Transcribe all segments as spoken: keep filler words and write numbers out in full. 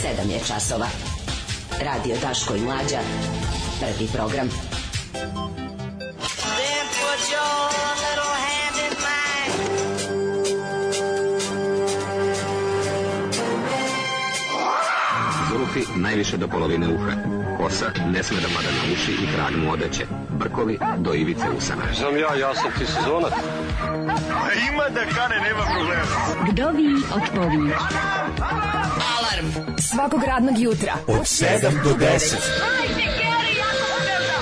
sedam je časova. Radio Daško i Mlađa. Prvi program. Then put your little hand in mine. Zurufi najviše do polovine uha. Kosa ne sme da pada na uši i krag mu odeće. Brkovi do ivice usana. Znam ja, ja sam ti sezonac. A ima da kane, nema problema. Vdovi odpovi. Alarm svakog radnog jutra od sedam do deset. Ajde, Geri, jako se velda.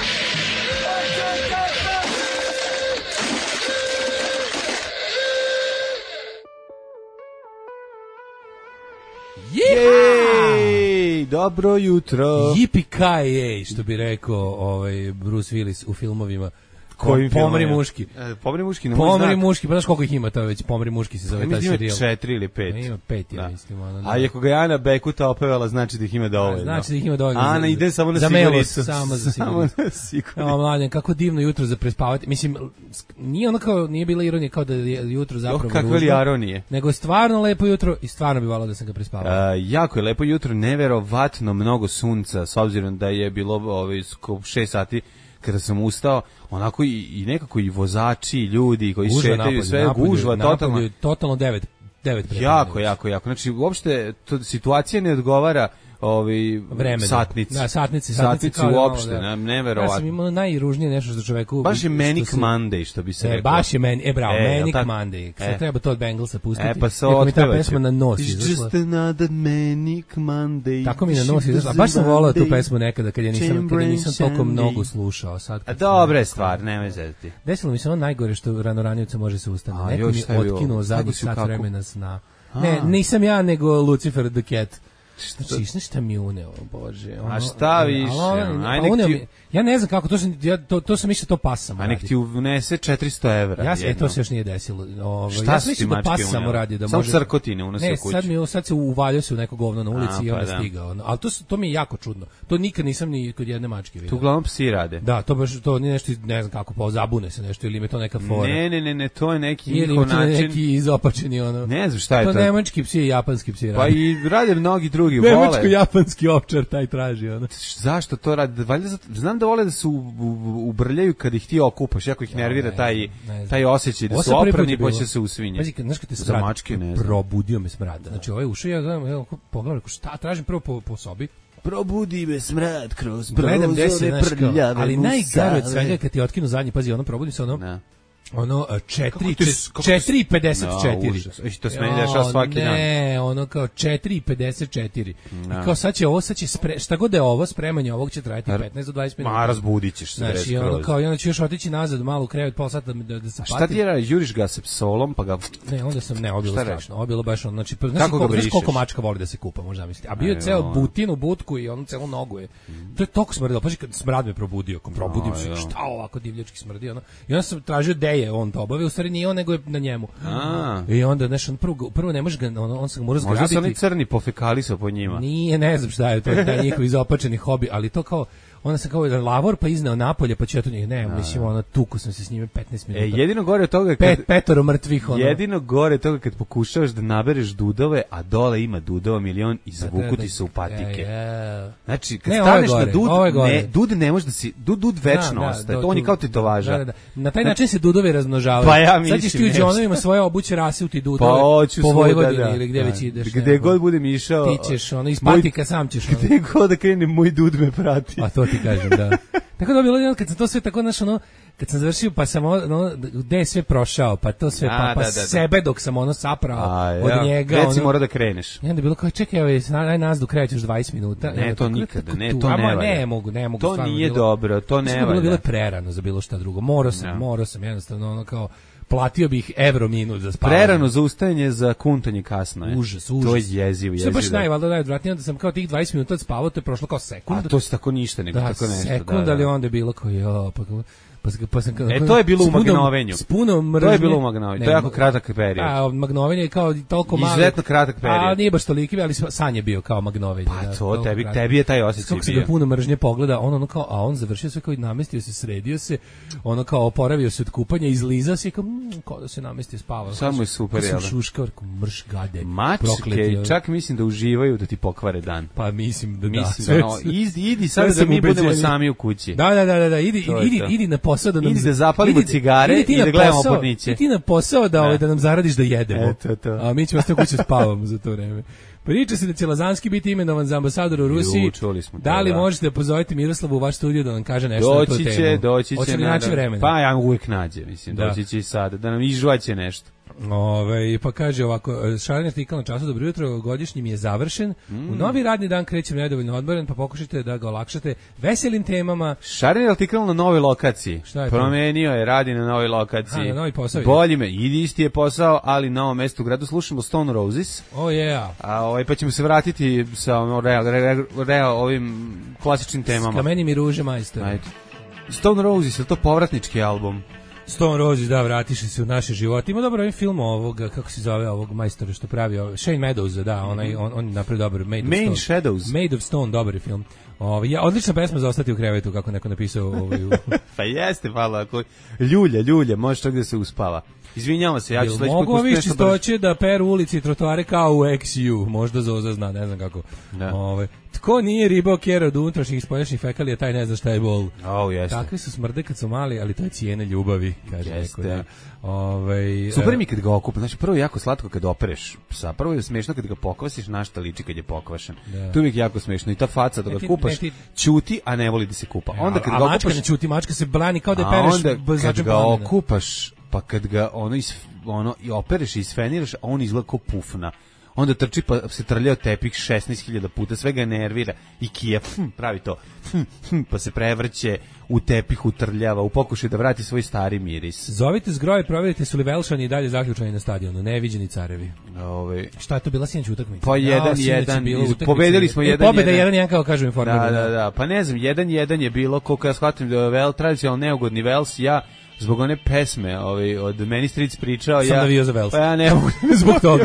Jej, dobro jutro. Yippee-ki-yay, što bi rekao ovaj Bruce Willis u filmovima. Kojim Pomri muški. E, pomri muški, na Pomri znak. Muški, pa znaš koliko ih ima to već, Pomri muški se zove taj serijal. Ima četiri ili pet. A ima pet, ja da. mislim. Ono, da. A ako ga je Ana Bekuta opevala, znači da ih ima dovoljno. Znači da ih ima dovoljno. Ana za, ide samo na za siguricu. Samo za siguricu. Samo na siguricu. Evo, mladen, kako divno jutro za prespavati. Mislim, nije ono kao, nije bila ironija kao da je jutro zapravo oh, kakve li ironije. Nego je stvarno lepo jutro i stvarno bi volao da sam ga prespavao. Uh, jako je lepo jutro, neverovatno mnogo sunca, s obzirom da je bilo ovaj, šest sati kada sam ustao, onako i, i nekako i vozači, i ljudi koji gužva šetaju, napolje, sve napolje, gužva, napolje, totalno. Totalno devet, devet jako, jako, jako. Znači, uopšte, to, situacija ne odgovara ovi vremena. Satnici. Da, satnici, satnici satnici uopšte, da. neverovatno. Ja sam imao najružnije nešto za čoveku. Baš je Manic se, Monday, što bi se e, rekao. Baš je meni, e bravo, e, Manic tak, Monday. Sad e. treba to od Bengalsa pustiti. E, pa se mi ta pesma na nos It's izašla. just another Manic Monday. Tako mi na nos izašla. Baš sam volao tu pesmu nekada, kad je nisam, kad je nisam toliko mnogo slušao. Sad, A dobra je stvar, nemoj zezati. Desilo mi se ono najgore što rano ranijevca može se ustane. A, Neko još, mi otkinuo zadnjih sat kako? vremena sna. Ne, nisam ja, nego Lucifer the Cat. Znači, znaš šta mi uneo, bože. Ono, a šta više? Ti... Ja ne znam kako, to sam, ja, to, to sam mišljao to pas samo radi. A nek ti unese četiristo evra. Ja, e, to se još nije desilo. Ovo, šta ja si ti da mačke pas samo radi. Da samo može... crkotine unosio kući. Ne, sad, mi, sad se uvaljao se u neko govno na ulici a, i onda pa stigao. Ali to, to mi je jako čudno. To nikad nisam ni kod jedne mačke vidio. Tu uglavnom psi rade. Da, to baš, to nije nešto, ne znam kako, pa zabune se nešto ili me to neka fora. Ne, ne, ne, ne, to je neki njihov način. Ili neki izopačeni ono. Ne znam šta je to. To nemački psi i japanski psi rade. Pa i rade mnogi drugi, vole. Nemačko-japanski ovčar taj traži ono. Zašto to rade? Valjda znam da vole da se ubrljaju kad ih ti okupaš, jako ih nervira taj taj osjećaj da su oprani pa će se usvinje. Pazi, znaš kad te smrad, probudio me smrad. Znači ovaj ušao ja gledam, evo pogledam šta tražim prvo po, po sobi. Probudi me smrad kroz gledam prozore prljave. Ali najgore od svega kad ti otkinu zadnji, pazi, ono probudi se ono. Ne. Ono četiri četiri pedeset četiri. To se meni dešava svaki dan. Ne, ono kao četiri pedeset četiri. I kao sad će ovo, sad će spre, šta god je ovo, spremanje ovog će trajati petnaest do dvadeset minuta. Ma razbudićeš se. Znači, ono kao, i onda ćeš još otići nazad malo u krevet, pola sata da, da se patim. Šta ti je, juriš ga se psolom, pa ga... Ne, onda sam, ne, obilo strašno. Obilo baš ono, znači, znaš koliko, koliko mačka voli da se kupa, možda misliti. A bio je ceo butin u butku i ono celu nogu je. To je toliko smrdilo. Paži, kad smrad me probudio, kom probudim se, šta ovako divljački smrdi, ono. I onda sam tražio deje on to obavio, u stvari nije on, nego je na njemu. A. I onda, znaš, on prvo, prvo ne može ga, on, on se ga mora zgrabiti. Možda su oni crni pofekalisao po njima. Nije, ne znam šta je to, da je njihov izopačeni hobi, ali to kao, onda sam kao jedan lavor, pa izneo napolje, pa ću to njih, ne, mislim, ono, tuku sam se s njime petnaest minuta. E, jedino gore od toga... Kad, Pet, petoro mrtvih, ono. Jedino gore od toga kad pokušavaš da nabereš dudove, a dole ima dudova milion i zavuku ti se u patike. Yeah. Znači, kad ne, staneš gore, na dud, ne, dud ne može da si, dud, dud večno da, ostaje, da, to on je kao tetovaža. Da, da, da. Na taj način se dudovi razmnožavaju. Pa ja mislim. Sad ćeš ti u džonovima svoje obuće rase u ti dudove, pa, po Vojvodini da, da, ili gde da, već ideš. Gde god budem išao. Ti ćeš, ono, iz patika sam ćeš. Gde god da krenem, moj dud me prati. A to ti kažem, da. Tako da bilo jedno kad sam to sve tako naš ono kad sam završio pa sam ono gde je sve prošao pa to sve A, pa, pa da, da, da. sebe dok sam ono saprao A, ja. od njega Gde si ono, mora da kreneš. I onda je bilo kao čekaj ovaj aj nas do kraja još dvadeset minuta. Ne, ne to nikada, ne, to ne valja. Ne mogu, ne mogu. To nije bilo, dobro, to ne valja. Bilo bilo prerano za bilo šta drugo. Morao sam, ja. morao sam jednostavno ono kao platio bih evro minut za spavanje. Prerano za ustajanje, za kuntanje kasno je. Užas, užas. To je jezivo, jezivo. Sve baš najvaljda najodvratnije da sam kao tih dvadeset minuta spavao, to je prošlo kao sekund. A to se tako ništa, nego da, tako nešto. Sekund, da, da. Ali onda je bilo kao, jo, pa kao, Pa, pa sam, e, to je bilo u Magnovenju. S puno mržnje. To je bilo u Magnovenju. To je jako kratak period. A, Magnovenje je kao toliko mali. Izuzetno kratak period. A, nije baš toliki, ali san je bio kao Magnovenje. Pa da, to, tebi, tebi je taj osjećaj bio. Kako se ga puno mržnje pogleda, on ono kao, a on završio sve kao i namestio se, sredio se, ono kao oporavio se od kupanja, izlizao se i kao, mm, kao da se namestio, spavao. Samo je super, jel? Kao šuškao, mrš gade. Mačke, čak mislim da uživaju da ti pokvare dan. Pa mislim da mislim da. da no, idi, idi sad da mi budemo sami u kući. Da, da, da, da, idi, idi, idi na posao da nam idi da zapalimo cigare i da gledamo porniće. Idi na posao da ovaj da nam zaradiš da jedemo. Eto to. A mi ćemo ostati u kući spavamo za to vreme. Priča se da će Lazanski biti imenovan za ambasadora u Rusiji. Ju, čuli smo to, da li da. možete da pozovete Miroslavu u vaš studio da nam kaže nešto doći na tu će, temu? Doći će, doći će. Vremena. Pa ja uvijek nađe, mislim, da. doći će i sada, da nam izžvaće nešto. Ove, pa kaže ovako, šareni artikal na času, dobro jutro, godišnji mi je završen, mm. u novi radni dan krećem nedovoljno odmoren, pa pokušajte da ga olakšate veselim temama. Šareni artikal na novoj lokaciji, šta je promenio to? Je, radi na novoj lokaciji. A, na novi posao. Bolji me, idi isti je posao, ali na novom mestu u gradu slušamo Stone Roses. Oh yeah. A ovaj, pa ćemo se vratiti sa real, real, real, ovim klasičnim temama. S kamenim i ruže majstor. Ajde. Stone Roses, je to povratnički album? Stone Roses, da, vratiše se u naše živote. Ima dobro ovaj film ovoga, kako se zove ovog majstora što pravi, ovaj, Shane Meadows, da, onaj, on, on je napravio dobar, Made Main of Stone. Shadows. Made of Stone, dobar je film. Ovaj, ja, odlična pesma za ostati u krevetu, kako neko napisao. Ovaj, u... pa jeste, hvala, ako ljulje, ljulje, može čak da se uspava. Izvinjavam se, ja ću sledeći put mogu ovi čistoće da peru ulici i trotoare kao u X U, možda Zoza zna, ne znam kako. Da. Ove, tko nije ribao kjera od unutrašnjih i spoljašnjih fekalija, taj ne zna šta je bol. Oh, jeste. Takvi su smrde kad su mali, ali to je cijene ljubavi, kaže jeste. neko. Da. Ove, super mi kad ga okupa, znači prvo je jako slatko kad opereš psa, prvo je smešno kad ga pokvasiš, na šta liči kad je pokvašen. Da. Tu je jako smešno i ta faca da ga kupaš, ti... ćuti, a ne voli da se kupa. Onda kad a, ga a mačka okupaš, ne ćuti, mačka se brani kao da je pereš. Onda kad ga okupaš, pa kad ga ono, is, ono i opereš i isfeniraš, a on izgleda kao pufna. Onda trči pa se trljao tepih šesnaest hiljada puta, sve ga nervira i kija hm, pravi to, hm, hm, pa se prevrće u tepih, utrljava, u pokušaju da vrati svoj stari miris. Zovite zgroje, provjerite su li Velšani i dalje zaključani na stadionu, neviđeni carevi. Ove... Šta je to bila sinoć utakmica? Pa jedan jedan, pobedili smo jedan jedan. Pobeda jedan jedan kao kažu informirano. Da, da, da, pa ne znam, jedan jedan je bilo, koliko ja shvatim da je Vel, tradicionalno neugodni Vels, ja zbog one pesme ovaj, od Meni Stric pričao, sam ja, navio za Vels. Pa ja ne mogu zbog toga.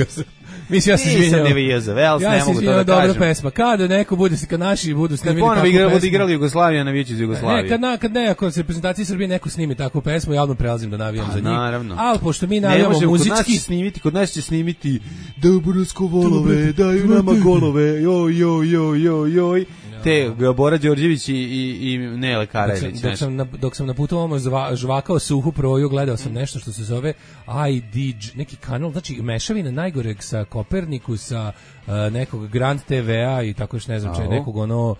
Mislim, ja se izvinjam. Nisam navio za Vels, ja ne mogu to da dobra kažem. pesma. Kada neko bude, kad naši budu snimili takvu pesmu. Kad ponovo igrali Jugoslavija, navijeću za Jugoslaviju. Ne, kad, na, kad ne, ako se reprezentaciji Srbije neko snimi takvu pesmu, ja odmah prelazim da navijam A, za njih. Naravno. Ali pošto mi navijamo muzički... Kod nas će snimiti, kod nas će snimiti Dobrosko volove, daju nama golove, joj, joj, joj, joj, joj. Te Bora Đorđević i, i, i Nele Karajlić. Dok, dok, sam na, dok sam na putu ovamo žvakao suhu proju, gledao sam nešto što se zove I D J, neki kanal, znači mešavina najgoreg sa Koperniku, sa uh, nekog Grand T V-a i tako još ne znam če, nekog ono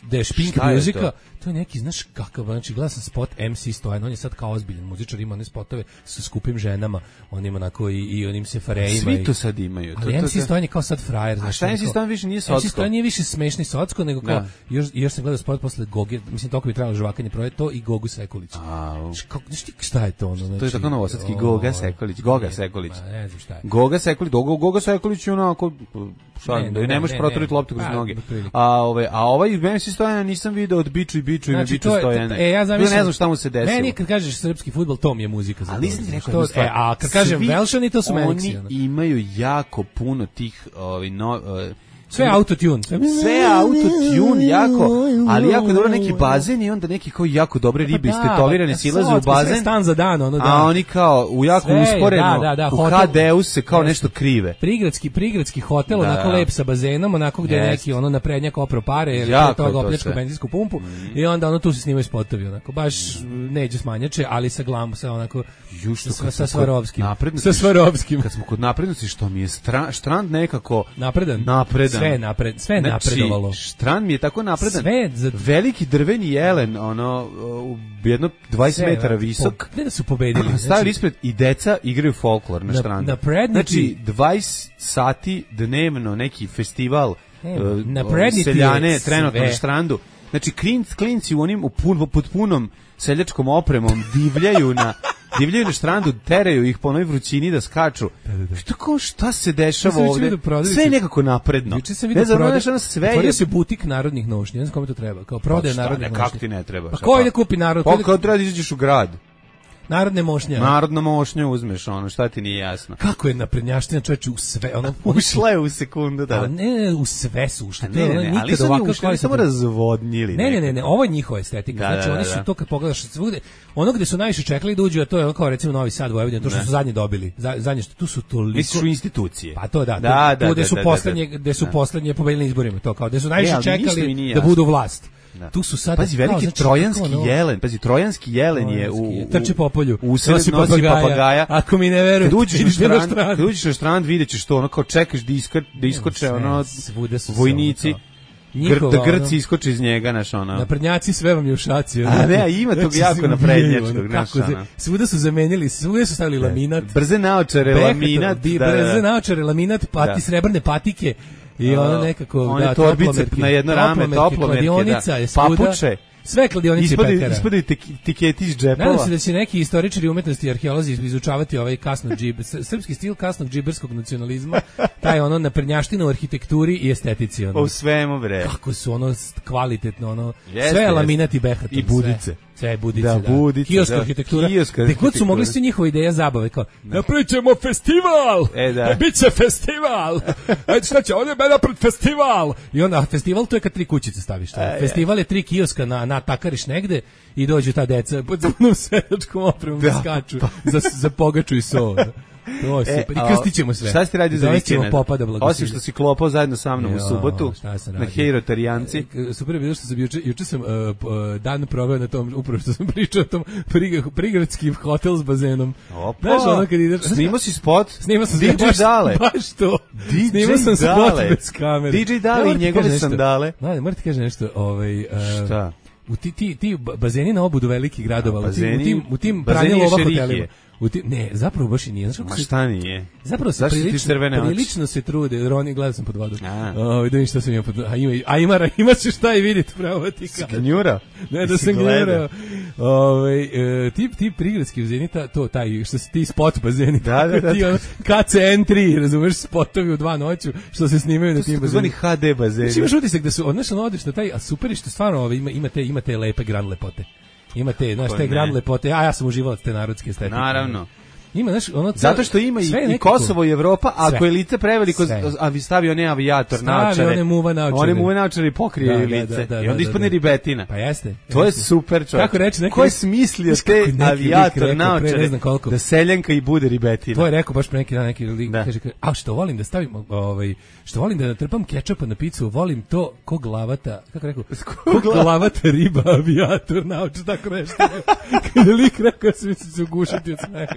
da je špink muzika, to je neki, znaš kakav, znači gledao sam spot M C Stojan, on je sad kao ozbiljan muzičar, ima one spotove sa skupim ženama, on ima onako i, i onim sefarejima. Svi to sad imaju. Ali M C Stojan je kao sad frajer. A šta M C Stojan više nije socko? M C Stojan nije više smešni socko, nego kao, još, još sam gledao spot posle Gogi, mislim toliko bi trebalo žvakanje proje, to i Gogu Sekulić. Znaš ti šta je to ono? Znači, to je tako novosadski Goga Sekulić, Goga Sekulić. Ne znam šta je. Goga Sekulić, Goga Sekulić je onako, šta, da ne možeš proturiti loptu kroz noge. A ovaj, a ovaj M C Stojan nisam video od Biču i Biču i znači, Biču Stojana. E, ja zamislim, ne znam šta mu se desilo. Meni kad kažeš srpski fudbal, to mi je muzika za to. Ali nisam ti rekao jednu stvar. E, a kad kažem Velšani, to su Meniksi. Oni imaju jako puno tih ovi, no, uh, sve autotune. Sve, sve autotune jako, ali jako dobro neki bazen i onda neki kao jako dobre ribe da, istetovirane da, silaze u bazen. Sve stan za dan, ono da. A oni kao u jako sve, usporeno, da, da, da, u H D-u se kao nešto krive. Prigradski, prigradski hotel, da, onako lep sa bazenom, onako gde yes. neki ono naprednjak opro pare, ili toga opljačka benzinsku pumpu mm. i onda ono tu se snimaju spotovi, onako baš mm. neđe smanjače, ali sa glamu, sa onako Jušto, sa, sa Svarovskim. Sa Svarovskim. Kad smo kod naprednosti, što mi je stra, štrand nekako napredan. Napredan. Sve napred, sve znači, napredovalo. Štrand mi je tako napredan. Sve za... veliki drveni jelen, ono jedno dvadeset metara visok. Po, gde da su pobedili? Stavili znači, ispred i deca igraju folklor na, na štrandu. Znači dvadeset sati dnevno neki festival uh, seljane trenutno na štrandu. Znači klinci, klinci u onim u pun, pod punom seljačkom opremom divljaju na divljaju na štrandu, teraju ih po onoj vrućini da skaču. Što kao, šta se dešava ovde? Sve je nekako napredno. Juče sam vidio prodaje, otvorio se butik narodnih nošnji, ne znam kome to treba, kao prodaje narodnih nošnji. Kako ti ne treba? Pa ko ide kupi narod? Pa kao treba da izađeš u grad. Narodne mošnje. Narodna mošnja uzmeš, ono, šta ti nije jasno. Kako je naprednjaština, čoveče, u sve, ono... Ušla je u sekundu, da. A ne, u sve su ušli. Ne, ne, ne, ali su oni ušli, samo razvodnjili. Ne, ne, ne, ne, ovo je njihova estetika. Da, znači, da, oni su da. To, kad pogledaš, svugde, ono gde su najviše čekali da uđu, a to je ono kao, recimo, Novi Sad, Vojvodina, to što ne. Su zadnje dobili. Zadnje što, tu su toliko... Misliš u institucije. Pa to da, da, da, tu, tu gde su da, poslednje, da, da. gde su poslednje pobedili na izborima, to kao, gde su najviše e, čekali da budu vlast. Da. Tu su sad pazi veliki znači, trojanski no, jelen, pazi trojanski jelen je u, u trči po polju, u nosi papagaja. papagaja. Ako mi ne veruješ, kad uđeš na strand, kad uđeš na strand videćeš to, ono kao čekaš da iska, da iskoče sve, ono vojnici. Njihova, da Grci iskoče iz njega, naš ono. Naprednjaci sve vam je u šaci. A ne, ima tog jako naprednjačkog, naš ono. Svuda su zamenjali, svuda su stavili laminat. Brze naočare, laminat. Brze naočare, laminat, pati srebrne patike. I ono nekako, one da, torbice na jedno rame, toplomerke, da, papuče. Sve kladionice i pekara. Ispadaju tiketi iz džepova. Nadam se da će neki istoričari umetnosti i arheolozi izučavati ovaj kasnog džiber, srpski stil kasnog džiberskog nacionalizma, taj ono naprednjaština u arhitekturi i estetici. Ono. U svemu, bre. Kako su ono kvalitetno, ono, jeste, sve je laminat i behaton. I budice. Sve. Sve budice, da. da. Budice, kioska da. arhitektura. Kioska Gde god su mogli svi njihove ideje zabave, kao, da. Napravit ćemo festival! E, da. Biće festival! Ajde, šta će, ovdje je napred festival! I onda, festival to je kad tri kućice staviš. E, festival je tri kioska na, na takariš negde i dođu ta deca pod zemnom svedačkom opremom da skaču za, za pogaču i so. To se, i krstit ćemo sve. Šta si ti radio za vikend? Osim što si klopao zajedno sa mnom jo, u subotu na Hejrotarijanci. Super je bilo što sam juče, juče sam uh, dan proveo na tom, upravo što sam pričao o tom prig, prigradski hotel s bazenom. Opa, znaš, ono kad ideš... Snimao si spot? Snimao sam D J baš, Dale. Baš to. D J Snimao sam Dale. spot bez kamere. D J Dale i njegove sandale. Da, moram ti kažem nešto. Ovaj, uh, šta? U ti, ti, ti bazeni na obudu velikih gradova, bazeni, u tim, u tim pranje lova hotelima. U ti, ne, zapravo baš i nije. Ma šta nije? Zapravo se prilično, prilično se trude. Roni, gledao sam pod vodom. O, vidim šta sam imao pod vodom. A ima, a ima, ima se šta i vidjeti, pravo ti kažem. Gnjura? Ne, da sam gnjurao. Ove, e, ti, ti prigradski bazeni, to taj, što se ti spot bazeni. Da, da, da. Ti ono, K C N tri, razumeš, spotovi u dva noću, što se snimaju na tim bazenima. To su H D bazeni. Imaš utisak da su, odnosno odeš na taj, a super je što stvarno ove, ima, imate, imate lepe grand lepote. Imate, znaš, te grand lepote, a ja sam uživalac te narodske estetike. Naravno. Ima, znaš, ono... Zato što ima i, i Kosovo i Evropa, a ako je lice preveliko, a vi stavi one avijator naočare. Stavi one muva naočare. One muva naočare i pokrije da, lice. Da, da, I onda ispadne ribetina. Pa jeste. To je super, čovječ. Kako reći, neki... Ko je smislio te avijator naočare da seljanka i bude ribetina? To je rekao baš pre neki dan neki lik, kaže, a što volim da stavim, ovaj, što volim da natrpam kečapa na picu, volim to ko glavata, kako rekao, ko glavata riba avijator naočare, tako nešto. Kada lik rekao, svi su se ugušiti od smeha.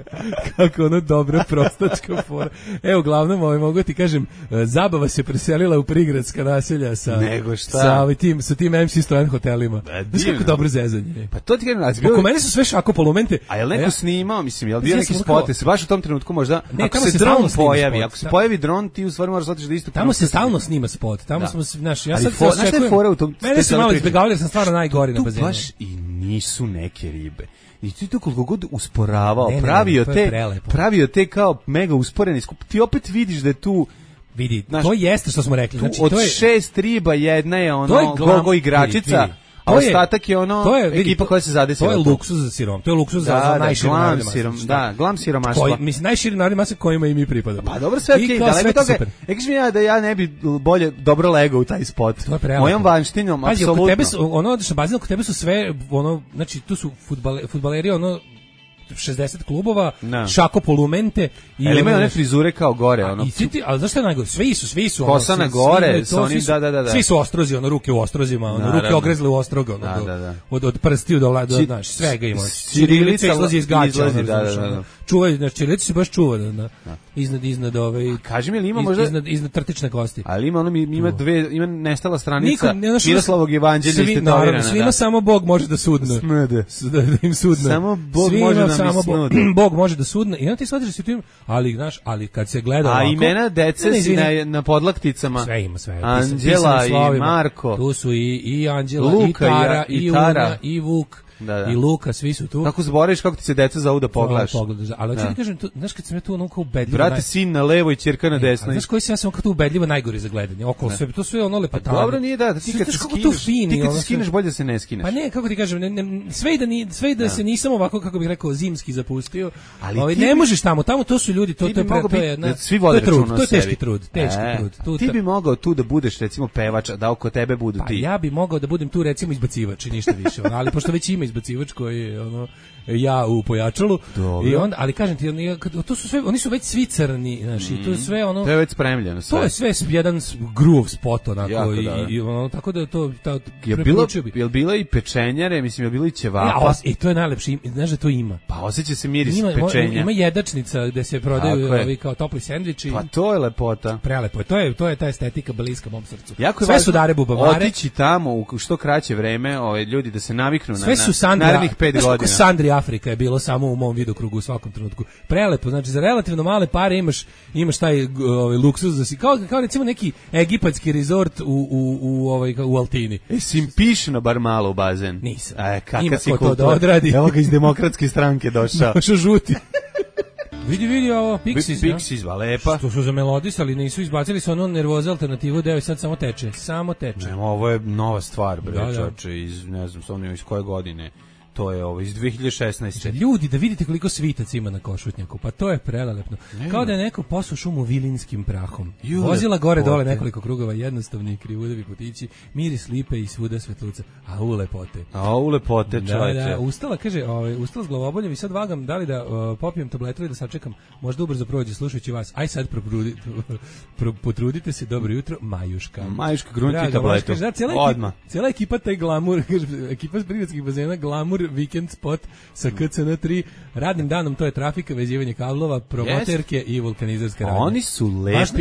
Kako ono dobra prostačka fora. Evo, uglavnom, ovaj, mogu ti kažem, zabava se preselila u prigradska naselja sa, Nego šta? sa, ovaj, tim, sa tim M C Stojan hotelima. Znaš kako dobro zezanje. Pa to ti kažem, ali oko mene su sve šako polumente. A je li neko ja, snimao, mislim, je li bio neki spote, se baš u tom trenutku možda, ne, ako se dron pojavi, spot, ako se pojavi dron, ti u stvari moraš otići da isto... Tamo se stalno snima spot, tamo da. smo, znaš, ja ali sad se očekujem... Znaš šta je fora u tom... Mene se malo izbjegavali, jer sam stvarno najgori na bazenu. Tu baš i nisu neke ribe. I ti to koliko god usporavao, ne, ne, pravio ne, te, prelepo. pravio te kao mega usporeni skup. Ti opet vidiš da je tu vidi, znaš, to jeste što smo rekli. Znači, od to je, šest riba jedna je ono je glam, gogo igračica. Vidi, vidi. A ostatak je ono to je, vidi, ekipa koja se zadesila. To je luksuz za sirom. To je luksuz da, za, za najširi narodne mase. Da, glam siromaštva. Mislim, najširi narodne mase kojima i mi pripadamo. Pa dobro, sve okej, okay, daleko toga. E, kažem ja da ja ne bi bolje dobro legao u taj spot. Mojom vanštinom, apsolutno. Kod tebe su, ono, odeš na bazen, kod tebe su sve, ono, znači, tu su fudbale, fudbaleri, ono, šezdeset klubova, no. šako polumente i ali imaju one frizure kao gore, ono. I ti, ali zašto je najgore? Svi su, svi su kosa na gore, sa onim da da da da. Svi su ostrozi, ono ruke u ostrozima, ono Naravno. ruke ogrezle u ostroga, ono. Da, do, da, da. Od od prstiju do do, znaš, svega ima. Ćirilica izlazi iz gaća, izlazi, da, da, da. Čuvaj, znači ćirilica se baš čuva, da, da. Iznad iznad ove. Kaži mi, ima možda iznad iznad trtične kosti. Ali ima ono ima dve, ima nestala stranica Miroslavog evanđelja istetovirana. Svima samo Bog može da sudne. Da im sudne. Samo Bog može da mi sudne. Bog može da sudne i onda ti shvatiš da si tim, ali znaš, ali kad se gleda a ovako, imena dece ne, si na, na podlakticama sve ima sve Anđela i Marko tu su i, i Anđela Luka, i Tara i, i Una i Vuk da, da. i Luka, svi su tu. Kako zaboraviš kako ti se deca zovu da pogledaš. Pogledaš, ali hoću ti kažem, tu, znaš kad sam ja tu ono kao ubedljivo... Brate, naj... sin na levo i ćerka na desno. Znaš koji sam ja sam kao tu ubedljivo najgori za gledanje, okolo sve, to sve ono lepotano. Dobro nije da, ti kad se skineš, ti kad se skineš bolje da se ne skineš. Pa ne, kako ti kažem, ne, ne, sve i da, ni, sve i da, da se nisam ovako, kako bih rekao, zimski zapustio, ali ovaj, ne možeš tamo, tamo to su ljudi, to, to je, pre, to je, na, svi vode to je trud, to je teški trud, teški e, trud. Tu, ti bi mogao tu da budeš recimo pevač, da oko tebe budu pa ti. Ja bi mogao da budem tu recimo izbacivač i ništa više, ono, ali pošto već ima izbacivač koji je ono ja u pojačalu. Dobro. I onda, ali kažem ti, oni, to su sve, oni su već svi crni, znači, mm. to je sve ono. To je već spremljeno sve. To je sve jedan groove spot onako i, da. i ono, tako da to ta je bilo je bila i pečenjare, mislim je bilo i ćevapa. E, to je najlepše, znaš da to ima. Pa osjeća se miris ima, pečenja. Ima jedačnica gde se prodaju ovi kao topli sendviči. Pa to je lepota. Prelepo je. To je to je ta estetika bliska mom srcu. Jako sve su dare bubamare. Otići tamo u što kraće vreme, ovaj ljudi da se naviknu sve na, su Sandri, narednih pet znaš, godina. Sandri Afrika je bilo samo u mom vidokrugu u svakom trenutku. Prelepo, znači za relativno male pare imaš imaš taj ovaj luksuz da si kao kao recimo neki egipatski resort u u u ovaj u Altini. E sim pišno bar malo u bazen. Nisam. E kakav si to da odradi. Evo ga iz demokratske stranke došao. Došao žuti. Vidi, vidi ovo, Pixies, Pixies, va lepa. Što su zamelodisali, nisu izbacili su ono nervoza alternativu, deo i sad samo teče, samo teče. Ne, ovo je nova stvar, bre, da, da. čoče, iz, ne znam, s iz koje godine. To je ovo, iz dve hiljade šesnaeste. Ljudi, da vidite koliko svitac ima na Košutnjaku, pa to je prelelepno. Ne, kao da je neko posuo šumu vilinskim prahom. Jule, vozila gore pote. Dole nekoliko krugova, jednostavni krivudevi putići, miris lipe i svuda svetluca. A u lepote. A u lepote, čovječe. Da, da, ustala, kaže, ovaj, ustala s glavoboljem i sad vagam, da li da uh, popijem tabletu i da sačekam, možda ubrzo prođe slušajući vas. Aj sad proprudi, pro, potrudite se, dobro jutro, Majuška. Majuška, grunti tabletu. Kaže, da, cijela odmah. Ekipa, cijela ekipa taj glamur, kaže, ekipa s prigradskih bazena, glamur Weekend spot sa K C N tri, radnim danom to je trafika, vezivanje kablova, promoterke yes. i vulkanizerska radnja. Oni su lepi, Važno?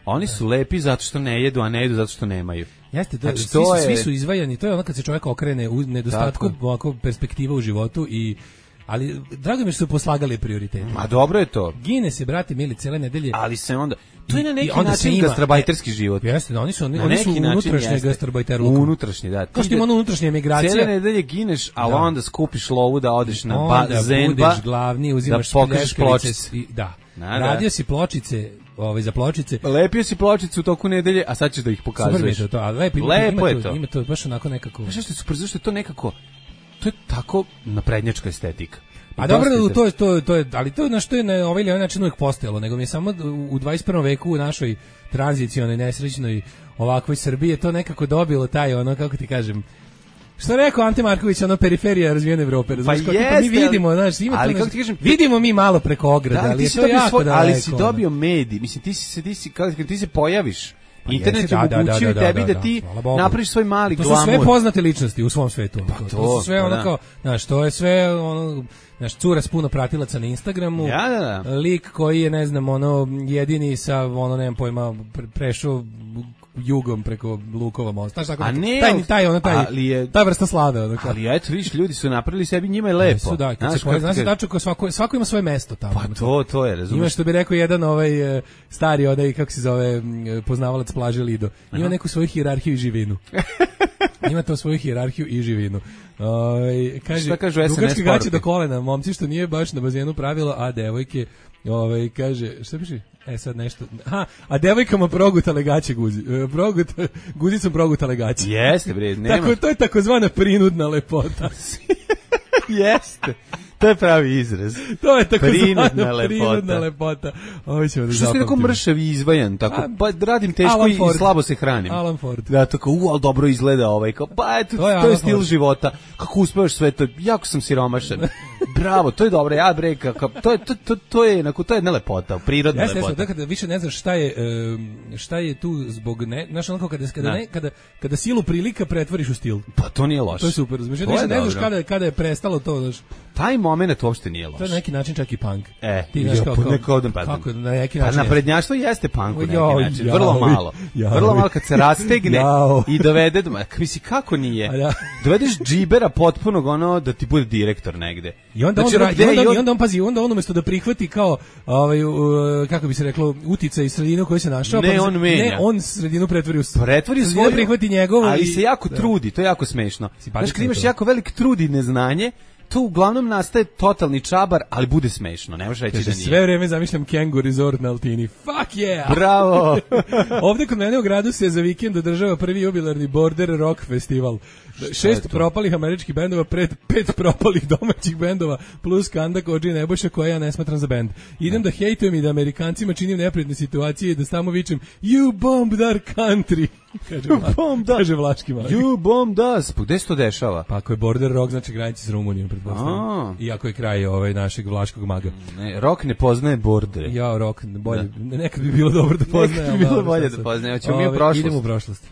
Oni su lepi zato što ne jedu, a ne jedu zato što nemaju. Jeste, to, znači, svi, to su, je... svi su izvajani, to je ono kad se čovjek okrene u nedostatku ovako perspektiva u životu i ali drago mi što su poslagali prioritete. Ma dobro je to. Gine se, brate mili, cele nedelje. Ali se onda to je na neki način gastrobajterski život. Jeste, da, oni su oni, oni su unutrašnji gastrobajterluk. Unutrašnji, da. Kao što ima ono unutrašnja emigracija. Cele nedelje gineš, a da. Onda skupiš lovu da odeš na bazen, da budeš glavni, uzimaš da pokriš pločice. Da. Na, radio da. Si pločice, ovaj za pločice. Lepio si pločice u toku nedelje, a sad ćeš da ih pokazuješ. Super je to, a lepo, lepo ima, je to. Ima to baš onako nekako. Znaš što je super, zašto je to nekako to je tako naprednjačka estetika. A dobro, to je to to je, ali to je na što je na ovaj ili onaj način uvijek postojalo, nego mi je samo u dvadeset prvom veku u našoj tranzicionoj nesrećnoj ovakvoj Srbiji je to nekako dobilo taj ono kako ti kažem. Što rekao Ante Marković, ono periferija razvijene Evrope, razumiješ, pa kako mi vidimo, znaš, ima ali, to, kako ti kažem, vidimo mi malo preko ograda, da, ali je to jako svoj, daleko. Ali si dobio medij, mislim, ti si, ti si, kako ti se pojaviš, pa internet je omogućio da, da, tebi da, da, da ti napraviš svoj mali to glamur. To su sve poznate ličnosti u svom svetu. Pa to, to su sve pa ono da. Kao, znaš, to je sve ono, znaš, cura s puno pratilaca na Instagramu, ja, da, da. Lik koji je, ne znam, ono, jedini sa, ono, nemam pojma, pre, prešao jugom preko Lukova mosta. Znaš, tako, ne, taj, taj, ono, taj, je, ta vrsta slave. Ono, ali eto, viš, ljudi su napravili sebi, njima je lepo. Su, da, znaš, znaš, znaš, znaš, znaš, svako, svako ima svoje mesto tamo. Pa to, to je, razumiješ. Ima što bi rekao jedan ovaj stari, onaj, kako se zove, poznavalac plaže Lido. Ima Aha. neku svoju hijerarhiju i živinu. Ima to svoju hijerarhiju i živinu. Ovaj kaže, šta kažu S N S dugačke gaće do kolena, momci što nije baš na bazenu pravilo, a devojke, ovaj kaže, šta piše? E sad nešto. Aha, a devojkama progutale gaće guzi. Progut guzicom progutale gaće. Jeste bre, nema. Tako to je takozvana prinudna lepota. Jeste. To je pravi izraz. To je tako prinudna lepota. Prinudna lepota. Ovo ćemo da što si neko mršav i izvajan, tako, a, pa radim teško i slabo se hranim. Alan Ford. Da, tako, u, ali dobro izgleda ovaj, kao, pa eto, to je, to je stil Ford. Života. Kako uspevaš sve to, jako sam siromašan. Bravo, to je dobro, ja bre, kako, to je, to, to, to je, onako, to je jedna lepota, prirodna ja, lepota. Ja kada više ne znaš šta je, šta je tu zbog, ne, znaš onako, kada, kada, ne, kada, kada silu prilika pretvoriš u stil. Pa to nije loše. To je super, razumiješ, ne, ne znaš kada, kada je prestalo to, znaš. Taj moment uopšte nije loš. To je na neki način čak i punk. E, ti znaš kao, neko odem pa. Kako na neki način? Pa naprednjaštvo jeste punk na neki jo, način, jo, vrlo malo. Jo, vrlo malo kad se rastegne jo. I dovede do, misli kako nije. Ja. Dovedeš džibera potpunog ono da ti bude direktor negde. I onda on, znači, ra, i onda, on, i onda on pazi, onda on umesto da prihvati kao ovaj uh, kako bi se reklo uticaj sredinu koji se našao, ne, pa on menja. Ne, on sredinu pretvori u pretvori svoju, prihvati njegovo, ali i, se jako da. trudi, to je jako smešno. Znaš, kad imaš jako velik trud i neznanje, to uglavnom nastaje totalni čabar, ali bude smešno, ne možeš reći Kaže, da nije. Sve vreme zamišljam Kengu Resort na Altini. Fuck yeah! Bravo! Ovde kod mene u gradu se za vikend održava prvi jubilarni Border Rock festival. Šest propalih američkih bendova pred pet propalih domaćih bendova plus Kanda, Kođi i Nebojša koja ja ne smatram za bend. Idem da hejtujem i da Amerikancima činim neprijatne situacije i da samo vičem You bombed our country. Kaže, Vla, kaže Vlaški Mali. You bombed us. Pa gde se to dešava? Pa ako je Border Rock, znači granici s Rumunijom, pretpostavljam. I ako je kraj ovaj našeg Vlaškog maga. Ne, rock ne poznaje bordere. Ja, rock, bolje, da. Nekad bi bilo dobro da poznaje. Nekad bi bilo ali, bolje da poznaje. Hoćemo mi u prošlost. Idemo u prošlost.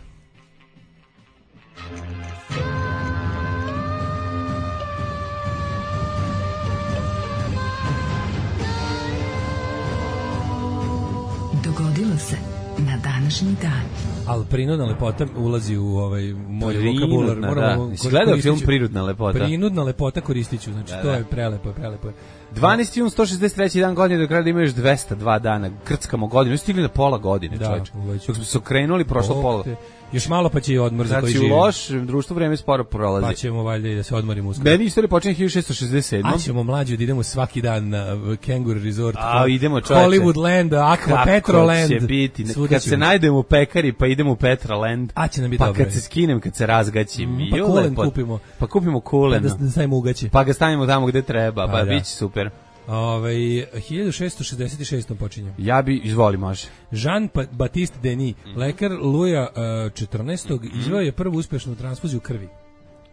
Dogodilo se na današnji dan. Al prinudna lepota ulazi u ovaj moj vokabular. Moramo da. Gledao film Prinudna lepota. Prinudna lepota koristiću, znači da, to da. je prelepo, prelepo. dvanaesti jun sto šezdeset treći dan godine, do kraja da ima još dvesta dva dana, krckamo godinu, stigli na pola godine, da, čovječe. Dok smo se okrenuli, prošlo o, pola. Te, još malo pa će i odmor za koji živi. Znači, u lošem društvu vreme sporo prolazi. Pa ćemo valjda i da se odmorimo uskoro. Meni istorija počinje hiljadu šessto šezdeset sedmom. A ćemo mlađi da idemo svaki dan na Kangaroo Resort. A, idemo čovječe. Hollywood Land, Aqua, Petroland. Kako će biti, kad se najdemo u pekari, pa idemo u Petroland. A će nam biti pa dobro. Pa kad se skinem, kad se razgaćim. Mm, pa kulen kupimo. Pa kupimo kulen. Pa da, da stavimo ugaće. Pa ga stavimo tamo gde treba, pa, pa bit će super. Ove, hiljadu šessto šezdeset šestom počinje. Ja bi, izvoli, može. Jean-Baptiste Denis, mm. lekar Luja uh, četrnaestog Mm. izveo je prvu uspešnu transfuziju krvi.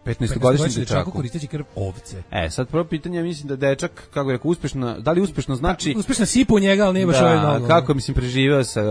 petnaestogodišnji dečaku koristeći krv ovce. E, sad prvo pitanje, mislim da dečak, kako je rekao, uspešno, da li uspešno znači... Pa, uspešna sipa u njega, ali nije baš da, ovaj mnogo. Kako, mislim, preživeo sa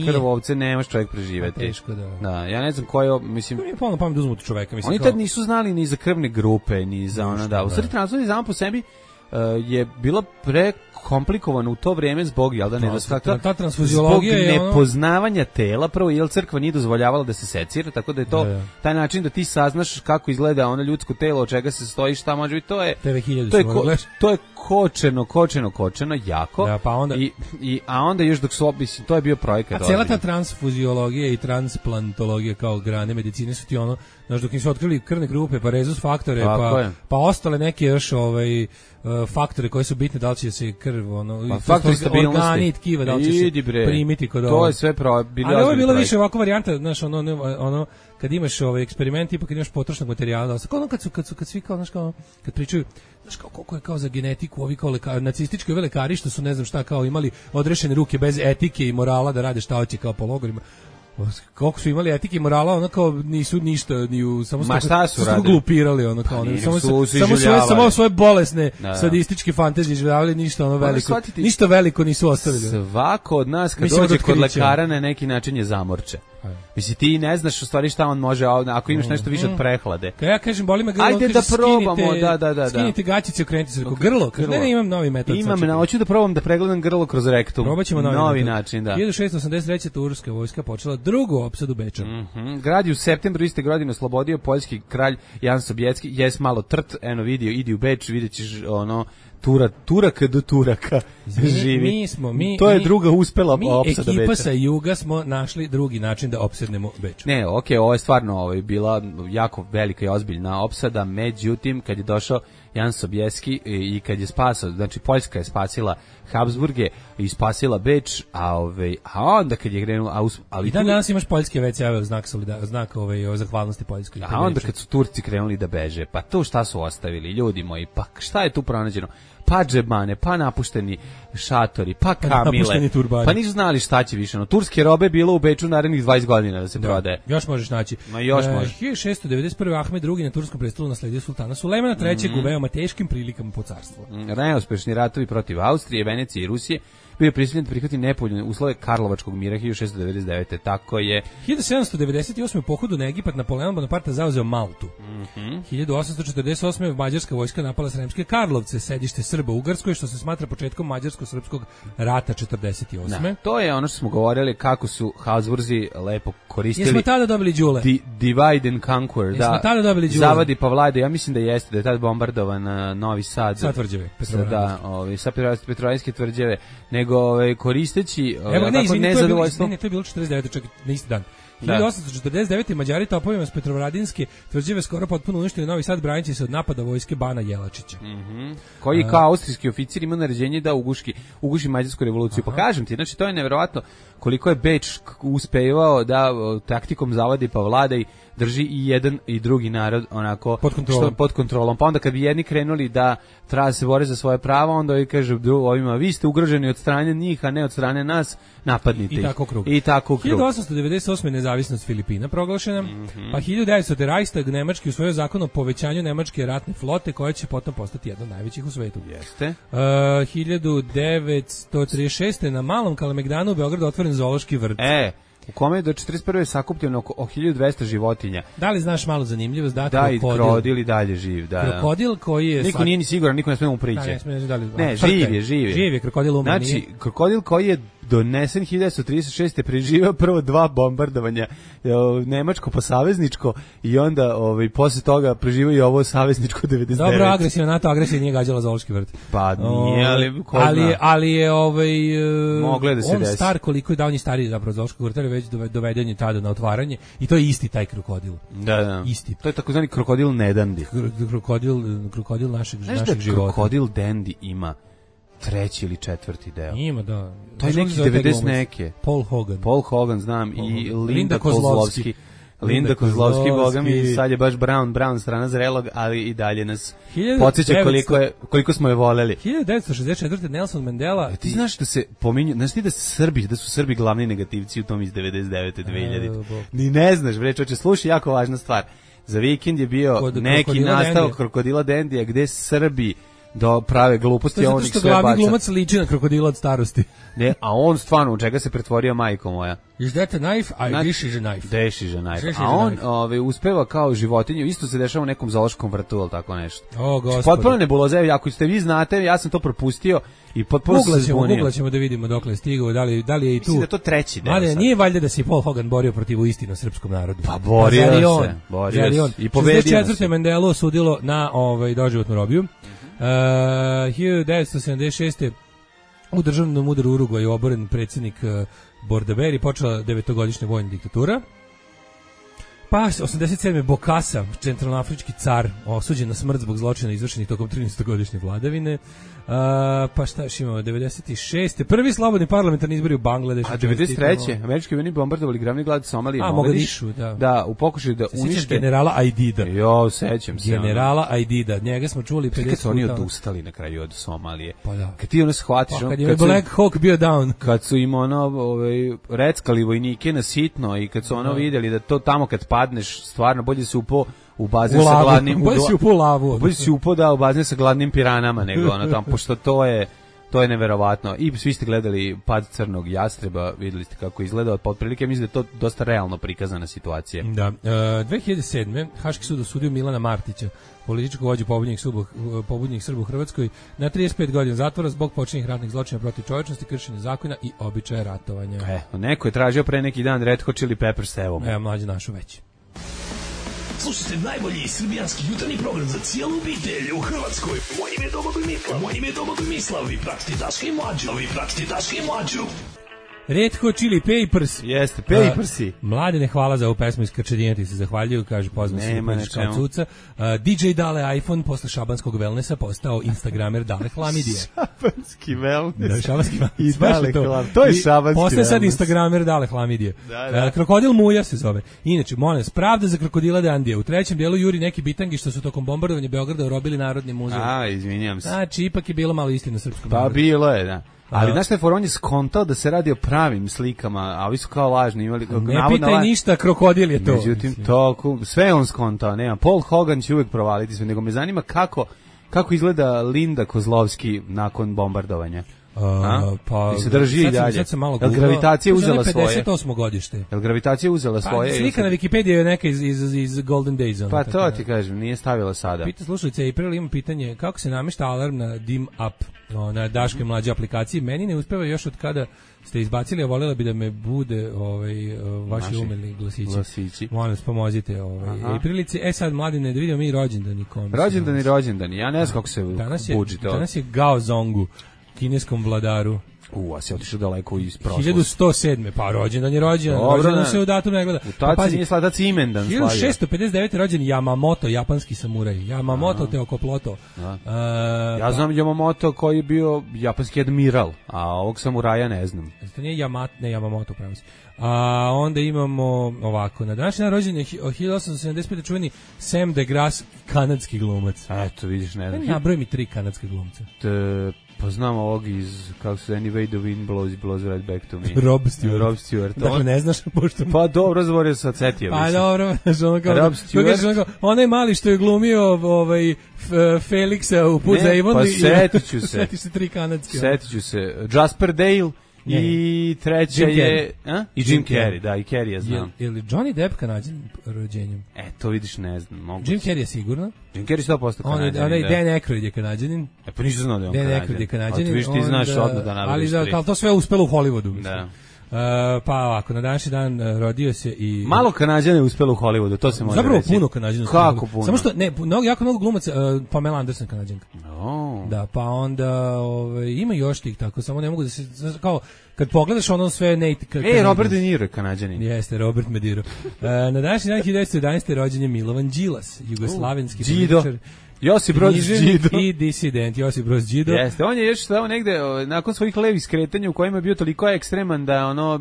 krv ovce, nemaš čovjek preživeti. Teško, da. Da, ja ne znam koje, mislim... Mi je polno pamet uzmu tu čoveka, mislim. Oni kao... tad nisu znali ni za krvne grupe, ni za ono, da. U stvari transfuzija samo po sebi uh, je bila pre komplikovano u to vrijeme zbog jel da nedostatka ta transfuziologija zbog je nepoznavanja ono... tela, prvo jel crkva nije dozvoljavala da se secira, tako da je to da, da. taj način da ti saznaš kako izgleda ono ljudsko telo, od čega se stoji, šta može biti, to je T V hiljadu to je ko, to je kočeno, kočeno, kočeno jako. Da, pa onda i, i a onda još dok su mislim to je bio projekat. A cela ta transfuziologija i transplantologija kao grane medicine su ti ono, znaš, dok im su otkrili krvne grupe, pa rezus faktore, pa, pa ostale neke još ovaj uh, faktore koji su bitne, da li će se krv, ono, pa, faktori stabilnosti, organi i tkiva, da li će se primiti kod ovo. To je sve pro, bilo. Ali ovo je bilo više ovako varijanta, znaš, ono, ono, kad imaš ovaj eksperiment, tipa kad imaš potrošnog materijala, kao ono kad su, kad su, kad svi kao, znaš, kao, kad pričaju, znaš, kao koliko je kao za genetiku, ovi kao lekari, nacistički ovi lekari što su, ne znam šta, kao imali odrešene ruke bez etike i morala da rade šta hoće kao po logorima. Koliko su imali etike i morala, ono kao nisu ništa ni u samo Ma šta su, su glupirali, ono kao, pa, samo, su, su samo svoje samo svoje bolesne da, sadističke fantazije izživljavali, ništa ono veliko, shvatiti, ništa veliko nisu ostavili. Svako od nas kad dođe kod lekara na neki način je zamorče. Mislim, ti ne znaš u stvari šta on može, ako imaš nešto više od prehlade. Kad ja kažem, boli me grlo, ajde da probamo, skinite, da, da, da. Skinite gaćice, okrenite se, rekao, grlo, grlo. Ne, ne, imam novi metod. Imam, na, hoću da probam da pregledam grlo kroz rektum. Probaćemo novi, novi način, da. hiljadu šessto osamdeset treće turska vojska počela drugu opsadu Beča. Mm -hmm. Grad je u septembru iste godine oslobodio poljski kralj Jan Sobieski, jes malo trt, eno vidio, idi u Beč, vidjet ćeš ono, Tura, Turaka do Turaka živi. Mi smo, mi, to je mi, druga uspela mi, opsada Beča. Mi ekipa sa juga smo našli drugi način da opsednemo Beč. Ne, okej, okay, ovo je stvarno ovo je bila jako velika i ozbiljna opsada, međutim, kad je došao Jan Sobieski i kad je spasao, znači Poljska je spasila Habsburge i spasila Beč, a ovaj a onda kad je krenuo, a ali i dan danas imaš poljske ve ce znak solida, znak ovaj o zahvalnosti Poljskoj. A onda kad su Turci krenuli da beže, pa to šta su ostavili ljudi moji, pa šta je tu pronađeno? Pa džebane, pa napušteni šatori, pa kamile, pa nisu znali šta će više. No, turske robe bilo u Beču narednih dvadeset godina da se da, prodaje. Još možeš naći. Ma još e, možeš. hiljadu šessto devedeset prve. Ahmed drugi na turskom prestolu nasledio sultana Sulejmana trećeg mm -hmm. u veoma teškim prilikama po carstvu. Neuspešni ratovi protiv Austrije, Venecije i Rusije bio je prisiljen da prihvati nepovoljne uslove Karlovačkog mira hiljadu šessto devedeset devete. Tako je. hiljadu sedamsto devedeset osme. u pohodu na Egipat Napoleon Bonaparte zauzeo Maltu. Mhm. hiljadu osamsto četrdeset osme. mađarska vojska napala Sremske Karlovce, sedište Srba u Ugarskoj, što se smatra početkom mađarsko-srpskog rata četrdeset osme. Da, to je ono što smo govorili kako su Habsburzi lepo koristili. Jesmo tada dobili đule? Di, divide and conquer. Jesmo da, tada dobili đule? Zavadi pa vlade. Ja mislim da jeste, da je tad bombardovan uh, Novi Sad. Sa tvrđave. Da, ovaj, sa Petrovaradinske tvrđave. Nego ovaj, koristeći ovaj, Evo, ne, izvini, nezadovoljstvo. Ne, ne, to je bilo četrdeset devete. čak na isti dan. hiljadu osamsto četrdeset devete. Mađari topovima s Petrovaradinske tvrđave skoro potpuno uništili Novi Sad braneći se od napada vojske Bana Jelačića. Mm-hmm. Koji kao austrijski oficir ima naređenje da uguši, uguši mađarsku revoluciju. Aha. Pa kažem ti, znači to je neverovatno koliko je Beč uspevao da taktikom zavadi pa vladaj drži i jedan i drugi narod onako pod kontrolom. Što, pod kontrolom. Pa onda kad bi jedni krenuli da treba se bore za svoje prava, onda ovi kaže ovima vi ste ugroženi od strane njih, a ne od strane nas, napadnite I ih. Tako krug. I tako krug. hiljadu osamsto devedeset osme. nezavisnost Filipina proglašena, mm-hmm. pa hiljadu devetsto. Reichstag nemački usvojio zakon o povećanju nemačke ratne flote koja će potom postati jedna od najvećih u svetu. Jeste. Uh, hiljadu devetsto trideset šeste. na Malom Kalemegdanu u Beogradu otvoren zoološki vrt. E, u kome je do četrdeset prve sakupljeno oko hiljadu dvesta životinja. Da li znaš malo zanimljivost? Da, da i krokodil i dalje živ. Da, krokodil koji je... Niko nije ni siguran, niko ne smije mu prići. Da, ne, smije, da li, ne živ je, živ je. Živ je, krokodil umre. Znači, nije. Krokodil koji je donesen hiljadu devetsto trideset šeste. preživeo prvo dva bombardovanja, nemačko pa savezničko, i onda ovaj, posle toga preživeo i ovo savezničko devedeset devete. Dobro, agresivna NATO agresija nije gađala zoološki vrt. Pa nije, ali ko ali, zna. ali je ovaj, Mogle da se on desi. Star koliko je, da on je stariji zapravo zoološkog vrta, već doveden je tada na otvaranje i to je isti taj krokodil. Da, da. Isti. To je takozvani krokodil nedandi. Krokodil, krokodil našeg, Znaš našeg da života. Krokodil Dandy ima treći ili četvrti deo. Ima, da. To je neki devedeset neke. Paul Hogan. Paul Hogan, znam, Paul i Hogan. Linda, Linda Kozlovski. Kozlovski. Linda Kozlovski, boga mi, sad je baš Brown, Brown strana zrelog, ali i dalje nas podsjeća koliko, je, koliko smo je voleli. hiljadu devetsto šezdeset četvrte. Nelson Mandela. E, ti znaš da se pominju, znaš ti da su Srbi, da su Srbi glavni negativci u tom iz devedeset devete. dve hiljadite. Ni ne znaš, bre, čoče, slušaj, jako važna stvar. Za vikend je bio Kod neki nastavak Krokodila Dandija gde Srbi do prave gluposti, on ih sve baca. To je zato što glavni glumac liči na krokodila od starosti. Ne, a on stvarno, u čega se pretvorio, majko moja? Is that a knife? I this is a knife. This is a knife. A on ove, uspeva kao životinju, isto se dešava u nekom zoološkom vrtu, ili tako nešto. O, gospode. Potpuno nebuloze, ako ste vi znate, ja sam to propustio i potpuno se zbunio. Googlaćemo da vidimo dokle je stigao, da li, da li je i tu. Mislim da to treći deo. Ali nije valjda da se Paul Hogan borio protiv istinu srpskom narodu. Pa borio pa, se, on, borio se. I pobedio se. šezdeset četvrte. Mandela osudilo na ovaj, doživotnu robiju. Uh, hiljadu devetsto sedamdeset šeste. u državnom udaru Urugvaju oboren predsjednik uh, Bordaberi, počela devetogodišnja vojna diktatura. Pa osamdeset sedme. Bokassa, centralnoafrički car, osuđen na smrt zbog zločina izvršenih tokom trinaestogodišnje vladavine. Uh, pa šta još imamo? devedeset šeste. Prvi slobodni parlamentarni izbori u Bangladešu. A devedeset treće. Američki vojni bombardovali glavni grad Somalije, a, Mogadišu, da. Da, u pokušaju da unište generala Aidida. Jo, sećam se. Generala Aidida. Njega smo čuli pedeset kad su oni odustali na kraju od Somalije. Pa da. Kad ti ono shvatiš, pa, kad je Black Hawk bio down. Kad su im ono, ovaj, reckali vojnike na sitno i kad su ono da. vidjeli da to tamo kad padneš, stvarno bolje se upo u bazen sa gladnim bolje si upo u lavu. Bolje si upo da u bazen sa gladnim piranama nego ono tamo, pošto to je to je neverovatno. I svi ste gledali Pad crnog jastreba, videli ste kako izgleda, otprilike mislim da je to dosta realno prikazana situacija. Da. E, dve hiljade sedme. Haški sud osudio Milana Martića, političkog vođu pobunjenih Srba, pobunjenih Srba u Hrvatskoj, na trideset pet godina zatvora zbog počinjenih ratnih zločina protiv čovječnosti, kršenja zakona i običaja ratovanja. E, neko je tražio pre neki dan Red Hot Chili Peppers, evo mu. Evo, mlađe našu već. Slušajte najbolji srbijanski jutarnji program za cijelu obitelj u Hrvatskoj. Moje ime je Domagoj Mislav. Moje ime je Domagoj Mislav. Vi pratite Daška i Mlađu. Vi pratite Daška i Mlađu. Red Hot Chili Peppers. Jeste, Peppersi. Uh, mladene, hvala za ovu pesmu iz Krčedina, ti se zahvaljuju, kaže pozvam se kao cuca. Uh, D J Dale iPhone posle šabanskog wellnessa postao instagramer Dale Hlamidije. Šabanski wellness. Da, šabanski wellness. I Dale to. to je šabanski wellness. Postaje sad instagramer Dale Hlamidije. Da, da. Uh, krokodil Muja se zove. Inače, molim vas, pravda za krokodila Dandija. U trećem dijelu juri neki bitangi što su tokom bombardovanja Beograda urobili Narodni muzej. A, izvinjam se. Znači, ipak je bilo malo istina srpskom pa narodu. bilo je, da. Ali znaš šta je for, on je skontao da se radi o pravim slikama, a ovi su kao lažni imali. Ne pitaj la... ništa, krokodil je to. Međutim, to, sve on skontao, nema. Paul Hogan će uvijek provaliti sve, nego me zanima kako, kako izgleda Linda Kozlovski nakon bombardovanja. Uh, pa se drži i dalje. Sad sam malo Jel gravitacija uzela svoje? pedeset osmo godište. Jel gravitacija uzela svoje? Pa, slika na Wikipediji je neka iz, iz, iz Golden Days. Pa to ti kažem, nije stavila sada. Pita slušajte, April ima pitanje kako se namešta alarm na dim up, no, na Daškoj mlađe aplikaciji. Meni ne uspeva još od kada ste izbacili, a voljela bi da me bude ovaj, vaši Naši umilni glasići. glasići. Molim vas, pomozite. Ovaj. Aprilici, e sad, mladine, da vidimo mi rođendani. Rođendani, rođendani. Ja ne znam kako se buđi to. Danas je Gao Zongu, kineskom vladaru. U, a se otišao daleko iz prošlosti. hiljadu sto sedme pa rođendan je rođendan. Rođendan se u datum ne gleda. U taci pa, nije sladac imendan slavio. hiljadu šessto pedeset devete rođen Yamamoto, japanski samuraj. Yamamoto Teokoploto. Uh, ja znam Yamamoto koji je bio japanski admiral, a ovog samuraja ne znam. To nije Yamato, ne Yamamoto, pravo si. A onda imamo ovako, na današnji dan rođen je hiljadu osamsto sedamdeset pete čuveni Sam DeGrasse, kanadski glumac. Eto, vidiš, ne znam. Nabroj mi tri kanadske glumca. Te, pa znam ovog iz, kako se Anyway the Wind Blows, blows right back to me. Rob Stewart. Rob Stewart. Dakle, on, ne znaš pošto... Pa dobro, zavorio sa Cetija. Pa dobro, znaš ono kao... Rob Stewart. Onaj mali što je glumio ovaj, Felixa u Put za Avon. Pa setit ću se. Setiš se tri kanadske. Setit ću se. Jasper Dale. Ne, I treća je a? I Jim, Jim Carrey, da, i Carrey ja znam. Je li Johnny Depp Kanadžan rođenjem? E, to vidiš, ne znam. Mogu Jim Carrey je sigurno. Jim Carrey sto posto Kanadžan. On je Dan Aykroyd je Kanadžanin. E, pa nisam znao da je on Dan Kanadžan. Dan Aykroyd je Kanadžanin. A ti viš, ti znaš odmah da navodiš tri. Ali da, to sve uspelo u Hollywoodu. Da. Uh, pa ovako, na današnji dan uh, rodio se i... Malo Kanadžana je uspelo u Hollywoodu, to se može Zapravo reći. puno Kanadžana. Kako puno? Samo što, ne, mnogo, jako mnogo glumaca, uh, Pamela Anderson Kanadžanka. No. Da, pa onda ove, ima još tih tako, samo ne mogu da se, kao, kad pogledaš ono sve... Ne, e, Robert De Niro je Kanadžanin. Jeste, Robert Mediro. uh, na današnji dan hiljadu devetsto jedanaeste rođen je Milovan Đilas, jugoslavenski političar. Josip Broz Đido i disident Josip Broz Đido. Jeste, on je još stao negde nakon svojih levih skretanja u kojima je bio toliko ekstreman da ono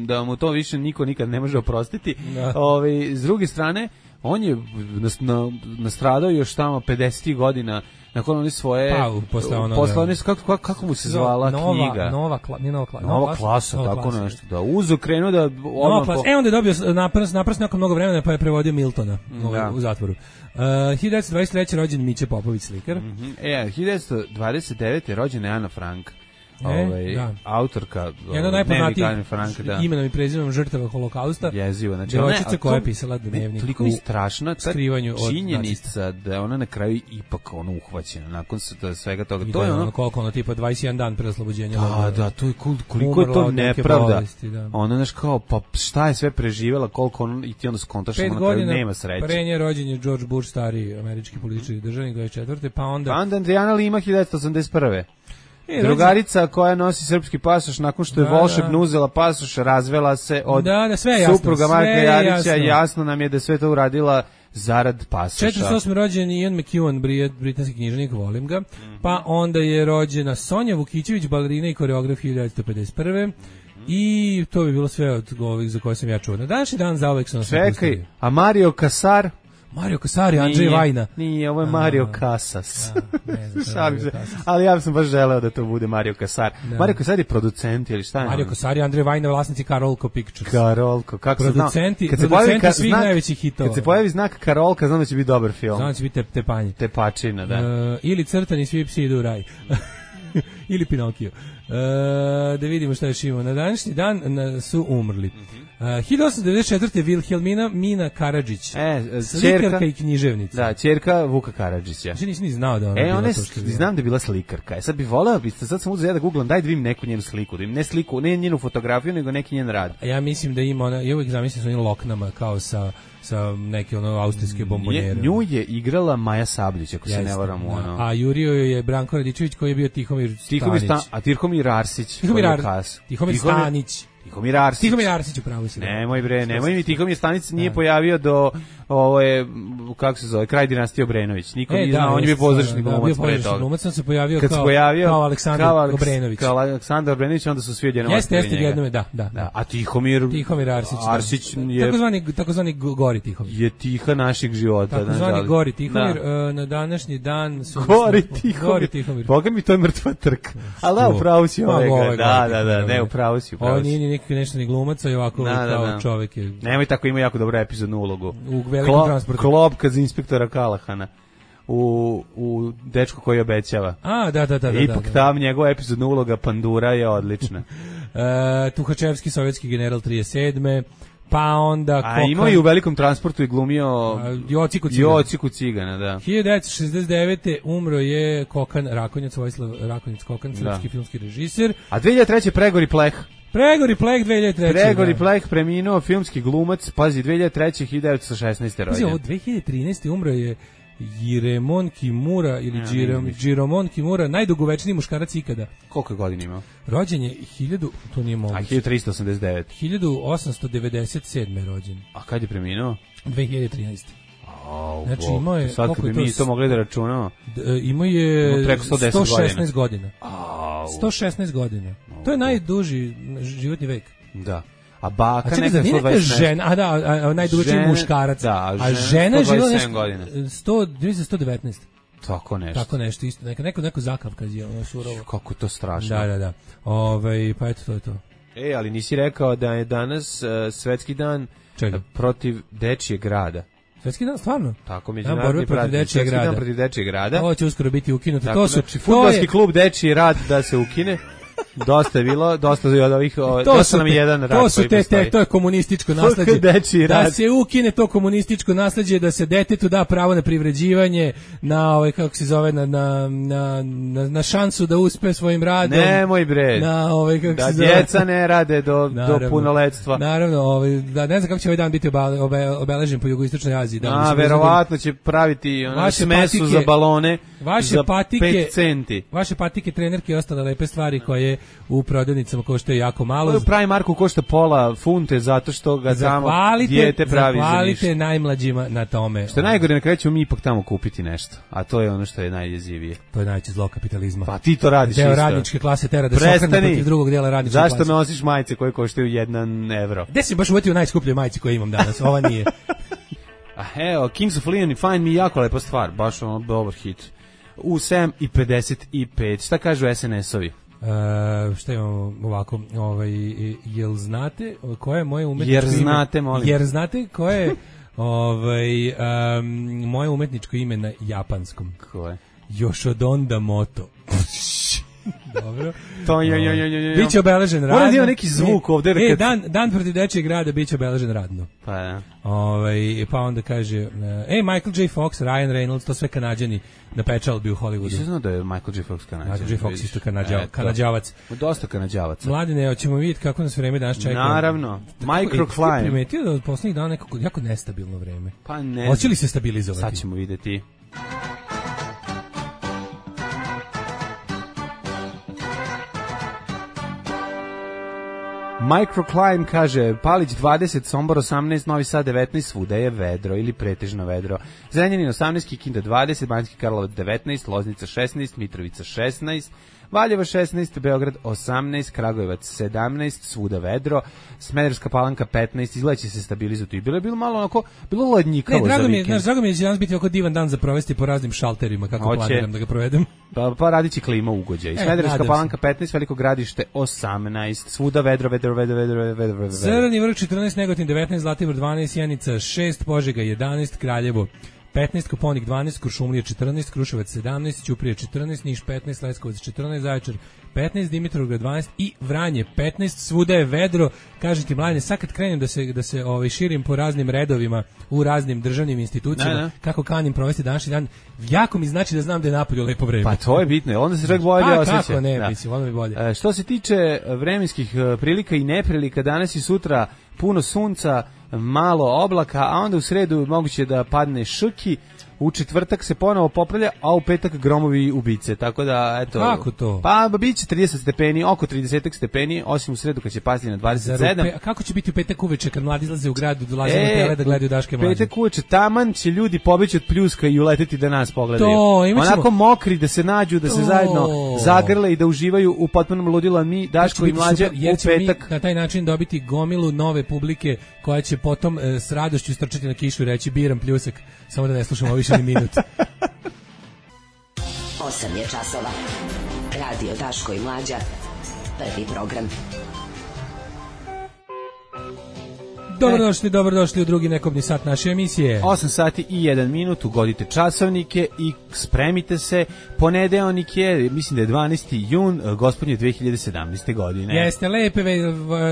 da mu to više niko nikad ne može oprostiti. Da. Ove, s druge strane, on je nastradao još tamo pedesetih godina nakon one svoje pa, posle ono posle one, kako, kako mu se zvala nova, knjiga nova, kla, nije nova, kla, nova, nova klasa, nova tako klasa. Nešto da uzo krenuo da nova klasa, po... e onda je dobio napras, napras nakon mnogo vremena pa je prevodio Miltona da. U zatvoru. Uh, hiljadu devetsto dvadeset treće rođen Miće Popović, slikar. Mm-hmm. E, hiljadu devetsto dvadeset devete rođena je Ana Frank. E, ovaj, da. autorka jedna najpoznatijih imenom i prezimenom žrtava holokausta. Jezivo, znači devojčica koja je pisala dnevnik. Toliko je strašna ta činjenica od, da je ona na kraju ipak ono uhvaćena nakon svega toga. I to da je ono, ono koliko ono tipa dvadeset jedan dan pre oslobođenja. Da, da, to je koliko je to nepravda. Bolesti, da. Ona znaš kao pa šta je sve preživela, koliko on i ti onda skontaš na kraju nema sreće. Pre nje rođen je George Bush, stari američki političar i državnik, dvadeset četvrte pa onda pa onda Adriana Lima hiljadu devetsto osamdeset prve E, drugarica koja nosi srpski pasoš nakon što je da, volšebno da. uzela pasoš, razvela se od da, da, sve jasno, supruga Marka Jarića, jasno. jasno nam je da sve to uradila zarad pasoša. četrdeset osme rođen Ian McEwan, britanski književnik, volim ga. Mm-hmm. Pa onda je rođena Sonja Vukićević, balerina i koreograf hiljadu devetsto pedeset prve Mm-hmm. I to bi bilo sve od ovih za koje sam ja čuo. Na današnji dan zauvek sam Čekaj, pustili. A Mario Casar? Mario Casari, Andrzej Vajna. Nije, ovo je Mario a, Casas. A, ne znam, Mario Casas. Ali ja sam baš želeo da to bude Mario Casar. Da. Mario Casar je producent ili šta je? Mario Casar i Andrzej Vajna, vlasnici Karolko Pictures. Karolko, kako se zna? Producenti, kad se producenti ka, svih znak, najvećih hitova. Kad se pojavi znak Karolka, znam da će biti dobar film. Znam da će biti te, tepanje. Tepačina, da. Uh, ili Crtani, svi psi idu u raj. Ili Pinokio. Uh, da vidimo šta još imamo. Na današnji dan na, su umrli. Uh, hiljadu osamsto devedeset četvrte Vilhelmina Mina Karadžić, e, slikarka i književnica. Da, ćerka Vuka Karadžića. Znači nisi ni znao da ona e, bila one, to što je bila. Znam da je bila slikarka. E sad bih voleo, sad sam uzeo ja da googlam, daj da vidim neku njenu sliku, da im ne sliku, ne njenu fotografiju, nego neki njen rad. A ja mislim da ima ona, ja uvijek zamislim sa onim loknama kao sa sa neke ono austrijske bombonjere. Nju je igrala Maja Sabljić, ako se ne varam u ono. A jurio je Branko Radičević koji je bio Tihomir Stanić. Tihomir Sta, a Tihomir Arsić. Tihomir, Ar, Tihomir Stanić. Tihomir Arsić. Tihomir Arsić upravo si. Nemoj bre, nemoj mi Tihomir Stanić nije pojavio do ovo je kako se zove, kraj dinastije Obrenović. Niko nije znao, on je bio pozorišni glumac pre toga. Glumac se pojavio kao kao Aleksandar Obrenović. Kao Aleksandar Obrenović, onda su svi odjednom. Jeste, jeste jednom, da, da, da. A Tihomir Tihomir Arsić. Arsić je takozvani takozvani Gori Tihomir. Je tiha našeg života, takozvani Gori Tihomir na današnji dan su Gori Tihomir. Boga mi to je mrtva trka. Al da, upravo si ovaj. Da, da, da, ne, upravo si. On nije neki nešto ni glumac, a ovako kao čovjek je. Nemoj tako, ima jako dobru epizodnu ulogu. U velikom transportu. Klopka za inspektora Kalahana. u, u Dečko koji obećava. A, da, da, da. da Ipak da, da. tam njegova epizodna uloga Pandura je odlična. e, Tuhačevski, sovjetski general trideset sedme Pa onda... A Kokan, imao i u Velikom transportu i glumio... A, Jociku Cigana. Jociku Cigana, da. hiljadu devetsto šezdeset devete umro je Kokan Rakonjac, Vojislav Rakonjac Kokan, srpski da. filmski režiser. A dve hiljade treće Pregori Pleh. Pregori Pleh dve hiljade treće Pregori da. Pleh preminuo, filmski glumac, pazi, dve hiljade treće hiljadu devetsto šesnaeste rođen. Pazi, ovo dve hiljade trinaeste umro je Jiremon Kimura ili ja, Jiromon Kimura, najdugovečniji muškarac ikada. Koliko godina imao? Rođen je hiljadu, to nije moguće. A hiljadu tristo osamdeset devet. hiljadu osamsto devedeset sedme rođen. A kad je preminuo? dve hiljade trinaeste Oh, znači imao je, sad kad bi mi to mogli da računamo. Imao je preko sto deset sto šesnaest godina. godina. sto šesnaest godina. To je najduži životni vek. Da. A baka a neka sto dvadeset žena, a da, a, a najduži muškarac. Da, a žena, a žena je živjela nešto sto, sto devetnaest Tako nešto. Tako nešto, isto. Neko, neko, neko zakavkaz je, ono surovo. Kako to strašno. Da, da, da. Ove, pa eto, to je to. E, ali nisi rekao da je danas uh, svetski dan Čega? protiv dečijeg rada. Svetski dan, stvarno? Tako, međunarodni protiv dečijeg rada. Dan protiv dečijeg rada. Ovo će uskoro biti ukinuto. Tako, to su, znači, fudbalski je... klub Dečiji rad da se ukine. Dosta je bilo, dosta je od ovih, o, dosta nam je jedan rad to su koji te, postoji. te, to je komunističko nasleđe. Da se ukine to komunističko nasleđe, da se detetu da pravo na privređivanje, na ovaj, kako se zove, na, na, na, na šansu da uspe svojim radom. Nemoj bre, na, ovaj, kako da se zove, djeca ne rade do, naravno, do punoletstva. Naravno, ovaj, da, ne znam kako će ovaj dan biti obe, obe, obeležen po jugoistočnoj Aziji. Da, A, verovatno će praviti ono, smesu patike, za balone vaše za patike, pet centi. Vaše patike, trenerke i ostale lepe stvari koje u prodavnicama koštaju jako malo. U Primarku košta pola funte zato što ga tamo dijete pravi za ništa. Zahvalite najmlađima na tome. Što je najgore, na kraju ćemo mi ipak tamo kupiti nešto. A to je ono što je najjezivije. To je najveće zlo kapitalizma. Pa ti to radiš Deo isto. radničke klase tera da se okrene protiv drugog dela radničke Zašto klase. Zašto me nosiš majice koje koštaju jedan evro? Gde si baš uvetio najskuplje majice koje imam danas? Ova nije. A evo, Kings of Leon i Find Me jako lepa stvar. Baš ono dobar hit. U sedam i pedeset pet. Šta kažu es en esovi? Uh, šta imamo ovako, ovaj, jel znate koje je moje umetničko jer znate, molim. Jer znate koje je ovaj, um, moje umetničko ime na japanskom? Koje? Yoshidonda Moto. Dobro. To je, je, je, je. Biće obeležen radno. Mora da ima neki zvuk ovde. E, dan, dan protiv dečijeg rada biće obeležen radno. Pa ja. Ovaj, pa onda kaže, ej, Michael J. Fox, Ryan Reynolds, to sve Kanađani na pečalbi u Hollywoodu. Nisam znao da je Michael J. Fox Kanađan. Michael J. Fox isto kanadja, Kanadjavac. Dosta Kanadjavaca. Mladine, hoćemo vidjeti kako nas vreme danas čeka. Naravno. Microclimate. Primetio da od poslednjih dana nekako jako nestabilno vreme. Pa ne. Hoće li se stabilizovati? Sad ćemo vidjeti. Microclimate kaže, Palić dvadeset, Sombor osamnaest, Novi Sad devetnaest, svuda je vedro ili pretežno vedro. Zrenjanin osamnaest, Kikinda dvadeset, Banjski Karlovac devetnaest, Loznica šesnaest, Mitrovica šesnaest, Valjevo šesnaest, Beograd osamnaest, Kragujevac sedamnaest, svuda vedro, Smederevska Palanka petnaest, izgleda će se stabilizovati. I bilo je bilo malo onako, bilo ladnjikavo za vikend. Ne, drago mi je da će danas biti oko divan dan za provesti po raznim šalterima, kako Oće. planiram da ga provedem. Pa, pa radit će klima ugođaj. E, Smederevska Palanka petnaest, Veliko Gradište osamnaest, svuda vedro, vedro, vedro, vedro, vedro, vedro, vedro. Crni Vrh četrnaest, Negotin devetnaest, Zlatibor dvanaest, Sjenica šest, Požega jedanaest, Kraljevo petnaest, Koponik dvanaest, Kuršumlija četrnaest, Kruševac sedamnaest, Ćuprija četrnaest, Niš petnaest, Leskovac četrnaest, Zaječar petnaest, Dimitrovgrad dvanaest i Vranje petnaest, svuda je vedro. Kažem ti, mladine, sad kad krenem da se, da se ovaj, širim po raznim redovima u raznim državnim institucijama, ne, ne. kako kanim provesti današnji dan, jako mi znači da znam da je napolju lepo vreme. Pa to je bitno, onda se čak bolje pa, osjeća. Kako ne, da. mislim, onda mi bolje. E, što se tiče vremenskih prilika i neprilika, danas i sutra puno sunca, malo oblaka, a onda u sredu moguće da padne šrki, u četvrtak se ponovo popravlja, a u petak gromovi ubice, tako da, eto... Kako to? Pa, biće trideset stepeni, oko trideset stepeni, osim u sredu kad će pasti na dvadeset sedam. Pe, a kako će biti u petak uveče kad mladi izlaze u gradu, dolaze e, na tele da gledaju Daške mlađe? Petak uveče, taman će ljudi pobeći od pljuska i uleteti da nas pogledaju. To, imaćemo... Onako mokri, da se nađu, da se to. zajedno zagrle i da uživaju u potpunom ludilu, mi, Daško i mlađe, super, jer u petak... Mi na taj način dobiti gomilu nove publike koja će potom e, s radošću strčati na kišu i reći biram pljusak, samo da ne slušamo više ni minut. osam je časova. Radio Daško i Mlađa. Prvi program. Dobrodošli, dobrodošli u drugi nekobni sat naše emisije. osam sati i jedan minut, ugodite časovnike i spremite se. Ponedeljnik je, mislim da je dvanaesti jun, gospodnje dve hiljade sedamnaeste. godine. Jeste, lepe ve,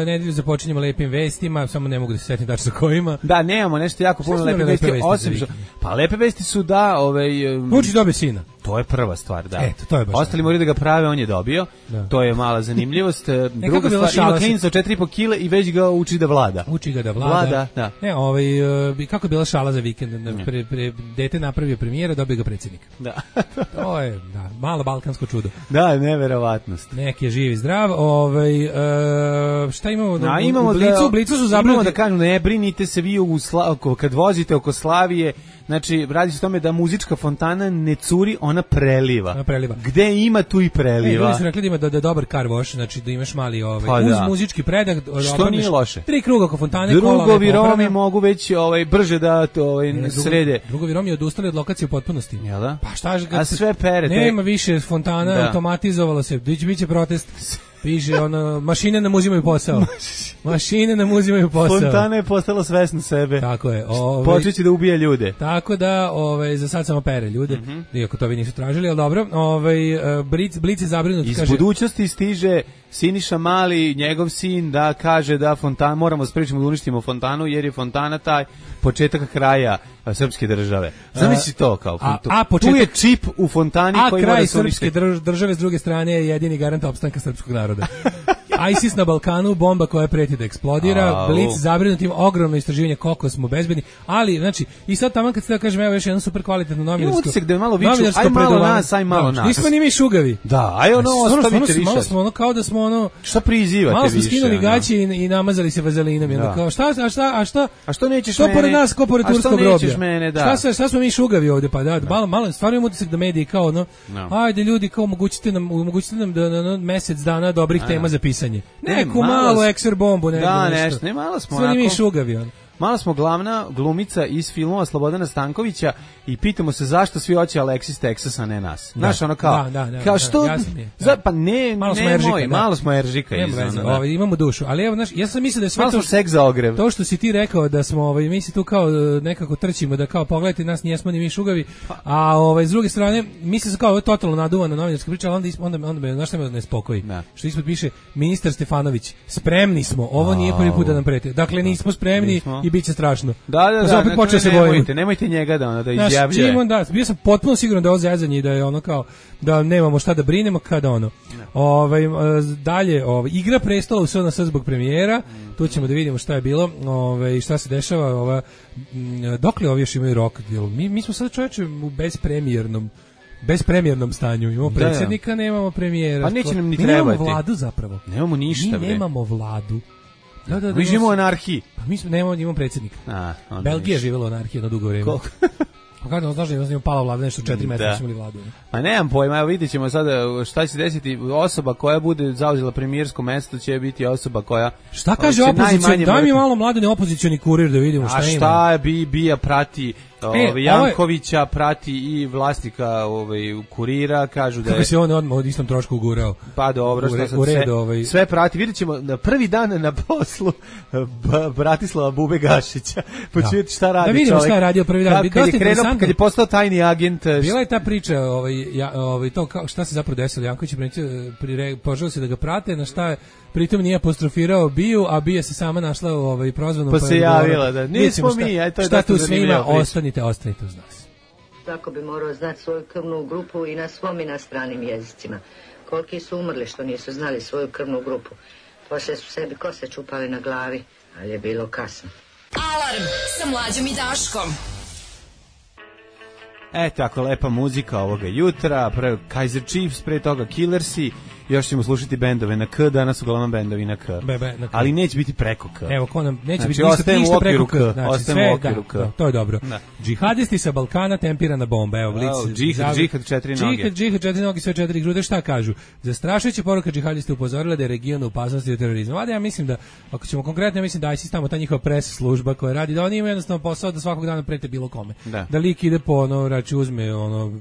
nedelju započinjemo lepim vestima, samo ne mogu da se setim tačno kojima. Da, nemamo nešto jako puno lepe vesti, lepe vesti osim što, pa lepe vesti su da, ovaj Vučić dobio sina. To je prva stvar, da. Eto, to je baš. Ostali moraju da ga prave, on je dobio. Da. To je mala zanimljivost. Druga stvar, ima klinac od četiri i po kile i već ga uči da vlada. Uči ga da vlada. Vlada, da. Ne, ovaj, kako je bila šala za vikend? Pre, pre, dete napravio premijera, dobio ga predsjednik. Da. To je, da, malo balkansko čudo. Da, neverovatnost. Neki je živ i zdrav. Ovaj, e, šta imamo? Da, imamo u Blicu, da, u Blicu su zabrinuti. Imamo da kažem, ne brinite se vi u Sla, kad vozite oko Slavije. Znači, radi se o tome da muzička fontana ne curi, ona preliva. Ona preliva. Gde ima, tu i preliva. E, ljudi su rekli da ima da, da dobar car wash, znači da imaš mali ovaj, pa uz da. muzički predah. Što nije loše. Tri kruga oko fontane. Drugovi Romi mogu već ovaj, brže da to ovaj, ne, srede. Drugovi Romi odustali od lokacije u potpunosti. Jel da? Pa šta A sve perete. Nema više fontana, da. Automatizovalo se. Biće protest. Piše ono, mašine nam uzimaju posao. Mašine nam uzimaju posao. Fontana je postala svesna sebe. Tako je. Ovaj, počeće da ubija ljude. Tako da, ovaj, za sad samo pere ljude. Mm-hmm. Iako to vi nisu tražili, ali dobro. Ovaj, Blic, Blic je zabrinut. Iz kaže, budućnosti stiže Siniša Mali, njegov sin, da kaže da fontana, moramo spričamo da uništimo fontanu, jer je fontana taj početak kraja srpske države. Zamisli to kao a, a početak, tu je čip u fontani a koji kraj mora srpske drž, države s druge strane je jedini garant opstanka srpskog naroda. ISIS na Balkanu, bomba koja preti da eksplodira, Blic zabrinutim, ogromno istraživanje koliko smo bezbedni, ali znači i sad tamo kad se da kažem evo još jedno super kvalitetno novinarsko. Utisak da je malo viču, aj malo nas, aj malo nas. Nismo ni mi šugavi. Da, aj ono ostavite više. Malo smo ono kao da smo ono šta prizivate više. Malo smo skinuli gaće i, i namazali se vazelinom, onda kao šta a šta a šta a što nećeš što mene? Pored nas, ko pored turskog groblja. Mene, da. Šta se šta smo mi šugavi ovde pa da, da. malo malo stvarno imamo utisak da mediji kao ono no. Ajde ljudi kao omogućite nam omogućite nam da na, na mesec dana dobrih a, tema za pisanje. Neku ne, malo ekser bombu, ne da, nešto. nešto. Ne, malo smo onako. Sve mi šugavi on. Malo smo glavna glumica iz filmova Slobodana Stankovića i pitamo se zašto svi hoće Alexis Texas, a ne nas. Znaš, ono kao, da, da, da, kao što, da, za, pa ne, malo ne smo eržika, moj, malo smo eržika. Iz, ono, ovaj, imamo dušu, ali evo, znaš, ja sam mislio da je sve malo to, seks za ogrev. To što si ti rekao da smo, ovaj, mi se tu kao nekako trčimo, da kao pogledajte nas, nijesmo ni mi šugavi, a ovaj, s druge strane, mislim se kao ovo je totalno naduvana novinarska priča, ali onda, onda, onda me, znaš šta me ne spokoji, da. Što ispod piše, ministar Stefanović, spremni smo, ovo nije prvi put da nam preti, dakle nismo spremni nismo. I bit će strašno. Da, da, da, opet počeo se nemojte, nemojte njega da ona da izjavljuje. Znaš, da, bio sam potpuno siguran da je ovo zezanje i da je ono kao da nemamo šta da brinemo kada ono. Ovaj dalje, ovaj Igra prestola u S N S zbog premijera. Mm. Tu ćemo da vidimo šta je bilo, ovaj šta se dešava, ova dokle ovi još imaju rok, mi mi smo sad čoveče u bezpremiernom bezpremiernom stanju. Imamo predsjednika, nemamo premijera. Pa neće nam ni mi trebati. Nemamo vladu zapravo. Nemamo ništa, mi nemamo vladu. Da, da, da, mi živimo u anarhiji. Pa mi smo, nemamo, imamo predsjednika. A, Belgija je živjela u anarhiji jedno dugo vrijeme. Kako znaš da je pala vlada nešto četiri metra smo imali vladu. A nemam pojma, evo vidjet ćemo sada šta će se desiti. Osoba koja bude zauzela premijersko mesto će biti osoba koja... Šta kaže opozicija? Daj mi malo mladene opozicioni kurir da vidimo šta ima. A šta je bi, bija prati... E, Ove, Jankovića prati i vlasnika ovaj kurira, kažu da je... Kako se on odmah od istom trošku ugurao. Pa dobro, što sad sve, ovaj... sve prati. Vidjet ćemo na prvi dan na poslu Bratislava Bube Gašića. Počujete šta radi čovjek. Da vidimo šta je radio prvi dan. Kad, kad, je krenuo, kad je postao tajni agent... Bila je ta priča, ovaj, ja, ovaj, to kao, šta se zapravo desilo. Janković je poželio se da ga prate, na šta je pritom nije apostrofirao Biju, a Bija se sama našla u ovaj, prozvanom... Pa se javila, da. Nismo mi, aj to je šta tu sve ima, ostanite, ostanite uz nas. Svako bi morao znati svoju krvnu grupu i na svom i na stranim jezicima. Koliki su umrli što nisu znali svoju krvnu grupu. Poslije su sebi kose čupali na glavi, ali je bilo kasno. Alarm sa Mlađom i Daškom. E, tako lepa muzika ovoga jutra, pre Kaiser Chiefs, pre toga Killersi, još ćemo slušati bendove na K, danas uglavnom bendovi na K. Be, be, na K. Ali neće biti preko K. Evo, ko nam, neće znači, biti ništa, ništa preko K. Znači, ostajemo u okviru K. Da, to je dobro. Da. Džihadisti sa Balkana, tempirana bomba. Evo, Blic. Oh, džihad, džihad, četiri noge. Džihad, džihad, četiri noge, sve četiri grude. Šta kažu? Zastrašujuća poruka džihadista upozorila da je region u opasnosti od terorizma. Vada, ja mislim da, ako ćemo konkretno, ja mislim da ISIS tamo ta njihova pres služba koja radi, da oni imaju jednostavno posao da svakog dana prete bilo kome. Da, da lik ide po ono, rači uzme ono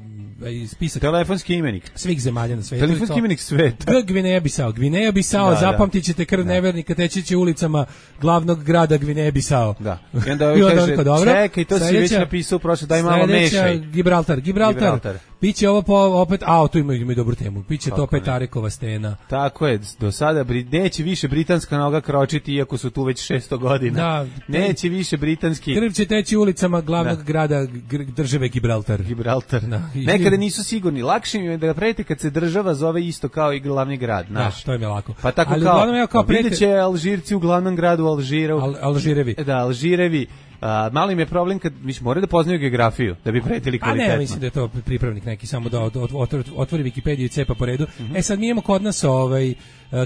spisak telefonski imenik svih zemalja na svetu. Telefonski imenik sveta. G Gvineja Bisao. Gvineja Bisao, Da, zapamtit ćete krv da. nevernika teći će ulicama glavnog grada Gvineja Bisao. Da. I onda ovaj kaže, dobro, čekaj, to si već napisao prošle, daj malo mešaj. Gibraltar, Gibraltar. Gibraltar. Biće ovo po, opet, a, tu imaju, imaju dobru temu. Biće to opet Arekova stena. Tako je, do sada neće više britanska noga kročiti, iako su tu već šesto godina. Da, neće više britanski. Krv će teći ulicama glavnog da. grada države Gibraltar. Gibraltar. Da. Nekada nisu sigurni. Lakše im je da prete kad se država zove isto kao i glavni grad. Naš. Da, to im je lako. Pa tako ali kao, uglavnom ja kao vidjet prete... će Alžirci u glavnom gradu Alžiru. Al, Alžirevi. Da, Alžirevi. A, mali im je problem kad mislim moraju da poznaju geografiju da bi pretili kvalitetno. A ne, mislim da je to pripravnik neki samo da otvori, otvori Wikipediju i cepa po redu. Mm-hmm. E sad mi imamo kod nas ovaj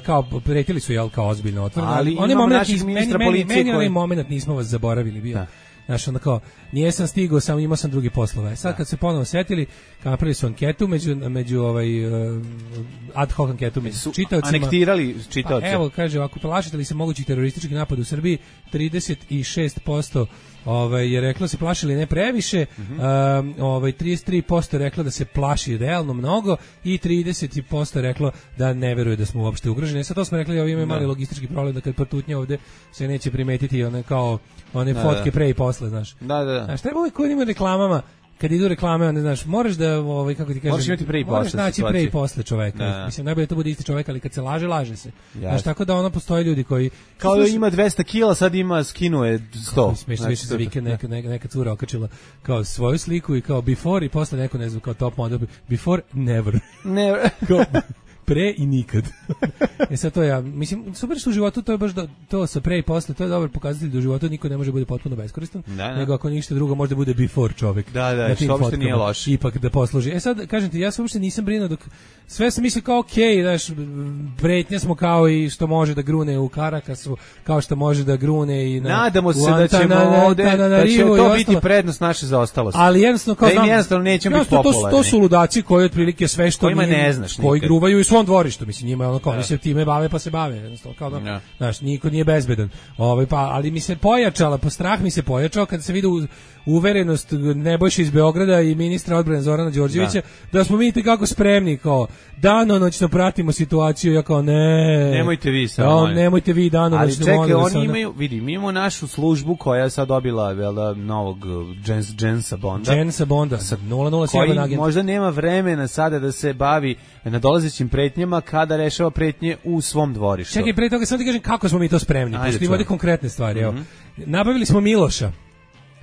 kao pretili su jel kao ozbiljno otvoreno. Ali oni imamo naših ministra meni, policije meni, meni koji... onaj moment nismo vas zaboravili bio. Da. Znaš, onda kao, nijesam stigao, samo imao sam drugi poslove. Sad kad se ponovo setili, kao napravili su anketu među, među ovaj, uh, ad hoc anketu među čitaocima. Anektirali čitaoce. Pa, evo, kaže, ako plašite li se mogućih terorističkih napada u Srbiji, trideset šest posto ovaj, je reklo da se plašili ne previše, mm-hmm. um, ovaj, trideset tri posto je reklo da se plaši realno mnogo i trideset posto je reklo da ne veruje da smo uopšte ugroženi. Sad to smo rekli, ovdje imaju mali logistički problem da kad prtutnja ovde se neće primetiti one kao one da, fotke da. pre i posle, znaš. Da, da, da. Znaš, treba uvijek kod ima reklamama, kad idu reklame, onda, znaš, moraš da, ovaj, kako ti kažem, moraš imati pre i posle. Moraš naći pre i posle čoveka. Da. Mislim, najbolje to bude isti čovek, ali kad se laže, laže se. Jasne. Znaš, tako da ono postoje ljudi koji... Kao da ima dvesta kila, sad ima, skinuje sto. Smiješ više za vikend neka, neka, neka cura okačila kao svoju sliku i kao before i posle neko, ne znam, kao top model. Before, never. Never. Kao, pre i nikad. E sad to ja, mislim, super što u životu to je baš do, to sa pre i posle, to je dobar pokazatelj da u životu niko ne može bude potpuno beskoristan, da, da. nego ako ništa drugo može da bude before čovek. Da, da, što uopšte nije loš. Ipak da posluži. E sad, kažem ti, ja se uopšte nisam brinuo dok, sve sam mislio kao okej, okay, znaš, pretnja smo kao i što može da grune u Karakasu, kao što može da grune i na... Nadamo se da ćemo ovde, da će to biti prednost naše zaostalosti. Ali jednostavno kao da znam... jednostavno nećemo biti popularni. To, to su ludaci koji otprilike sve što... Kojima ne znaš nikad. Koji gruvaju i svom dvorištu, mislim, njima ono kao, oni se time bave pa se bave, jednostavno, kao da, no. Znaš, niko nije bezbedan. Ovaj, pa, ali mi se pojačala, po strah mi se pojačao kada se vidi uverenost Nebojše iz Beograda i ministra odbrane Zorana Đorđevića, da, da smo vidite kako spremni, kao, danonoćno pratimo situaciju, ja kao, ne, nemojte vi samo, ja, nemojte vi danonoćno. Ali čekaj, oni sada... imaju, vidi, mi imamo našu službu koja je sad dobila, vela, novog Jens, Jensa Bonda. Jensa Bonda, sad nula nula sedam agent. Možda nema vremena sada da se bavi nadolazećim pretnjama kada rešava pretnje u svom dvorištu. Čekaj, pre toga sam ti kažem kako smo mi to spremni. Pošto imamo konkretne stvari. Mm-hmm. Evo. Nabavili smo Miloša.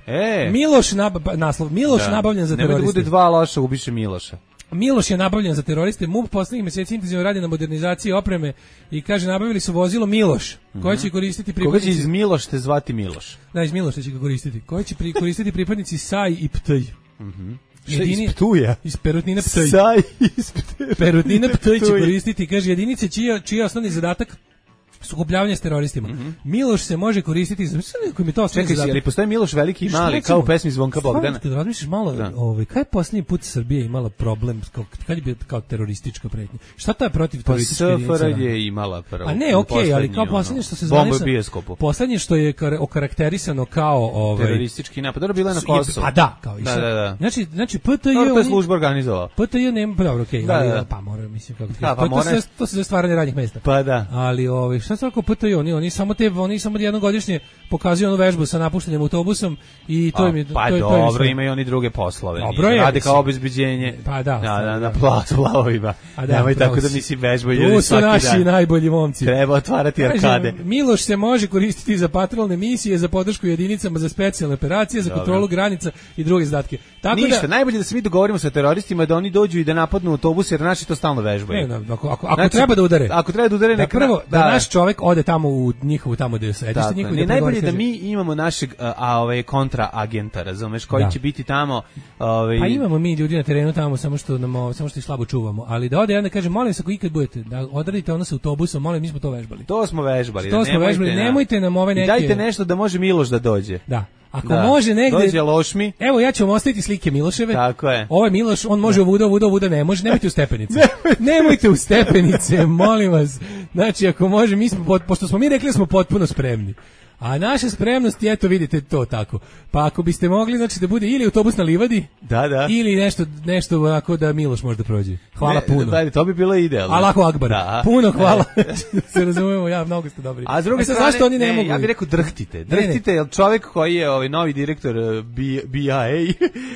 E. Miloš, nab, naslov, Miloš da. nabavljen za teroriste. Nemoj da bude dva loša, ubiše Miloša. Miloš je nabavljen za teroriste. M U P poslednjih meseci intenzivno radi na modernizaciji opreme i kaže nabavili su vozilo Miloš, mm-hmm. koje će koristiti pripadnici... Koga će iz Milošte zvati Miloš? Da, iz Miloša će ga koristiti. Koje će pri, koristiti pripadnici Saj i Ptj. Mhm. Jedini, iz Ptuja. Iz Perutnina Ptj. Saj iz Ptuja. Perutnina Ptj će koristiti, kaže, jedinice čija, čija osnovni zadatak sukobljavanje s teroristima. Mm-hmm. Miloš se može koristiti za neko mi to sve zadatak. Čekaj, ali postoji Miloš veliki i mali, kao u pesmi Zvonka Bogdana. Kad razmišljaš malo, da. ovaj, kaj je posljednji put Srbija imala problem, kao, kad je bio kao teroristička pretnja? Šta to je protiv terorističke jedinice? Pa S F R je imala prvo. A ne, okej, okay, ali kao posljednje što se zvane... Bomba bijeskopu. Posljednje što je okarakterisano kao... Ovaj, teroristički napad. Dobro, bila je na Kosovu. Pa da, kao i da, da, da. Znači, znači P T J... Dobro, to je služba organizovala. P T J nema... Pa dobro, okej, okay, da, da. pa mora, mislim, kako ti da, pa to, to, to se za stvaranje radnih mesta. Pa da. Ali, ovaj, šta se tako P T J, oni, oni samo te, oni samo jednogodišnje pokazuju onu vežbu sa napuštenim autobusom i to im je... Pa to, dobro, to imaju oni druge poslove. Dobro je. Rade kao obezbeđenje. Pa da. Na, na, na placu plavovima. Nemoj tako da mislim vežbu ljudi svaki dan. To su naši najbolji momci. Treba otvarati arkade. Miloš se može koristiti za patrolne misije, za podršku jedinicama za specijalne operacije, za kontrolu granica i druge zadatke. Tako ništa, da, najbolje da se mi dogovorimo sa teroristima da oni dođu i da napadnu autobus jer naši to stalno vežbaju. Ne, ako, ako, ako znači, treba da udare. Ako treba da udare, da prvo da, da naš čovjek ode tamo u njihovu tamo gde sedište njihovo. Ne, najbolje da mi imamo našeg a, a ovaj kontra agenta, razumeš, koji da. će biti tamo, ovaj. Pa imamo mi ljudi na terenu tamo, samo što nam samo što ih slabo čuvamo, ali da ode ja da kažem, molim se ako ikad budete da odradite ono sa autobusom, molim, mi smo to vežbali. To smo vežbali. To da, smo vežbali, na, nemojte nam ove neke. Dajte nešto da može Miloš da dođe. Da. Ako da. može negde... Dođe Lošmi. Evo, ja ću vam ostaviti slike Miloševe. Tako je. Ovo je Miloš, on može ovuda, ovuda, ovuda, ne može. Nemojte u stepenice. Nemojte u stepenice, molim vas. Znači, ako može, mi smo, pošto smo mi rekli da smo potpuno spremni. A naša spremnost, eto vidite to tako. Pa ako biste mogli, znači da bude ili autobus na livadi, da, da. ili nešto, nešto onako da Miloš možda prođe. Hvala ne, puno. Da, to bi bilo idealno. Allahu akbar. Da. Puno hvala. Se razumemo, ja, mnogo ste dobri. A s druge strane, zašto oni ne, ne mogu? Ja bih rekao drhtite. Drhtite, jer čovjek koji je ovaj novi direktor B I A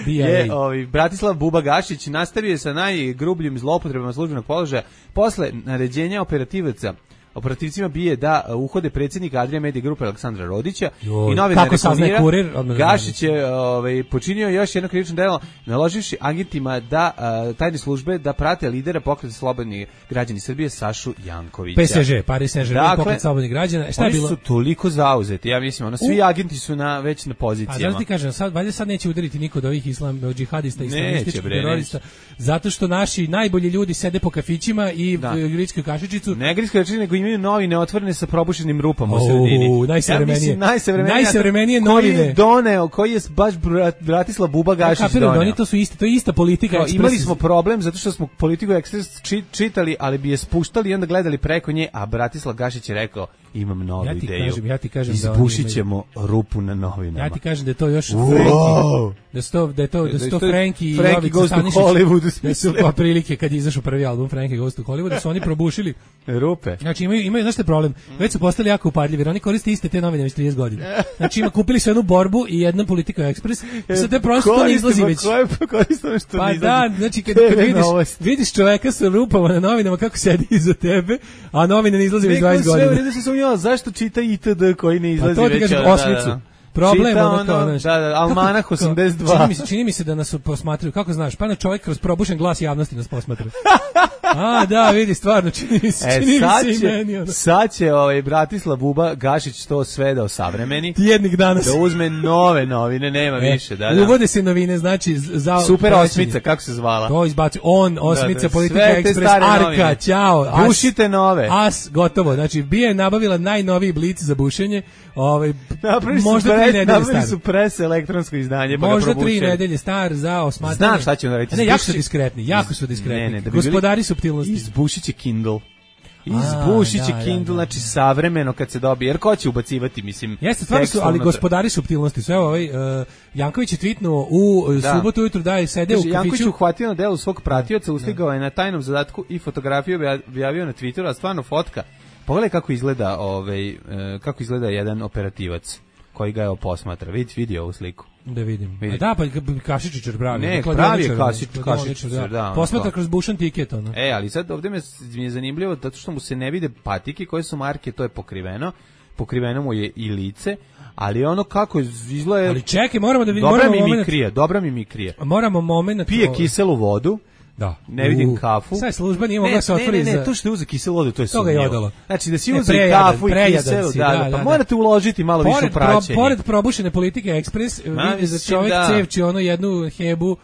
je ovaj Bratislav Buba Gašić nastavio sa najgrubljim zloupotrebama službenog položaja posle naređenja operativaca operativcima bije da uhode predsjednika Adria Media Grupe Aleksandra Rodića. Joj, i novinar reklamirao Gašić je ovaj, počinio još jedno krivično delo naloživši agentima da uh, tajne službe da prate lidera pokreta slobodnih građana Srbije Sašu Jankovića. P S Ž, Paris Saint-Germain, dakle, pokret slobodnih građana. Šta je bilo? Oni su toliko zauzeti, ja mislim, ono, svi U... agenti su na, već na pozicijama. A da ti kažem, sad, valjda sad neće udariti niko od ovih islam, džihadista, islamističkih terorista, zato što naši najbolji ljudi sede po kafićima i grickoj kašičicu. Ne grickoj kašičicu, nego imaju novine otvorene sa probušenim rupama u sredini. Najsavremenije. Ja najsavremenije. Najsavremenije novine. Koji doneo, koji je baš Bratislav Buba Gašić doneo. Oni to su isti, to je ista politika. Kao, imali smo problem zato što smo politiku Ekspres čitali, ali bi je spuštali i onda gledali preko nje, a Bratislav Gašić je rekao, imam novu ja ti ideju. Kažem, ja ti kažem izbušit ćemo rupu na novinama. Ja ti kažem da je to još wow. Da sto da je to da sto Franki i Jovica Goes to Hollywood. Da su po prilike kad izašao prvi album Frankie Goes to Hollywood, da su oni probušili rupe. Znači imaju imaju znaš šta problem. Već su postali jako upadljivi, oni koriste iste te novine već trideset godina. Znači ima kupili su jednu Borbu i jednu Politiku Ekspres. I sad te prosto ne izlazi već. Koje koriste što pa da, znači kad, kad vidiš vidiš čoveka sa rupama na novinama kako sedi iza tebe, a novine ne izlaze već dvadeset godina. Sve vredi se sumnjava zašto čita I T D koji ne izlazi pa to već. Da, osmicu. Da, da. Problem ono, ono, kao, da, da, Almanah osamdeset dva. Čini mi se, čini mi se da nas posmatraju, kako znaš, pa na čovjek kroz probušen glas javnosti nas posmatra. A, da, vidi, stvarno, čini mi se, čini e, mi se i meni. Ono. Sad će ovaj, Bratislav Buba Gašić to sve da osavremeni. Tjednik danas. Da uzme nove novine, nema e, više. Da, da. Uvode se novine, znači, za... Super osmica, kako se zvala? To izbaci, on, osmica, da, da, Politika Ekspres, Arka, novine. Ćao. Bušite nove. As, gotovo, znači, Bija je nabavila najnoviji blic za bušenje, ovaj, možda tri nedelje star. Pres elektronsko izdanje, pa možda tri nedelje star za osmatranje. Znam šta će on raditi. Ne, jako su diskretni, jako su diskretni. Ne, ne, da bi gospodari suptilnosti. Izbušit će Kindle. Izbušit će Kindle, da, da, znači savremeno kad se dobije, jer ko će ubacivati, mislim. Jeste, stvarno su, ali gospodari suptilnosti. Sve ovaj, uh, Janković je tweetnuo u da. subotu ujutru da je sede u kafiću. Janković je uhvatio na delu svog pratioca, usligao da. je na tajnom zadatku i fotografiju objavio na Twitteru, a stvarno fotka. Pogledaj kako izgleda, ovaj, uh, kako izgleda jedan operativac koji ga je posmatra. Vidi, vidi ovu sliku. Da vidim. Vidi. A da, pa Kašičićar pravi. Ne, pravi je Kašičićar, da. da. Posmatra kroz bušan tiket, ono. E, ali sad ovdje mi je zanimljivo, zato što mu se ne vide patike koje su marke, to je pokriveno. Pokriveno mu je i lice, ali ono kako izgleda... Ali čekaj, moramo da vidimo... Dobra mimikrija, dobra mimikrija. Moramo moment... Pije kiselu vodu. Da. Ne vidim uh, kafu. Sad služba nije mogla se otvoriti. Ne, ne, ne, za... to što je uzeo kiselu vodu, to je sumnjivo. To ga je odalo. Znači da si uzeo kafu i kiselu, da, da, da, pa da. Morate uložiti malo pored, više u praćenje. Pro, pored probušene Politike Ekspres, vidi za čovjek da. Cevči ono jednu hebu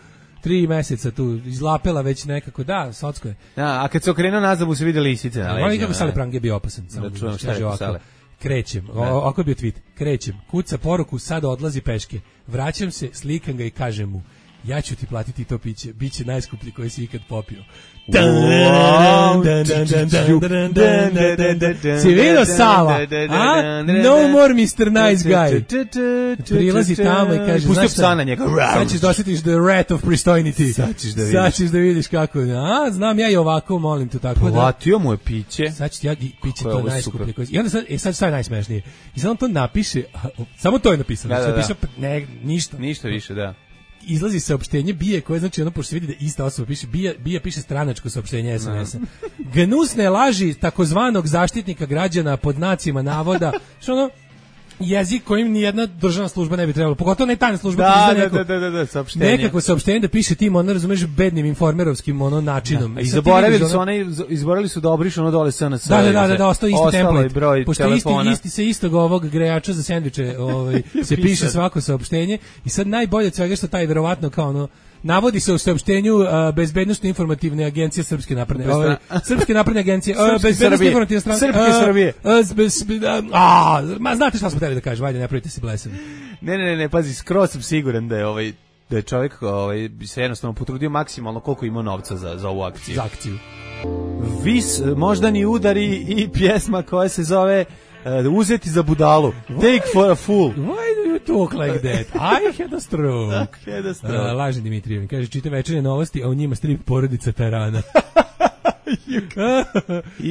tri meseca tu, izlapela već nekako, da, socko je. Da, a kad se okrenuo nazad mu se vide lisice na leđima. Oni kako Sale Prange bio opasan. Da čujem šta je Sale. Krećem, ovako je bio tweet, krećem, kuca poruku, sada odlazi peške, vraćam se, slikam ga i kažem mu, ja ću ti platiti to piće, bit će najskuplji koji si ikad popio. Si vidio Sala? A? No more mister Nice Guy. Prilazi tamo i kaže, pustio psa na njega. Sad ćeš dosjetiš the rat of pristojnity. Sad ćeš da vidiš. Sad ćeš da vidiš kako. A, znam ja i ovako, molim te tako da. Platio mu je piće. Sad ću ti ja piće to najskuplje. I onda sad, e, sad šta je najsmešnije? I sad on to napiše, samo to je napisano. Da, da, da. Ne, ništa. Ništa više, da. Izlazi saopštenje Bije koje znači ono pošto se vidi da ista osoba piše Bija, Bija piše stranačko saopštenje es em es-a. Gnusne laži takozvanog zaštitnika građana pod znacima navoda, što ono jezik kojim ni jedna državna služba ne bi trebala, pogotovo ne tajna služba, da, da, neko, da, da, da, da, saopštenje. Nekako saopštenje da piše tim, ono razumeš, bednim informerovskim ono načinom. Da. I zaboravili su one, izborili su da obrišu ono dole S N S. Da, da, da, da, da, ostao isti template. Pošto isti, isti se istog ovog grejača za sendviče ovaj, se piše svako saopštenje i sad najbolje od svega što taj verovatno kao ono navodi se u saopštenju uh, bezbednosno informativne agencije Srpske napredne ovaj, Srpske napredne agencije uh, bezbednosno informativne strane Srpske Srbije. A, ma znate šta smo hteli da kažem, ajde, ne pravite se blesavi. Ne, ne, ne, pazi, skroz sam siguran da je ovaj da je čovjek ovaj se jednostavno potrudio maksimalno koliko ima novca za za ovu akciju. Za akciju. Vis moždani udari i pjesma koja se zove Uh, uh, uzeti za budalu. Take for a fool. Why do you talk like that? I had a stroke. I had a stroke. Uh, lažni Dimitrijev. Kaže, čita večernje novosti, a u njima strip porodica Tarana.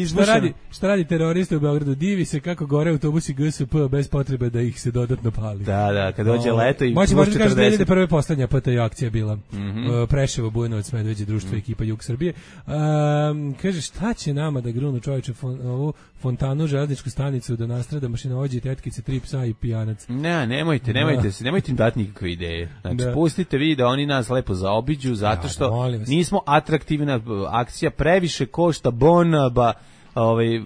šta, radi, šta radi terorista u Beogradu? Divi se kako gore autobusi G S P bez potrebe da ih se dodatno pali. Da, da, kad dođe o, leto i moći možda kaže da je prve poslednja P T J akcija bila. Mm -hmm. uh, Preševo, Bujanovac, Medveđe, društvo, mm. ekipa Jug Srbije. Um, kaže, šta će nama da grunu čovječe fon, ovu fontanu, železničku stanicu, da nastrada mašinovođe, tetkice, tri psa i pijanac? Ne, nemojte, nemojte se, nemojte im dati nikakve ideje. Znači, da. Pustite vi da oni nas lepo zaobiđu, zato što da, nismo atraktivna akcija, previše košta Bonaba, ovaj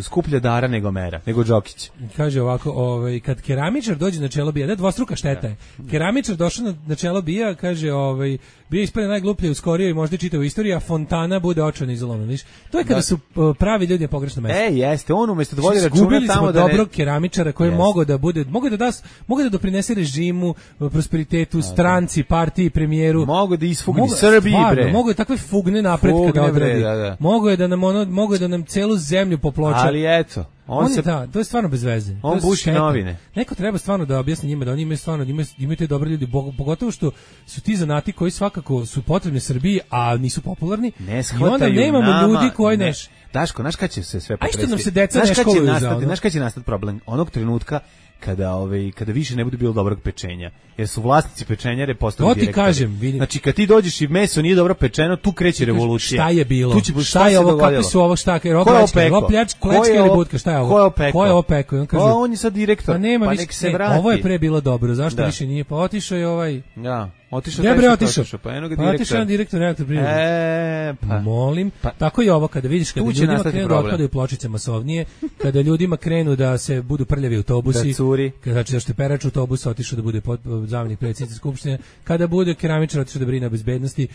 skuplja dara nego mera, nego Đokić. Kaže ovako, ovaj kad keramičar dođe na čelo bija, da dvostruka šteta je. Keramičar došao na, na čelo bija, kaže, ovaj bio ispred najgluplje u skorijoj i možda čitao istoriju, a fontana bude očajno izolona, viš. To je kada da. su pravi ljudi na pogrešnom mestu. E, jeste, on umesto da vodi računa tamo da dobrog ne... keramičara koji je mogao da bude, mogao da da, mogao da doprinese režimu, prosperitetu, stranci, partiji, premijeru. Mogao da isfugni Srbiji, bre. Mogao je takve fugne napretka da odradi. Da, da. Mogao je da nam ono, mogao je da nam celu zemlju poploča. Ali eto, on, on se je, da, to je stvarno bez veze. On buši novine. Neko treba stvarno da objasni njima da oni imaju stvarno, imaju, imaju te dobre ljudi, pogotovo što su ti zanati koji svakako su potrebni Srbiji, a nisu popularni. Ne I onda nemamo nama, ljudi koji ne. neš. Daško, znaš kad će se sve potresti? A što nam se deca ne školuju za ono? Znaš kad će nastati problem? Onog trenutka kada ovaj kada više ne bude bilo dobrog pečenja, jer su vlasnici pečenjare postali direktori. To ti kažem, vidim. Znači kad ti dođeš i meso nije dobro pečeno, tu kreće revolucija. Šta je bilo? Tu će, šta, šta je ovo, kakvi su ovo, šta, jer ovo pljačka ili budka, šta je ovo? Ko je opeko? Ko je opeko? On kaže, o, on je sad direktor, pa, nema, pa nek se vrati. Ovo je pre bilo dobro, zašto da. više nije? Pa otišao je ovaj... Da. Otišao je otišao. Pa eno ga direktor. Otišao je direktor elektroprivrede. E, pa molim. Pa, tako je ovo kada vidiš kada ljudima krenu da otpadaju pločice masovnije, kada ljudima krenu da se budu prljavi autobusi, da curi. Kada znači da što perač autobusa otišao da bude zamenik predsjednice skupštine, kada bude keramičar otišao da brine o bezbednosti,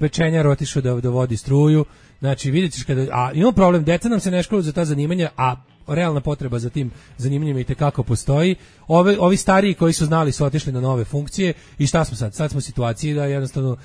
pečenjar otišao da, da vodi struju. Znači vidite kada a imamo problem, deca nam se ne školuju za ta zanimanja, a realna potreba za tim zanimanjima i tekako postoji. Ovi, ovi stariji koji su znali su otišli na nove funkcije i šta smo sad? Sad smo u situaciji da jednostavno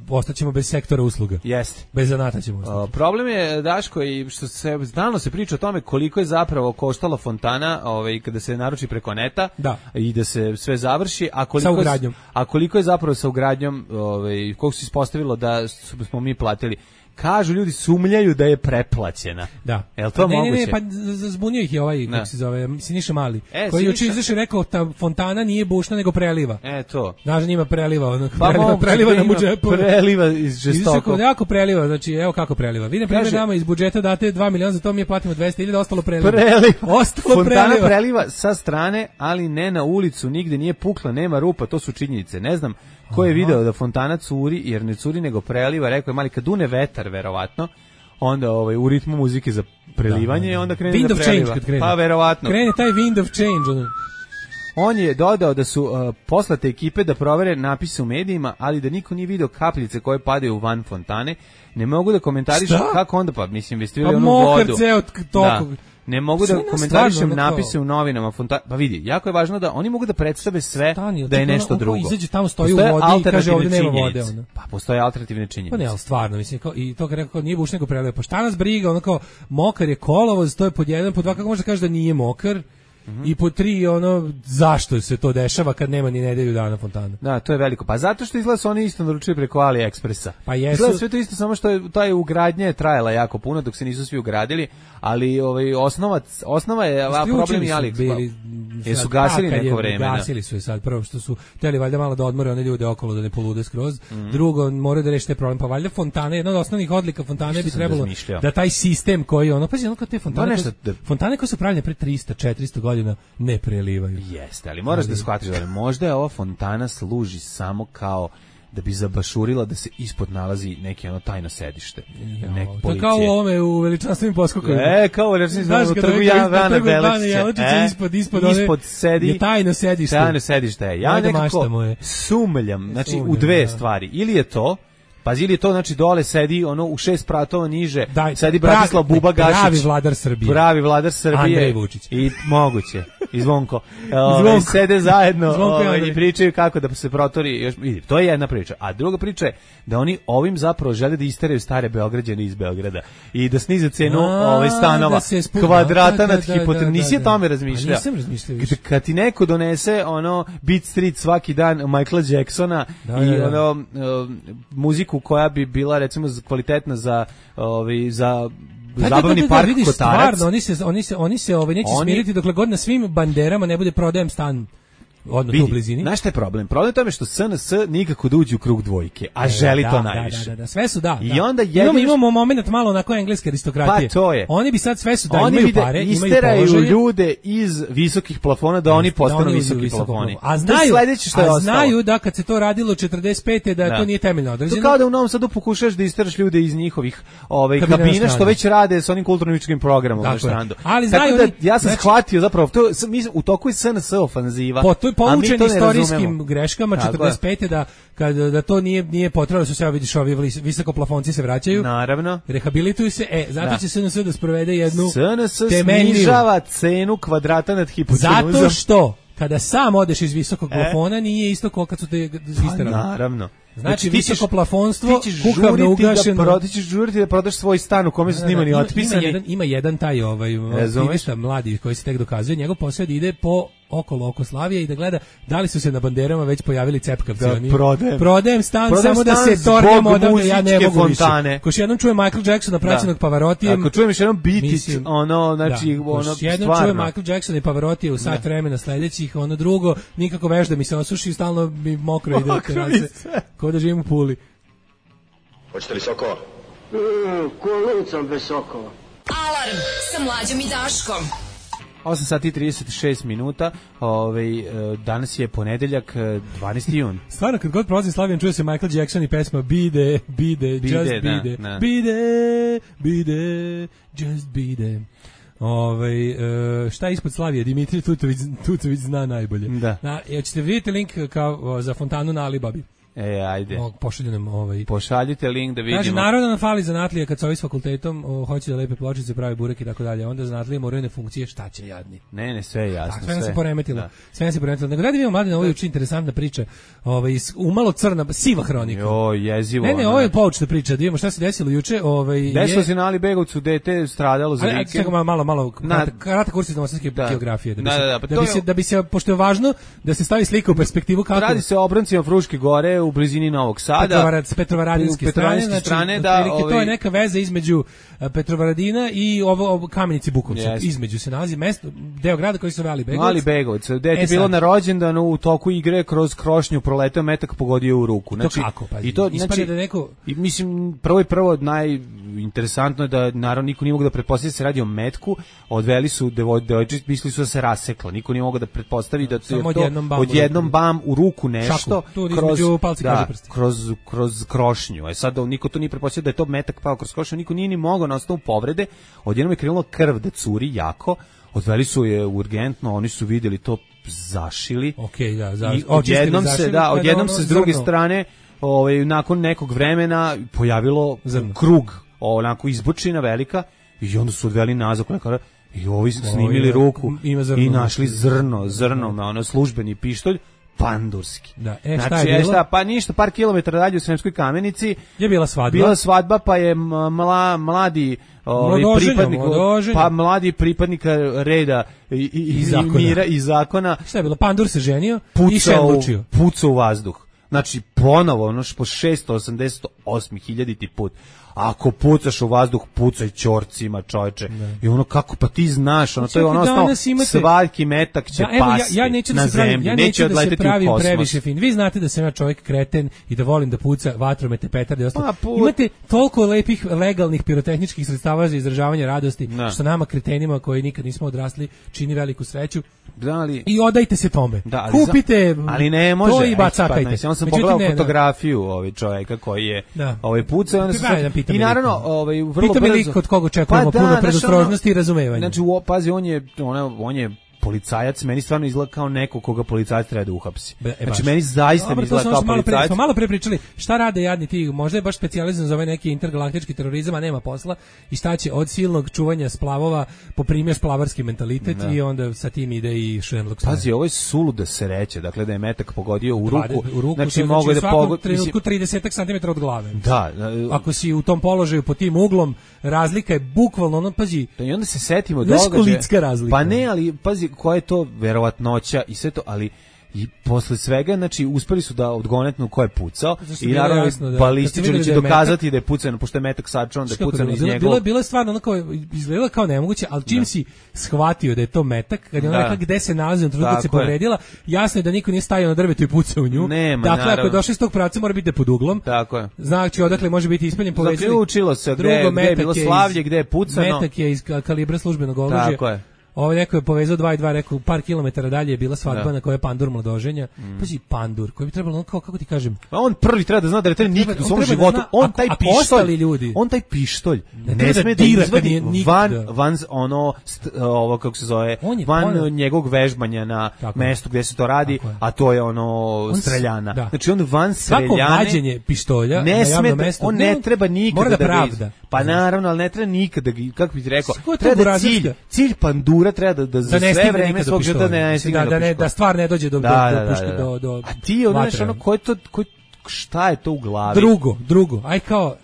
ostaćemo bez sektora usluga. Jeste. Bez zanata ćemo ostati. Problem je, Daško, i što se stalno se priča o tome koliko je zapravo koštala fontana, ovaj kada se naruči preko neta, da. I da se sve završi, a koliko sa ugradnjom. A koliko je zapravo sa ugradnjom, ovaj koliko se ispostavilo da smo mi platili. Kažu ljudi, sumnjaju da je preplaćena. Da. Jel to ne, moguće? Ne, ne, pa zbunio ih je ovaj, kako se zove, Siniša Mali, e, koji juče izašao i rekao ta fontana nije bušna nego preliva. E, to. Znaš, njima preliva, ono, pa preliva, preliva nam u džepu. Preliva iz žestoko. Jako preliva, znači, evo kako preliva. Vi, na primjer, nama iz budžeta date dva miliona, za to mi je platimo dvesta hiljada, ostalo preliva. Preliva. Ostalo fontana preliva. preliva sa strane, ali ne na ulicu, nigde nije pukla, nema rupa, to su činjenice. Ne znam ko je video da fontana curi, jer ne curi nego preliva, rekao je Mali, kad dune vetar, verovatno, onda ovaj u ritmu muzike za prelivanje, da, da, da. onda krene wind da preliva. Of change, pa verovatno. Krene taj wind of change. Ono. On je dodao da su uh, poslate ekipe da provere napise u medijima, ali da niko nije video kapljice koje padaju van fontane. Ne mogu da komentarišem kako onda, pa mislim, vi ste vidjeli pa onu vodu. Ceo toko. Da. Ne mogu da komentarišem napise u novinama, fonta... pa vidi, jako je važno da oni mogu da predstave sve Stani, da je nešto ono, drugo. Izađe tamo, stoji postoje u vodi i kaže ovdje nema vode. Ono. Pa postoje alternativne činjenice. Pa ne, ali stvarno, mislim, kao, i to kad rekao, nije buš nego prelepo. Šta nas briga, ono kao, mokar je kolovoz, to je pod jedan, pod dva, kako može da kaže da nije mokar? Mm-hmm. I po tri, ono, zašto se to dešava kad nema ni nedelju dana fontana? Da, to je veliko. Pa zato što izgleda su oni isto naručili preko AliExpressa. Pa jesu. Izgleda sve to isto, samo što je taj ugradnja je trajala jako puno dok se nisu svi ugradili, ali ovaj osnova osnova je a problem i AliExpress. Jesu gasili neko je, vreme. Gasili su je sad, prvo što su hteli valjda malo da odmore one ljude okolo da ne polude skroz. Mm. Drugo, moraju da reše taj problem, pa valjda fontane, jedna od osnovnih odlika fontane bi trebalo razmišljao. Da taj sistem koji ono, pazi, ono kao te fontane, no, nešto, da... fontane koje su pravljene pre trista četiristo godina ne prelivaju. Jeste, ali moraš ali... da shvatiš da možda je ova fontana služi samo kao da bi zabašurila da se ispod nalazi neki ono tajno sedište. Jo, nek policije. To kao u ovome u veličanstvenim poskokovima. E, kao u veličanstvenim poskokovima. Trgu Jana Beličića. E, ispod, ispod, ispod sedi, je tajno sedište. Tajno sedište je. Ja nekako sumljam, znači sumljam, u dve da. stvari. Ili je to, pazi, ili je to, znači dole sedi ono u šest pratova niže, Daj, sedi Bratislav Buba Gašić. Pravi vladar Srbije. Pravi vladar Srbije. Andrej Vučić. I moguće. i Zvonko, ove, sede zajedno ove, i pričaju kako da se protori. Još, vidi, to je jedna priča. A druga priča je da oni ovim zapravo žele da isteraju stare Beograđane iz Beograda i da snize cenu ove, stanova, da kvadrata nad hipotekom. Nisi o tome razmišljao? Nisam razmišljao. Kad ti neko donese ono Beat Street svaki dan Michaela Jacksona da, i da, da. ono uh, muziku koja bi bila recimo kvalitetna za ovaj za Da, zabavni da, da, da, park vidiš, Kotarac. Stvarno, oni se, oni se, oni se ovaj, neće oni... smiriti dokle god na svim banderama ne bude prodajem stan odmah tu u blizini. Znaš šta je problem? Problem je tome što S N S nikako da uđe u krug dvojke, a e, želi da, to da, najviše. Da, da, da, sve su da. I da. onda jedino... imamo, imamo moment malo onako engleske aristokratije. Pa to je. Oni bi sad sve su da oni imaju pare, imaju položaje. Isteraju ljude iz visokih plafona da oni postanu da visoki plafoni. A znaju, što je a znaju da kad se to radilo četrdeset pete da, da. to nije temeljno određeno. To kao da u Novom Sadu pokušaš da isteraš ljude iz njihovih ovaj, kabina što već rade sa onim kulturno-umetničkim programom na Štrandu. Ali znaju da ja sam shvatio zapravo to u toku je S N S ofanziva. Po toj poučen istorijskim greškama četrdeset pete da kad da to nije nije potrebno su se vidiš ovi visoko plafonci se vraćaju. Naravno. Rehabilituju se. E, zato da. će S N S da sprovede jednu S N S snižava cenu kvadrata nad hipotenuzom. Zato što kada sam odeš iz visokog e? plafona nije isto kao kad su te isterali. Pa, naravno. Znači, znači visoko plafonstvo, kukavno ugašeno. Da ti ćeš žuriti da prodaš svoj stan u kome su snimani ima, otpisani. Ima jedan, ima jedan taj ovaj, aktivista mladi koji se tek dokazuje, njegov posao ide po okolo oko Slavije i da gleda da li su se na banderama već pojavili cepkavci. Da, oni, prodajem. Prodajem stan prodajem samo stan da se tornem odavde, ja ne mogu fontane. više. Ko još jednom čuje Michael Jacksona praćenog da. Pavarottijem. Ako čujem još jednom Beat It, ono, znači, da. ono, stvarno. Jednom čuje Michael Jacksona i Pavarottije u sat da. vremena sledećih, ono drugo, nikako veš da mi se osuši, stalno mi mokro ide. Ko da živim u Puli. Hoćete li sokova? Mm, ko lucam bez sokova. Alarm sa Mlađom i Daškom. osam sati i trideset šest minuta. Ovaj danas je ponedeljak, dvanaesti jun. Stvarno kad god prolazi Slavijan čuje se Michael Jackson i pesma Bide, Bide, Just Bide, Bide, Bide, Just Bide. Ovaj e, šta je ispod Slavije? Dimitri Tucović, Tucović zna najbolje. Da. Na, hoćete vidjeti link kao za fontanu na Alibabi? E, ajde. Pošalju nam ovaj. Pošaljite link da vidimo. Kaže, naravno nam fali zanatlije kad se ovi s fakultetom o, hoće da lepe pločice, pravi burek i tako dalje. Onda zanatlije moraju ne funkcije, šta će jadni. Ne, ne, sve je jasno. Da, sve nas se poremetilo. Da. Sve nas se poremetilo. Nego da vidimo mlade, ovo je uči interesantna priča. Ovaj umalo crna, siva hronika. Jo, jezivo. Ne, ne, ovo je poučna priča. Da vidimo šta se desilo juče. Ovaj desilo se na Ali Begovcu, dete stradalo za vikend. Čekaj malo, malo, kratak kurs iz novosadske geografije. Da bi, da, da, da, pa da, bi se, da bi se, pošto je važno da se stavi slika u perspektivu kako. Radi se o obrancima Fruške gore u blizini Novog Sada. Petrovarad, Petrovaradinske strane, znači, strane da, ovaj... to je neka veza između Petrovaradina i ovo, ovo Kamenici Bukovca. Yes. Između se nalazi mesto, deo grada koji se zove Ali Begovac. Ali Begovac, gde je bilo na rođendanu u toku igre kroz krošnju proleteo metak pogodio u ruku. Znači, to kako, pa, i to znači, da neko... i mislim, prvo i prvo najinteresantno je da naravno niko nije mogao da pretpostavi da se radi o metku, odveli su devojčicu, mislili su da se rasekla, niko nije mogao da pretpostavi da to je to odjednom bam u ruku nešto, kroz, da, kroz kroz krošnju. E sad niko to nije pretpostavio da je to metak pao kroz krošnju, niko nije ni mogao na osnovu povrede. Odjednom je krenulo krv da curi jako. Odveli su je urgentno, oni su vidjeli to, zašili. Okej, da, za, i odjednom se, da, odjednom se s druge zrno. strane, ovaj nakon nekog vremena pojavilo zrno. krug, onako izbočina velika i onda su odveli nazad lekara i ovi su snimili ruku i našli zrno, zrno, na ono službeni pištolj. Pandurski. Da, e, šta znači, je bilo? Šta, pa ništa, par kilometara dalje u Sremskoj Kamenici je bila svadba. Bila svadba, pa je mla, mladi ovaj, pripadnik, pa mladi pripadnika reda i, i, i, i mira i zakona. Šta je bilo? Pandur se ženio pucao, i šenlučio. Pucao u vazduh. Znači, ponovo, ono po šesto osamdeset osam hiljaditi put. Ako pucaš u vazduh, pucaj ćorcima, čoveče. I ono kako, pa ti znaš, ono, to je ono osnovno, imate... svaki metak će da, evo, pasti ja, ja neću da na zemlji, pravim, ja neće, neće odleteti da u kosmos. Previše fin. Vi znate da sam ja čovjek kreten i da volim da puca vatromete, petarde i ostalo. Pa, imate toliko lepih, legalnih pirotehničkih sredstava za izražavanje radosti, da. Što nama kretenima koji nikad nismo odrasli čini veliku sreću. Da, ali... I odajte se tome. Da, ali kupite za... ali ne može, to i bacakajte. On sam pogledao ne, fotografiju ovaj čovjeka koji je da. ovaj pucao, onda se i naravno ovaj vrlo brzo. Pita mi kod koga očekujemo pa, puno predostrožnosti i razumevanja. Znači, u, pazi, on je ona on je policajac meni stvarno izgleda kao neko koga policajac treba da uhapsi. Be, e, znači meni zaista Dobar, mi izgleda kao malo policajac. Pre, smo malo pre pričali šta rade jadni ti, možda je baš specijalizovan za ovaj neki intergalaktički terorizam, a nema posla i šta će od silnog čuvanja splavova poprimio splavarski mentalitet da. I onda sa tim ide i Sherlock. Pazi, ovo je suluda sreća, dakle da je metak pogodio u ruku, u ruku znači mogu da pogodi trenutku trideset centimetara od glave. Da, ako si u tom položaju pod tim uglom, razlika je bukvalno ono, pazi. I onda se setimo događaja. Pa ne, ali pazi koja je to verovatnoća i sve to, ali i posle svega, znači, uspeli su da odgonetnu ko je pucao i naravno da, balističari će da dokazati metak, da je pucano, pošto je metak sačuvan, da je pucano iz njegov. Bilo, bilo je stvarno onako, izgledalo kao nemoguće, ali čim da. Si shvatio da je to metak, kad je ona rekla gde se nalazi, u trenutku se povredila, jasno je da niko nije stajao na drvetu i pucao u nju. Nema, dakle, naravno. ako je došao iz tog pravca, mora biti pod uglom. Tako je. Znači, odakle može biti ispaljen, povezani. Zaključilo se gde, gde je bilo slavlje, gde je pucano. Metak je iz kalibra službenog oružja. Tako je. Ovo neko je povezao dva i dva, rekao par kilometara dalje je bila svadba da. Na kojoj je pandur mladoženja. Mm. Pazi, pandur, koji bi trebalo, kao, kako ti kažem... A on prvi treba da zna da je nikad u svom životu, da on taj pištolj, ljudi. On taj pištolj ne, ne sme da izvadi van, van ono, st, ovo kako se zove, je, van on, njegovog vežbanja na tako, mestu gde se to radi, a to je ono on, streljana. Da. Znači on van streljane... Svako vađenje pištolja ne na javnom mestu... On ne treba nikada da pravda. Pa naravno, ali ne treba nikada, kako bih ti rekao, treba da cilj, cilj pandura treba da, da za da sve vreme svog života ne stigne da, da, ne, da stvar ne dođe do, da, do, da, puške, da, da. do, do a ti odneš ono, ko je to, ko, šta je to u glavi? Drugo, drugo, aj kao,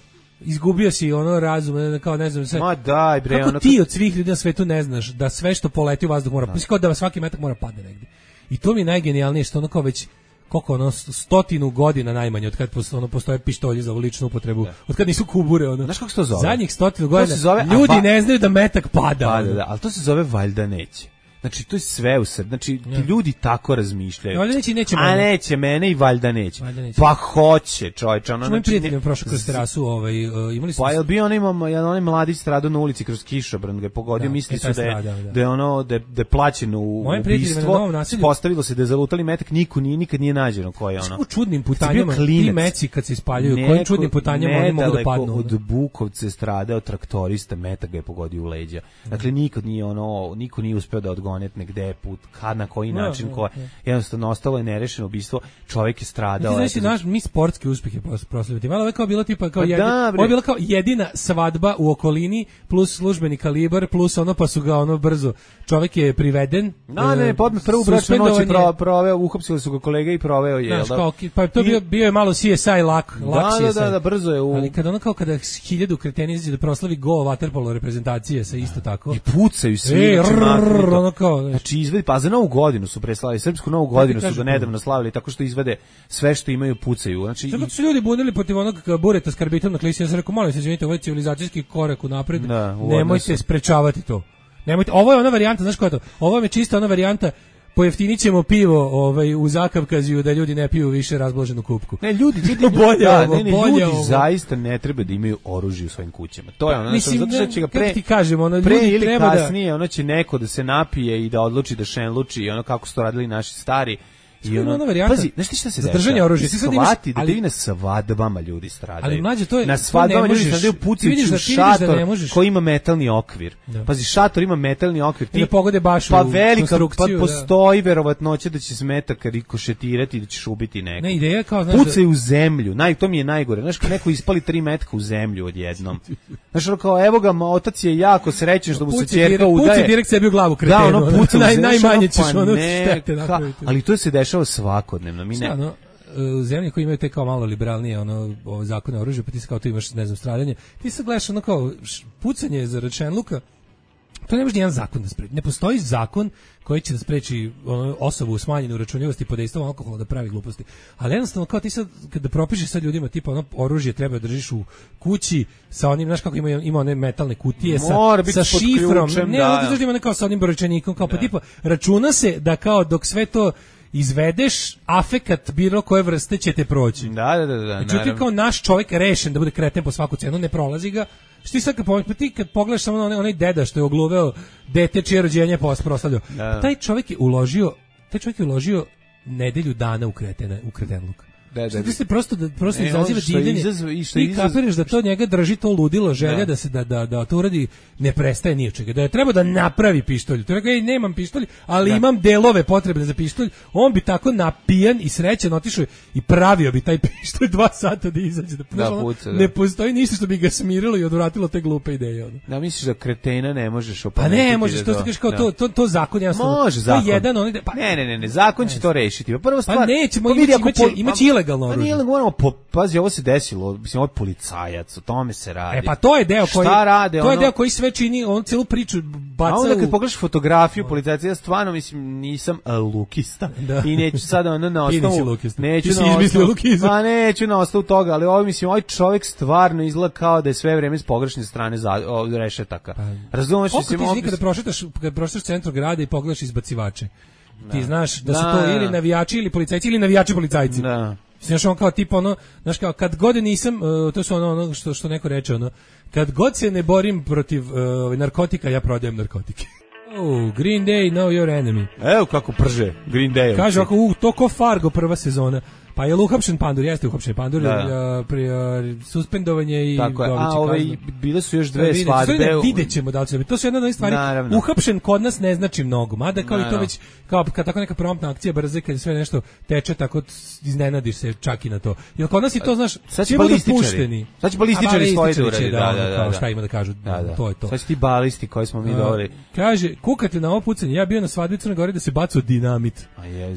izgubio si ono razum, kao ne znam sve. Ma daj bre. Kako ono ti to... od svih ljudi na svetu ne znaš da sve što poleti u vazduh mora, pa kao da svaki metak mora padne negde. I to mi je najgenijalnije što ono kao već koliko ono stotinu godina najmanje od kad ono postoje pištolji za ličnu upotrebu, da. Od kad nisu kubure ono. Znaš kako se to zove? Zadnjih stotinu godina zove, ljudi va... ne znaju da metak pada. Pada, da, ali to se zove valjda neće. Znači to je sve u sebi. Znači ti ja. Ljudi tako razmišljaju. Valjda neće, neće a neće mene i valjda neće. Valjda neće. Pa hoće, čovječe. Ono, znači prijatelj mi prošao kroz terasu, ovaj uh, imali smo. Pa jel bio on ima jedan onaj mladić stradao na ulici kroz kišobran, ga je pogodio, da, misli su da je da. Da je ono da je, da je plaćeno u ubistvo. Postavilo se da je zalutali metak, niko nije nikad nije nađeno ko je ono. Kako čudnim putanjama ti meci kad se ispaljuju, kojim čudnim putanjama oni mogu da padnu. Od Bukovca stradao traktorista, metak ga je pogodio u leđa. Dakle nikad nije ono, niko nije uspeo da odgonetne gde put, kad, na koji način, no, ko je. Jednostavno ostalo je nerešeno ubistvo, čovjek je stradao. Znači, naš, mi sportski uspjeh je proslaviti. Malo je kao bilo tipa, kao jedin, da, ovo je bila kao jedina svadba u okolini, plus službeni kalibar, plus ono, pa su ga ono brzo. Čovjek je priveden. No, ne, podme prvu bračnu noć je pro, proveo, uhapsili su ga kolega i proveo je. Znaš, kao, pa to bio, bio je malo C S I lak, lak da, C S I. Da, da, da, brzo je u... Ali kada ono kao kada hiljadu kreteni izađe da proslavi go waterpolo reprezentacije sa isto tako. I pucaju svi. E, rrr, ono kao, znači, izvedi, pa za novu godinu su preslavili, srpsku novu godinu su ga nedavno slavili, tako što izvede sve što imaju pucaju. Znači, zato su ljudi bunili protiv onog bureta s karbitom na klisi, ja sam rekao, molim se, izvinite, ovo je civilizacijski korak unapred, da, nemojte sprečavati to. Nemojte, ovo je ona varijanta, znaš koja je to? Ovo je čista ona varijanta, pojeftinit ćemo pivo ovaj, u Zakavkaziju da ljudi ne piju više razbloženu kupku. Ne, ljudi, ljudi, bolje da, ovo, ne, ne, bolje ljudi ovo. Zaista ne treba da imaju oružje u svojim kućama. To je ono, mislim, zato što će ga pre, ti kažem, ono, pre ljudi ili treba kasnije, da... ono će neko da se napije i da odluči da šenluči, ono kako su to radili naši stari. I ono, ono varijanta, pazi, znaš ti šta se zadržanje oružja, ti sad imaš, da ali na svadbama ljudi stradaju. Ali mlađe to je na svadbama ljudi stradaju pucajući u šator koji ima metalni okvir. Da. Pazi, šator ima metalni okvir. Ti ne pogode baš pa u velika, pa postoji da. Verovatnoća da će smetak rikošetirati da ćeš ubiti nekog. Ne, ideja kao znaš, pucaju u zemlju. Naj to mi je najgore. Znaš, kad neko ispali tri metka u zemlju odjednom. Znaš, ono kao evo ga, otac je jako srećan što mu se ćerka udaje. Puci direkt sebi u glavu kretenu. Da, ono puca najmanje ćeš ono štete napraviti. Ali to se dešava svakodnevno. Mi ne. Ono, u zemlji koji imaju te kao malo liberalnije ono, o, zakone o oružju, pa ti se kao tu imaš, ne znam, stradanje, ti se gledaš ono kao pucanje za Rečenluka, to ne može nijedan zakon da spreči. Ne postoji zakon koji će da spreči ono, osobu u smanjenu računljivosti pod dejstvom alkohola da pravi gluposti. Ali jednostavno kao ti sad, kada propišeš sad ljudima tipa ono oružje treba da držiš u kući sa onim, znaš kako ima, ima one metalne kutije sa, sa šifrom, ključem, ne, da, da, da, ima kao sa onim brojčanikom, kao pa tipa računa se da kao dok sve to izvedeš, afekat bilo koje vrste će te proći. Da, da, da. da Međutim, kao naš čovjek rešen da bude kreten po svaku cenu, ne prolazi ga. Što ti sad kad pogledaš, ti kad pogledaš samo onaj, onaj deda što je ogluveo dete čije rođenje proslavljao, da. Taj čovjek je uložio, taj čovjek je uložio nedelju dana u kretena, u kretenluk. Da, da, da se prosto da prosto e, izaziva divljenje. Izazv, i što I izazv... kapiraš da to njega drži to ludilo, želja da, da se da da da to uradi, ne prestaje ni od čega. Da je treba da napravi pištolj. To je rekao, ej, nemam pištolj, ali da. imam delove potrebne za pištolj. On bi tako napijan i srećan otišao i pravio bi taj pištolj dva sata da izađe. Da, da, ono, puca, da. Ne postoji ništa što bi ga smirilo i odvratilo te glupe ideje. Ono. Da, misliš da kretena ne možeš opametiti? Pa ne, možeš, da to se kaže kao da. to, to, to zakon jasno. Može zakon. To je jedan, on, pa, ne, ne, ne, ne, zakon će to rešiti. Prva stvar, pa nećemo, pa imaće, imaće, imaće ilegalno oružje. Pa nije moramo, po, pazi, ovo se desilo, mislim, ovo je policajac, o tome se radi. E pa to je deo koji, rade, to je ono, deo koji sve čini, on celu priču baca. A onda kad pogledaš fotografiju policajca, ja stvarno, mislim, nisam uh, lukista da. I neću sada ono na osnovu, neću Ti si na izmislio osnovu, lukizam. Pa neću na osnovu toga, ali ovo, mislim, ovaj čovjek stvarno izgleda kao da je sve vreme s pogrešne strane za, o, rešetaka. Pa, razumeš, mislim, ti nikada prošetaš, kad prošetaš centru grada i pogledaš izbacivače. Da. Ti znaš da su to ili navijači ili policajci ili navijači policajci. Da. Znaš, on kao tip ono, znaš kao, kad god nisam, uh, to su ono, ono što, što neko reče, ono, kad god se ne borim protiv uh, narkotika, ja prodajem narkotike. Oh, Green Day, know your enemy. Evo kako prže Green Day. Kaže ovako, uh, to ko Fargo prva sezona. Pa je uhapšen Pandur, jeste uhapšen Pandur, da. uh, pri uh, suspendovanje i tako je. A ove bile su još dve svadbe. Videćemo da li će. To su jedna od onih stvari. Naravno. Uhapšen kod nas ne znači mnogo, mada kao Naravno. I to već kao kad tako neka promptna akcija brze, kad sve nešto teče, tako iznenadiš se čak i na to. Jer kod nas i to znaš, sad će balističari. Sad će balističari svoje da uradi, da, da, da, šta ima da kažu, da, da. to je to. Sad će ti balisti koji smo mi doveli. Kaže, kukate na ovo pucanje, ja bio na svadbi u Crnoj Gori da se bacao dinamit.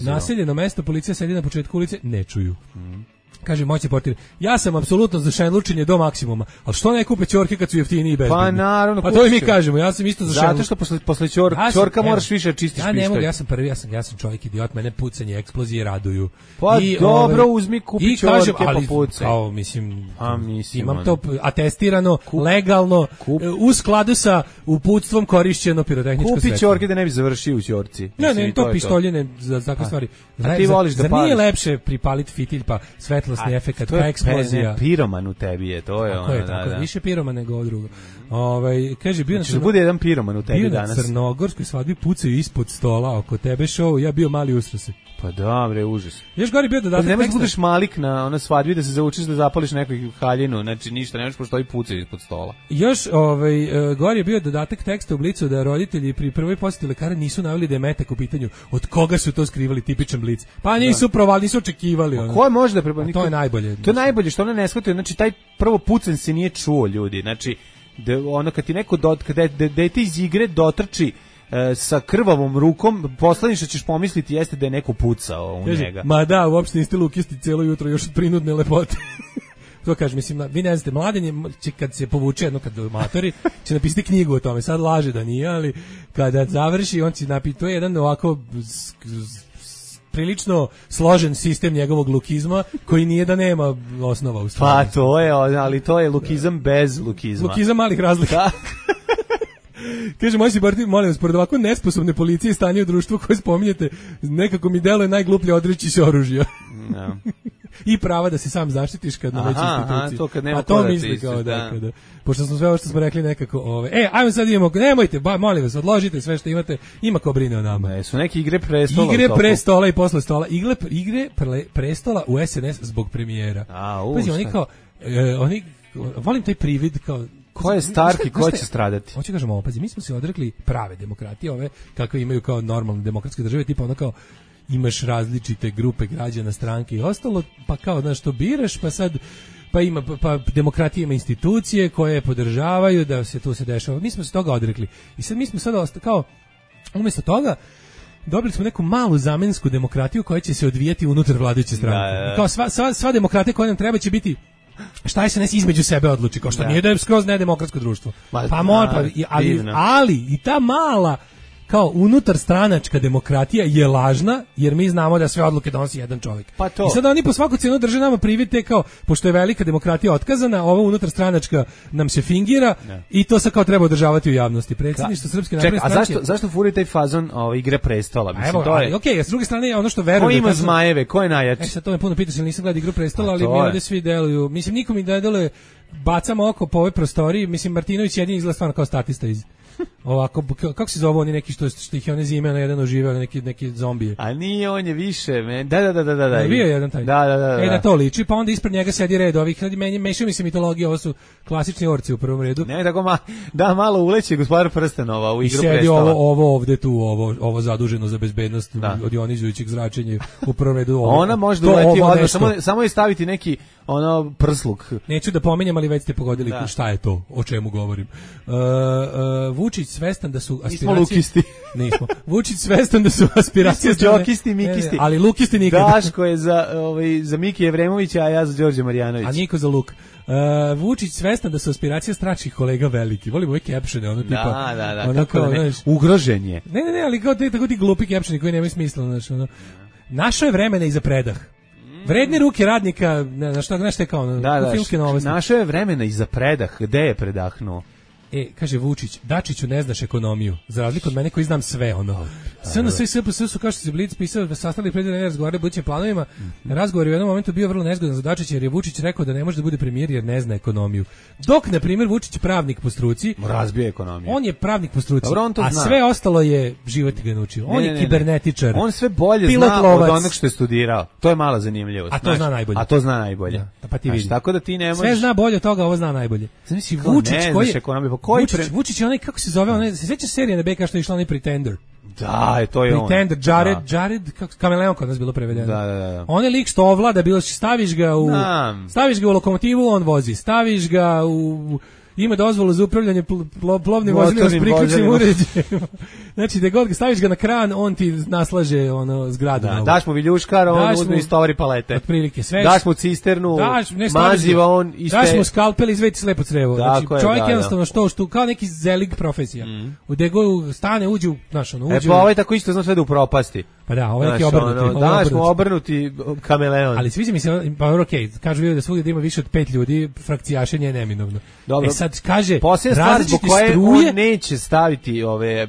Naseljeno mesto, policija sedi na početku ulice, ne čuju. Mm. Kaže moćni portir, ja sam apsolutno za šajnlučenje do maksimuma, ali što ne kupe ćorke kad su jeftiniji i bezbedni? Pa naravno, pa to i mi kažemo, ja sam isto za šajnlučenje. Zato što posle, posle ćor, ja ćorka evo, moraš više čistiš pištolj. Ja ne mogu, ja sam prvi, ja sam, ja sam čovjek idiot, mene pucanje, eksplozije raduju. Pa I, dobro, ove, uzmi, kupi ćorke pa pucaj. Kao, mislim, A, mislim imam to atestirano, kup, legalno, kup. U skladu sa uputstvom korišćeno pirotehničko sredstvo. Kupi ćorke da ne bi završio u ćorci. Ne, ne, to pištoljene za takve stvari. A ti voliš da pališ? Nije lepše pripaliti fitilj pa svetlosni efekat, pa eksplozija. Ne, piroman u tebi je, to je ono. Je, tako, da, da. Više piroman nego ovo drugo. Ovaj kaže bio znači, na crno... bude jedan piroman u tebi bio danas. Bio na crnogorskoj svadbi, pucaju ispod stola oko tebe show, ja bio mali usrase. Pa dobre, užas. Još gori bio dodatak. Pa ne možeš budeš malik na ona svadbi da se zaučiš da zapališ neku haljinu, znači ništa, ne možeš postoji pucaju ispod stola. Još ovaj uh, gori je bio dodatak teksta u Blicu da roditelji pri prvoj poseti lekara nisu naveli da je metak u pitanju. Od koga su to skrivali, tipičan Blic? Pa nisu provali, nisu očekivali ono. Ko može da preba... To je najbolje. To je najbolje što ona ne shvatio, znači taj prvo pucanj se nije čuo, ljudi. Znači da ono kad ti neko dot, kad dete iz igre dotrči e, sa krvavom rukom, poslednje što ćeš pomisliti jeste da je neko pucao u Ježi, njega. Ma da, uopšte niste lukisti cijelo jutro još od prinudne lepote. To kaže, mislim, vi ne znate, mladen je, će, kad se povuče jedno, kad matori, će napisati knjigu o tome, sad laže da nije, ali kada završi, on će napiti, to je jedan ovako prilično složen sistem njegovog lukizma, koji nije da nema osnova u stvari. Pa to je, ali to je lukizam bez lukizma. Lukizam malih razlika. Kaže, moj si Bartin, molim vas, pored ovako nesposobne policije i stanje u društvu koje spominjete, nekako mi deluje najgluplje odreći se oružja. No. I prava da se sam zaštitiš kad na većoj instituciji. To kad nema a to misli kao da, da. Kada, pošto smo sve ovo što smo rekli nekako, ove, e, ajmo sad idemo, nemojte, ba, molim vas, odložite sve što imate, ima ko brine o nama. Ne, su neke igre prestola. Igre prestola i posle stola. Igre, igre pre, prestola u S N S zbog premijera. A, u, Pazi, oni kao, e, oni, volim taj privid kao, ko je Stark i ko će stradati? Hoće kažemo, opazi, mi smo se odrekli prave demokratije, ove kakve imaju kao normalne demokratske države, tipa ono kao imaš različite grupe građana, stranke i ostalo, pa kao znaš što biraš, pa sad pa ima pa, pa demokratija ima institucije koje podržavaju da se to se dešava. Mi smo se toga odrekli. I sad mi smo sad osta, kao umjesto toga dobili smo neku malu zamensku demokratiju koja će se odvijati unutar vladajuće stranke. Da, da. Kao sva, sva, sva demokratija koja nam treba će biti šta je se nes između sebe odluči, kao što da. Nije da je skroz nedemokratsko društvo. Ma, pa mora, pa, ali, ali i ta mala kao unutar stranačka demokratija je lažna, jer mi znamo da sve odluke donosi jedan čovjek. Pa to. I sada oni po svaku cijenu drže nama privite kao, pošto je velika demokratija otkazana, ova unutar stranačka nam se fingira ne. I to se kao treba održavati u javnosti. Predsjedništvo Srpske napredne stranke. A zašto, zašto furi taj fazon ove igre prestola? Mislim, evo, to je... ali, okej, okay, s druge strane ono što verujem... Ko ima da zmajeve, ko je najjači? E sad to me puno pitaš, ili nisam gledao igru prestola, ali mi ovdje svi deluju. Mislim, nikom mi ne deluje, bacamo oko po ovoj prostoriji, mislim, Martinović jedin izgleda stvarno kao statista iz... ovako, kako se zove oni neki što, što ih je one zime na jedan oživeo, neki, neki zombije. A nije, on je više, men. Da, da, da, da, da. da. Bio je jedan taj. Da, da, da, da. E, na to liči, pa onda ispred njega sedi red ovih, meni mešaju mi se mitologije, ovo su klasični orci u prvom redu. Ne, tako ma, da, malo uleće Gospodar prstenova u Igru prestava. I sedi ovo, ovo ovde tu, ovo, ovo zaduženo za bezbednost da. Od ionizujućeg zračenja u prvom redu. Ovo, ona može da uleti odmah, samo, samo je staviti neki ono prsluk. Neću da pominjem, ali već ste pogodili da. Šta je to, o čemu govorim. Uh, uh, Vučić svestan da su aspiracije... Nismo lukisti. Nismo. Vučić svestan da su aspiracije... Nismo džokisti, mikisti. Ne, ali lukisti nikada. Daško je za, ovaj, za Miki Evremovića, a ja za Đorđe Marjanovića. A Niko za Luk. Uh, Vučić svestan da su aspiracije stračnih kolega veliki. Volim ove captione, ono tipa... Da, da, da. Ono kao, ne, znaš, ugrožen je. Ne, ne, ne, ali kao te, tako ti glupi captioni koji nemaju smisla. Znaš, ono. Našao je vremena i za predah. Vredne ruke radnika, na šta, znaš te kao, da, da, filmske novosti. Našao je vremena i za predah, gde je predahnuo? E, kaže Vučić, Dačiću ne znaš ekonomiju, za razliku od mene koji znam sve, ono. S N S i S P S su, kao što se Blic pisao, sastavili predivne razgovore budućim planovima. Razgovor je u jednom momentu bio vrlo nezgodan za Dačića, jer je Vučić rekao da ne može da bude premijer jer ne zna ekonomiju. Dok, na primjer, Vučić je pravnik po struci. Razbija ekonomiju. On je pravnik po struci, dobro, a zna. Sve ostalo je život ga naučio. On ne, ne, je kibernetičar. On sve bolje zna lovac. Od onog što je studirao. To je mala zanimljivost. A to zna najbolje. A to zna najbolje. Da, pa ti vidi. Tako da ti ne možeš... Sve zna bolje od toga, ovo zna najbolje. Znači Vučić koji je Vučić, Vučić je onaj, kako se zove, onaj, se sjeća serije na B K što je išla onaj Pretender. Da, je to je on. Pretender, Jared, da. Jared, kako Kameleon kod nas bilo prevedeno. Da, da, da. On je lik što ovlada, bilo staviš ga u da. staviš ga u lokomotivu, on vozi. Staviš ga u ima dozvolu za upravljanje pl plovnim vozilima s priključnim uređajima. Znači, da god ga staviš ga na kran, on ti naslaže ono zgradu. Da, daš mu viljuškar, on uzme iz tovari palete. Otprilike sve. Daš mu cisternu, daš, ne, maziva on iste. Daš mu skalpel, izvedi slepo crevo. Znači, je, čovjek da, jednostavno da. što što kao neki zelig profesija. Mm. U degu stane, uđe u, znaš, ono, uđe. E pa ovaj tako isto zna sve da upropasti. Pa da, ovaj neki obrnuti. Ono, daš mu obrnuti kameleon. Ali sviđa mi se, pa okej, okay, kažu da svugdje da ima više od pet ljudi, frakcijašenje je neminovno. Dobro. E sad kaže, posljedna stvar zbog koje struje, on neće staviti ove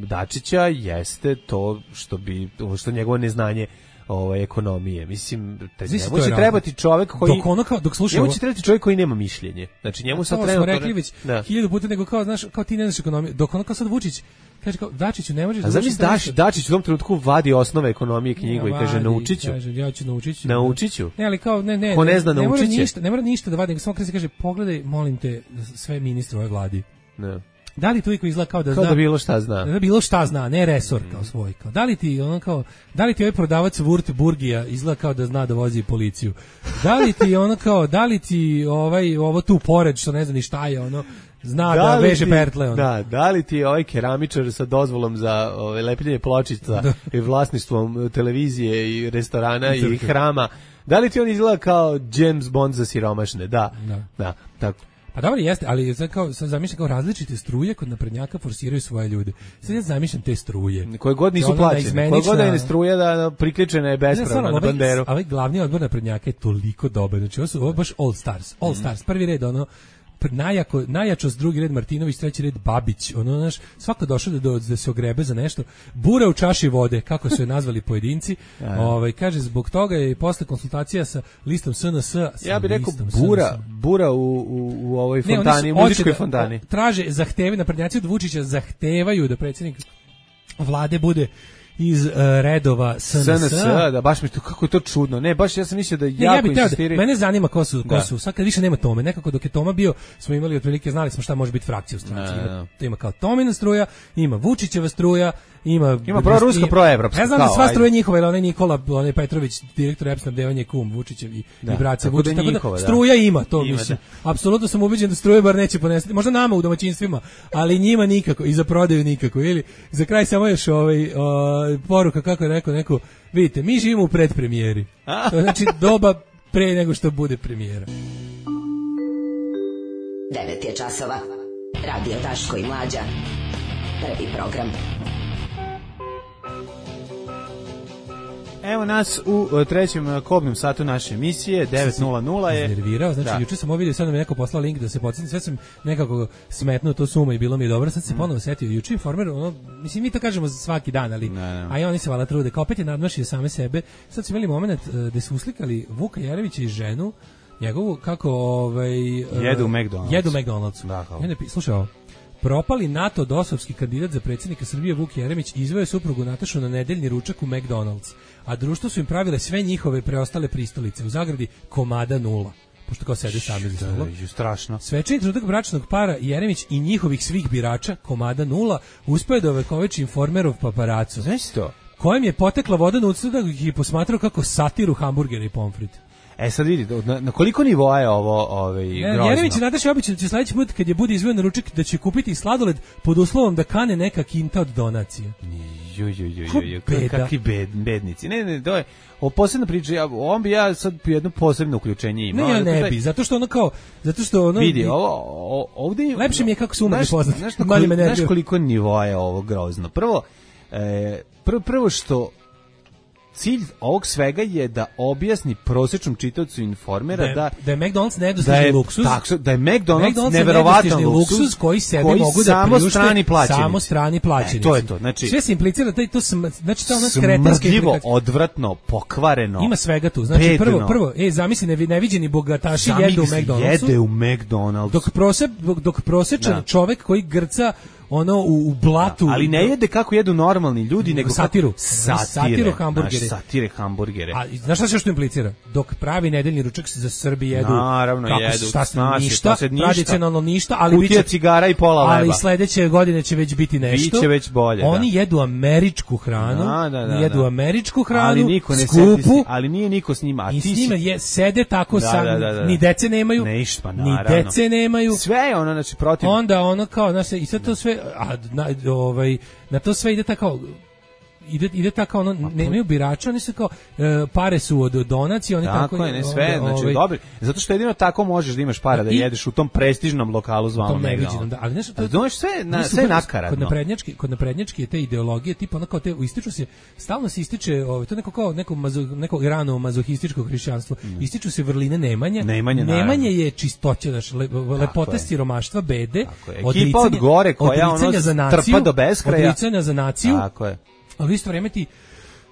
Dačića jeste to što bi što njegovo neznanje ove ekonomije. Mislim, njemu će trebati čovjek koji dok ono kao dok sluša, njemu će trebati čovjek koji nema mišljenje. Znači njemu sad treba. To smo rekli već hiljadu puta, nego kao znaš, kao ti ne znaš ekonomiju. Dok ono kao sad Vučić kaže kao Dačiću ne možeš. A zamisli Dač, Dačić u tom trenutku vadi osnove ekonomije knjigu ja, i kaže naučiću. Kaže ja ću naučiću. Naučiću. Ne, ali kao ne ne. Ko ne zna ne, naučiće. Ne mora ništa, ne mora ništa da vadi, nego samo kaže kaže pogledaj molim te sve ministre ove vladi. Ne. Da li tu iko izgleda kao da kao zna? Da bilo šta zna. Da bilo šta zna, ne resor kao svoj. Kao. Da li ti ono kao, da li ti ovaj prodavac Würtburgija izgleda kao da zna da vozi policiju? Da li ti ono kao, da li ti ovaj ovo tu pored što ne zna ni šta je ono zna da, da veže ti, pertle ono. Da, da li ti ovaj keramičar sa dozvolom za ove lepljenje pločica da. I vlasništvom televizije i restorana i, i hrama, da li ti on izgleda kao James Bond za siromašne? Da. Da, da tako. Pa dobro jeste, ali sad kao sad zamišljam kao različite struje kod naprednjaka forsiraju svoje ljude. Sad ja zamišljam te struje. Koje god nisu plaćene. Koje god je struje da priključena je bespravno na banderu. Ali glavni odbor naprednjaka je toliko dobar. Znači ovo su ovo baš All Stars. All mm. Stars, prvi red ono najjako, najjačost, drugi red Martinović, treći red Babić, ono, znaš, svako došao da, da, da se ogrebe za nešto, bura u čaši vode, kako su je nazvali pojedinci, ovaj, kaže, zbog toga je posle konsultacija sa listom S N S, ja bih rekao bura, bura u, u, u ovoj fontani, ne, muzičkoj da, fontani. Traže, zahteve, naprednjaci od Vučića zahtevaju da predsjednik vlade bude iz uh, redova S N S. S N S, da, baš mi to, kako je to čudno. Ne, baš ja sam mislio da ne, jako ja insistiraju. Da, mene zanima ko su, ko da. su. Sad kad više nema Tome, nekako dok je Toma bio, smo imali otprilike, znali smo šta može biti frakcija u stranci. Ima, ima kao Tomina struja, ima Vučićeva struja, ima ima proruska, proevropska. Ne znam da sva struja njihova, ili onaj Nikola, onaj Petrović, direktor E P snabdevanja kum Vučićev i, da, i braća Vučić, tako da, njihova, struja da. Ima, to ima, mislim. Da. Apsolutno sam ubeđen da struje bar neće ponesti. Možda nama u domaćinstvima, ali njima nikako i za prodaju nikako. Ili za kraj samo još ovaj o, poruka kako je rekao neko, vidite, mi živimo u predpremijeri. To znači doba pre nego što bude premijera. devet je časova. Radio Daško i Mlađa. Prvi program. Evo nas u trećem kobnom satu naše emisije, devet nula nula je. Iznervirao, znači da. Juče sam ovo vidio, sad nam je neko poslao link da se podsjetim, sve sam nekako smetnuo to suma i bilo mi je dobro, sad se mm. ponovo setio. Juče Informer, ono, mislim mi to kažemo svaki dan, ali ne, ne. A i oni se valjda trude, kao opet je nadmašio same sebe. Sad su imali moment uh, da su uslikali Vuka Jeremića i ženu njegovu kako ovaj uh, jedu u McDonald's. Jedu u McDonald'su. Da, slušaj ovo. Propali NATO dosovski kandidat za predsjednika Srbije Vuk Jeremić izveo je suprugu Natašu na nedeljni ručak u McDonald's, a društvo su im pravile sve njihove preostale pristalice u zagradi komada nula. Pošto kao sede sami za stolom. Strašno. Svečani trenutak bračnog para Jeremić i njihovih svih birača, komada nula, uspeo da ovekoveči Informerov paparaco. Znaš to? Kojem je potekla voda na usta da ih je posmatrao kako satiru hamburgera i pomfrit. E sad vidi, na, na koliko nivoa je ovo ovaj, grozno? Jeremić i Nataša obično će sledeći put kad je bude izveo na ručak da će kupiti sladoled pod uslovom da kane neka kinta od donacije. Ju, ju, ju, ju, ju, kakvi bed, bednici. Ne, ne, to je o posebna priča. Ja, on bi ja sad jedno posebno uključenje imao. Ne, ja ne bi, zato što ono kao, zato što ono... Vidi, ovo, ovdje... Lepše mi je kako su umrli poznati. Znaš, koliko, znaš koliko nivoa je ovo grozno? Prvo, e, prvo, prvo što cilj ovog svega je da objasni prosječnom čitaocu Informera da, da, da je McDonald's nedostižni da luksuz, tako, da je McDonald's, McDonald's neverovatan luksuz, luksuz koji sebi koji mogu da samo priušte strani plaćenici. Samo strani plaćenici. E, to je to. Znači, sve se implicira da je to sm, znači to ono kretenske smrdljivo, odvratno, pokvareno. Ima svega tu. Znači bedno. prvo prvo, ej zamisli nevi, neviđeni bogataši jedu u McDonald'su. Jede u McDonald'su. Dok prose, dok prosečan da. čovek koji grca ono u, u blatu, da, ali ne jede kako jedu normalni ljudi, nego satiru, satire, satiru hamburgere, naš, satire hamburgere. A znaš šta se što implicira? Dok pravi nedeljni ručak se za Srbi jedu, naravno kako jedu, šta se nasi, ništa, se ništa, tradicionalno ništa, ali kutija cigara i pola leba. Ali sledeće godine će već biti nešto. Biće već bolje. Oni da. jedu američku hranu, da, da, da, jedu da. američku hranu, ali niko ne skupu, sedi, ali nije niko s njima, a i ti s njima je sede tako da, sam, da, da, da. ni dece nemaju, ne išta, ni dece nemaju. Sve je ono, znači protiv. Onda ono kao, znači i sad to sve, a na, ovaj na to sve ide tako ide ide tako ono nemaju birača, oni su kao e, pare su od donacije, oni tako, tako je, ne sve, onda, znači ovaj, dobro, zato što jedino tako možeš da imaš para da i, jedeš u tom prestižnom lokalu zvanom neviđenom, da, ali nešto to znaš sve na sve nakaradno. Kod naprednjački, kod naprednjački je te ideologije tipa ono kao te ističu se, stalno se ističe, ovaj to neko kao neko mazo, neko rano mazohističko hrišćanstvo. Mm. Ističu se vrline nemanja. Nemanje, nemanje je čistoća, znači le, lepota siromaštva, bede, ekipa od gore koja ono trpa do beskraja. Odricanja za naciju. Tako je. Ali u isto vrijeme ti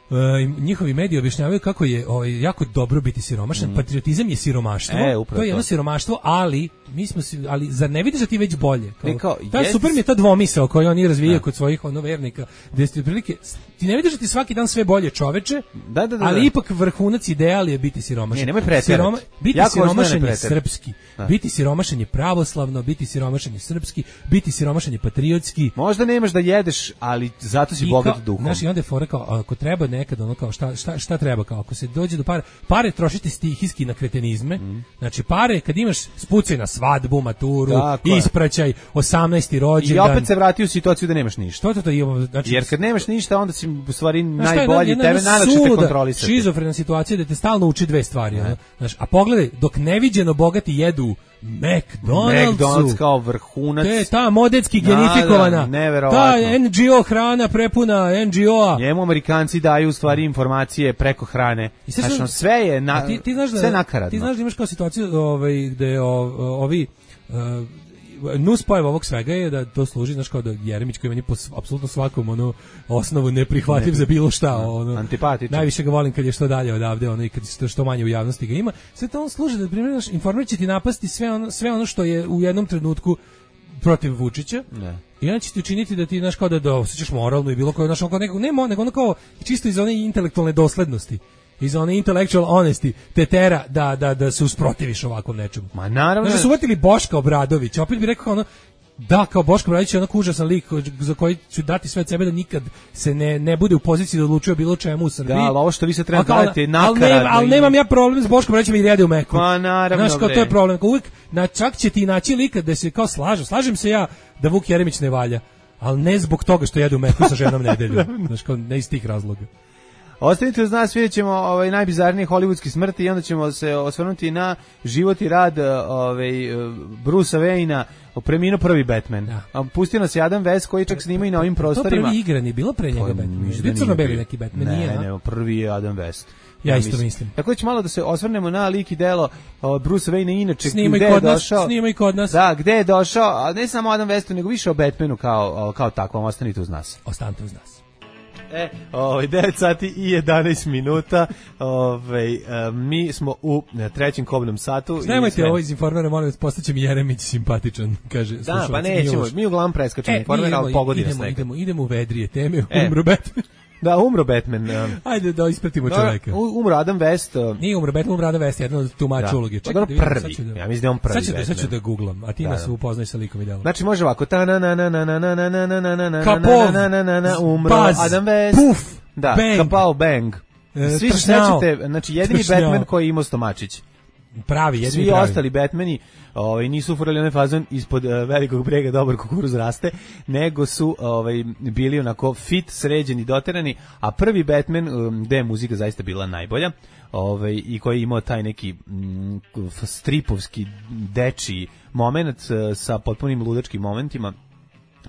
uh, njihovi mediji objašnjavaju kako je ovaj, jako dobro biti siromašan. Mm. Patriotizam je siromaštvo. E, to je jedno siromaštvo, ali mi smo si, ali zar ne vidiš da ti već bolje? Kao, kao, ta jest... super mi je ta dvomisao koju oni razvijaju kod svojih ono vernika, gde ste prilike ti ne vidiš da ti svaki dan sve bolje, čoveče. Da, da, da, ali da. ipak vrhunac ideal je biti siromašan. Ne, nemoj preterati. Siroma, biti jako siromašan je srpski. Da. Biti siromašan je pravoslavno, biti siromašan je srpski, biti siromašan je patriotski. Možda nemaš da jedeš, ali zato si bogat duhom. Znaš, i onda je fora kao, ako treba nekad, ono kao, šta, šta, šta treba, kao, ako se dođe do pare, pare trošite stihijski na kretenizme, mm. znači pare, kad imaš spucaj na svadbu, maturu, ispraćaj, osamnaesti rođendan. I opet se vrati u situaciju da nemaš ništa. To, to, to, imamo, znači, jer kad nemaš ništa, onda si u stvari najbolji, jedna, tebe najlakše te kontrolisati. Šizofrena situacija da te stalno uči dve stvari. Ono, znaš, a pogledaj, dok neviđeno bogati jedu McDonald'su, McDonald's kao vrhunac. Te, ta modetski genifikovana, da, ta N G O hrana prepuna N G O-a. Njemu Amerikanci daju u stvari informacije preko hrane. I sve, znači, sve je na, ti, ti znaš da, sve nakaradno. Ti znaš da imaš kao situaciju ovaj, gde ovi... Uh, nuspojava ovog svega je da to služi, znaš, kao da Jeremić koji meni po apsolutno svakom ono osnovu neprihvatljiv ne, za bilo šta, ono antipatičan. Najviše ga volim kad je što dalje odavde, ono i kad što, što manje u javnosti ga ima. Sve to on služi da primjer naš Informer će ti napasti sve ono sve ono što je u jednom trenutku protiv Vučića. Ne. I on će ti učiniti da ti znaš kao da da osjećaš moralno i bilo koje znaš kao nekog nema nego ono kao čisto iz one intelektualne doslednosti. Iz one intellectual honesty te tera da, da, da se usprotiviš ovakvom nečemu. Ma naravno. Znači su uvatili Boška Obradovića, opet bih rekao ono, da, kao Boško Obradović je onako užasan lik za koji ću dati sve od sebe da nikad se ne, ne bude u poziciji da odlučuje bilo čemu u Srbiji. Da, ali ovo što vi se treba gledati je nakaradno. Ali, ne, ali nemam ja problem s Boškom Obradovićem i jede u meku. Ma naravno. Znaš, kao to je problem. Kao uvijek, na, čak će ti naći lika da se kao slažem. Slažem se ja da Vuk Jeremić ne valja, ali ne zbog toga što jede u meku sa ženom nedelju. Znaš, kao ne iz tih razloga. Ostanite uz nas, vidjet ćemo ovaj, najbizarnije hollywoodske smrti i onda ćemo se osvrnuti na život i rad ovaj, Brucea Wayna, preminuo prvi Batman. Da. Pustio nas je Adam West koji čak snima i na ovim prostorima. To prvi igrani, bilo pre njega Batman. Bio crno-beli neki Batman, ne, nije, ne, ne, prvi je Adam West. Ja, ja isto mislim. mislim. Tako da ćemo malo da se osvrnemo na lik i delo uh, Brucea Wayna, inače snima gde je došao. Nas, snima i kod nas. Da, gde je došao, a ne samo Adam Westu, nego više o Batmanu kao, kao takvom. Ostanite uz nas. Ostanite uz nas. E, ovaj, devet sati i jedanaest minuta, ovaj, mi smo u trećem kobnom satu. Nemojte sve... ovo iz Informera, molim vas, postaće mi Jeremić simpatičan, kaže. Da, pa nećemo, mi uglavnom preskačemo e, Informer, ali pogodi nas nekad. Idemo, idemo u vedrije teme, e. umro Batman. Da, umro Batman. Um. Ajde da ispratimo da, čoveka. Umro Adam West. Uh. Nije umro Batman, umro Adam West, jedno od tumača uloge. Čekaj, da vidim, prvi. Da, ja mislim da on prvi. Sad ću da, sad ću da googlam, a ti da, nas da. upoznaj sa likom i delom. Znači može ovako. Ta na na na na na na na na na na na Kapov, na na na na umro Buzz, Adam West. Puf, da, bang. Kapao bang. Svi se sećate, znači jedini Tršnjao. Batman koji je imao stomačić. Pravi, jedini Svi pravi. ostali Batmani ovaj, nisu ufurali onaj fazon ispod uh, velikog brega dobar kukuruz raste, nego su ovaj, bili onako fit, sređeni, doterani, a prvi Batman, um, gde je muzika zaista bila najbolja, ovaj, i koji je imao taj neki mm, stripovski dečiji moment uh, sa potpunim ludačkim momentima,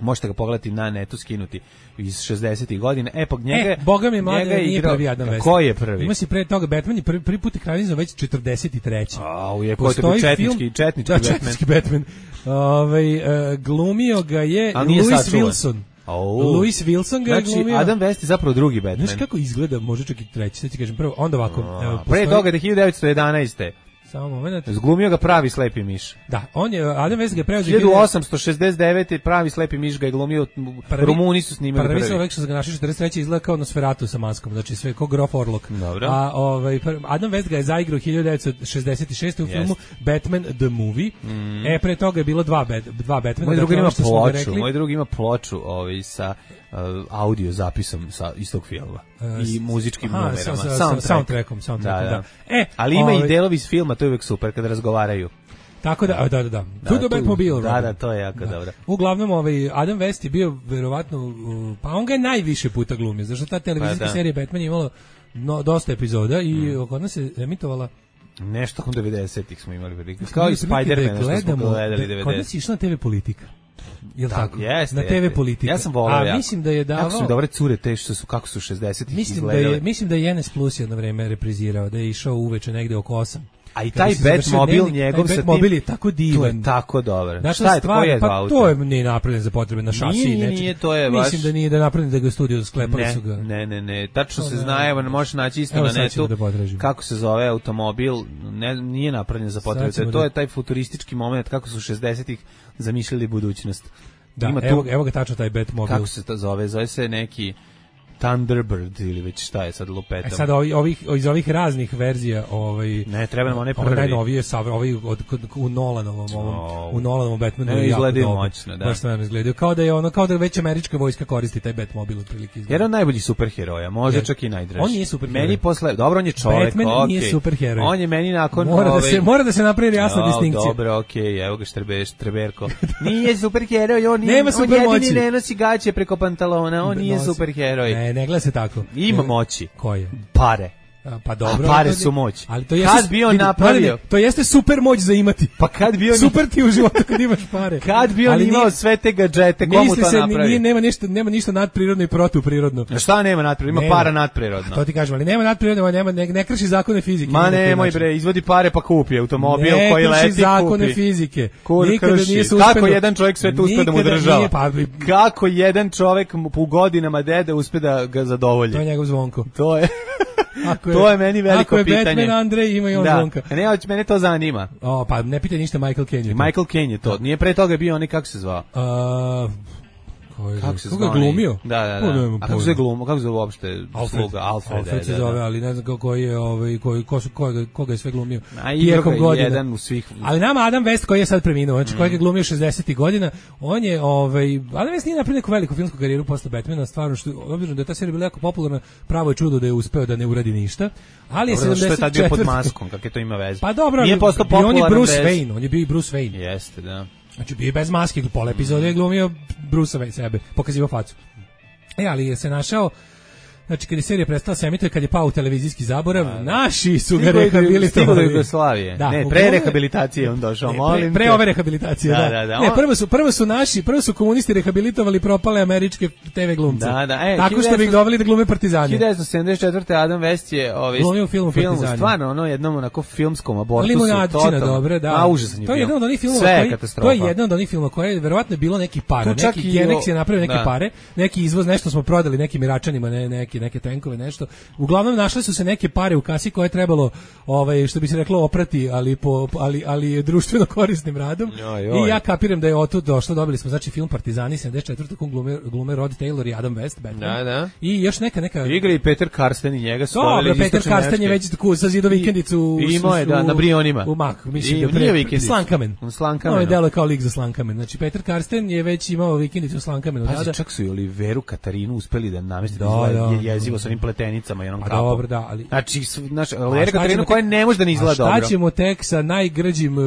možete ga pogledati na netu, skinuti iz šezdesetih godina. E, pa njega, e, boga mi mlade, nije igrao, prvi Adam West. Ko je prvi? Ima si pre toga, Batman je prvi, prvi put ekranizao već četrdeset treći Au, je ko je to četnički, film, četnički da, Batman. Četnički Batman. Ove, uh, glumio ga je Louis Wilson. Oh. Louis Wilson ga je znači, glumio. Adam West je zapravo drugi Batman. Znaš kako izgleda, može čak i treći, sad ti kažem prvo, onda ovako. A, evo, pre postoji... toga da hiljadu devetsto jedanaeste Samo moment. Zglumio ga pravi slepi miš. Da, on je Adam West ga preuzeo hiljadu osamsto šezdeset devete pravi slepi miš ga je glumio. Prvi, Rumuni su snimali prvi. Prvi su rekli da ga našli četrdeset treće izgleda kao Nosferatu sa maskom, znači sve kao Grof Orlok. Dobro. A ovaj Adam West ga je zaigrao hiljadu devetsto šezdeset šeste u filmu yes. Batman the Movie. Mm. E pre toga je bilo dva bat, dva Batmana. Moj drugi ima ploču, moj drugi ima ploču, ovaj sa uh, audio zapisom sa istog filma uh, i muzičkim aha, numerama, sa, sa, soundtrack. soundtrackom, soundtrackom, da. da. da. E, ali ima ovaj, i delovi iz filma, to je uvek super kada razgovaraju. Tako da, da, da, da. da to je Batmobile. Da, da, to je jako da. dobro. Uglavnom, ovaj Adam West je bio verovatno, pa on ga je najviše puta glumio, zašto ta televizijska pa, serija Batman je imala no, dosta epizoda i mm. kod nas se emitovala nešto od devedesetih smo imali prilike. Kao i Spider-Man, što smo gledali devedesetih. Kod nas je išla na te ve Politika. Jel da, tako? Jeste, na te ve Politika. Ja sam voleo. A jako. mislim da je davao. Kako su dobre cure te što su kako su šezdesetih mislim izgledale. Da je, mislim da je N S Plus jedno vreme reprizirao, da je išao uveče negde oko osam. A i taj Batmobil njegov sa tim Batmobil je tako divan. To je tako dobar. Znači, šta je to? Je pa auto? To je nije napravljen za potrebe na šasi. Nije, nije, nije, to je baš... Mislim da nije da je napravljen da ga studio sklepali ne, su ga. Ne, ne, ne. Tačno se zna, evo, možeš naći isto evo, na netu da kako se zove automobil. Ne, nije napravljen za potrebe. To, to je taj futuristički moment kako su šezdesetih zamišljali budućnost. Da, ima evo, tu, evo ga tačno taj Batmobil. Kako se to zove? Zove se neki Thunderbird ili već šta je sad lupetom. E sad ovi, ovih, iz ovih raznih verzija ovaj, ne, treba nam onaj prvi. Ovaj najnovije, ovaj od, u Nolanovom, ovom, oh. u Nolanovom Batmanu ne, izgledaju moćno, da. Baš stvarno izgledaju. Kao da je ono, kao da već američka vojska koristi taj Batmobil otprilike. Jedan od najboljih superheroja, može čak i najdraži. On nije superheroj. Meni posle, dobro, on je čovjek, Batman okay. nije superheroj. On je meni nakon mora ove... da se mora da se napravi jasna no, distinkcija. Dobro, okej, okay, evo ga Štrebeš, Štreberko. Nije superheroj, on, Nema on jedini ne nosi gaće preko pantalona, on nije superheroj. Ne, ne gleda se tako. Ima moći. Koje? Pare. Pa dobro. A pare su moć. Ali to jeste, kad bi on napravio? Ne, to jeste super moć za imati. Pa kad bi on super ti u životu kad imaš pare. Kad bi on ali imao nije, sve te gadžete, komu to se, napravi? Nije, nema ništa, nema ništa nadprirodno i protuprirodno. A šta nema nadprirodno? Ima nema. Para nadprirodno. To ti kažem, ali nema nadprirodno, nema ne, ne krši zakone fizike. Ma nemoj bre, izvodi pare pa kupi automobil ne koji leti, kupi. Ne krši zakone fizike. Kur Nikada krši. nije se uspelo. Kako jedan čovjek sve to uspe da mu država? Pa, kako jedan čovjek u godinama dede uspe da ga zadovolji? To je njegov Zvonko. To je Ako je, to je meni veliko pitanje. Ako je pitanje. Batman Andrej, ima i on da. Zvonka. Ne, ali mene to zanima. O, pa ne pitaj ništa, Michael Caine je to. Michael Caine je to. Nije pre toga bio onaj, kako se zvao? Uh, kako se zvao? Koga glumio? Da, da, da. A kako se glumio? Kako se zove uopšte sluga? Alfred. Alfred se zove, ali ne znam koji je, ovaj, koji, ko su, koga, koga je sve glumio. A tijekom godina. Jedan u svih... Ali nama Adam West koji je sad preminuo, znači mm. kojeg je glumio šezdesetih godina, on je, ovaj, Adam West nije napravio neku veliku filmsku karijeru posle Batmana, stvarno, što, obzirom da je ta serija bila jako popularna, pravo je čudo da je uspeo da ne uradi ništa. Ali je sedamdeset četvrte. Što je tad bio pod maskom, kako je to ima veze? Pa dobro, nije postao popularan on je Bruce bez... Wayne, on je bio i Bruce Wayne. Jeste, da. Znači bio bez maske, pola epizode je glumio Bruce Wayne sebe, pokazivao facu. E, ali je se našao znači kad je serija prestala se emituje, kad je pao u televizijski zaborav, da, naši su ga rehabilitovali. Stigo do Jugoslavije. Da, ne, pre rehabilitacije on došao, ne, molim pre, pre ove rehabilitacije, da. da, da, da ne, prvo su, prvo su naši, prvo su komunisti rehabilitovali propale američke te ve glumce. Da, da, e, tako što bi ih doveli da glume Partizani. hiljadu devetsto sedamdeset četvrte. Adam West je ovaj glumio u filmu film, Partizani. Stvarno, ono jednom onako filmskom abortusu. Limunadčina, dobro, da. A, užasan je to je jedan od onih filmova koji, to je jedan od onih filmova koji je verovatno bilo neki para, neki Genex je napravio neke da. pare, neki izvoz, nešto smo prodali nekim Iračanima, ne, neki neke tenkove, nešto. Uglavnom našle su se neke pare u kasi koje je trebalo, ovaj što bi se reklo, oprati, ali po ali ali društveno korisnim radom. Joj, joj. I ja kapiram da je otud došlo, dobili smo znači film Partizani sedamdeset četvrte. glume glume Rod Taylor i Adam West, Batman. Da, da. I još neka neka igra i Peter Karsten i njega su doveli. Dobro, Peter Karsten je već tako sa zido vikendicu. Imao je da na Brionima. U Mak, mislim da pre Slankamen. Slankamen. No, je delo kao lik za Slankamen. Znači Peter Karsten je već imao vikendicu u Slankamenu. Da, da. Čak su i Oliveru Katarinu uspeli da nameste da, da, da jezivo sa onim pletenicama i onom kapom. Dobro, da, ali znači naš Olivera Katarinu koja ne može da ne izgleda dobro. Šta ćemo tek sa najgrđim uh,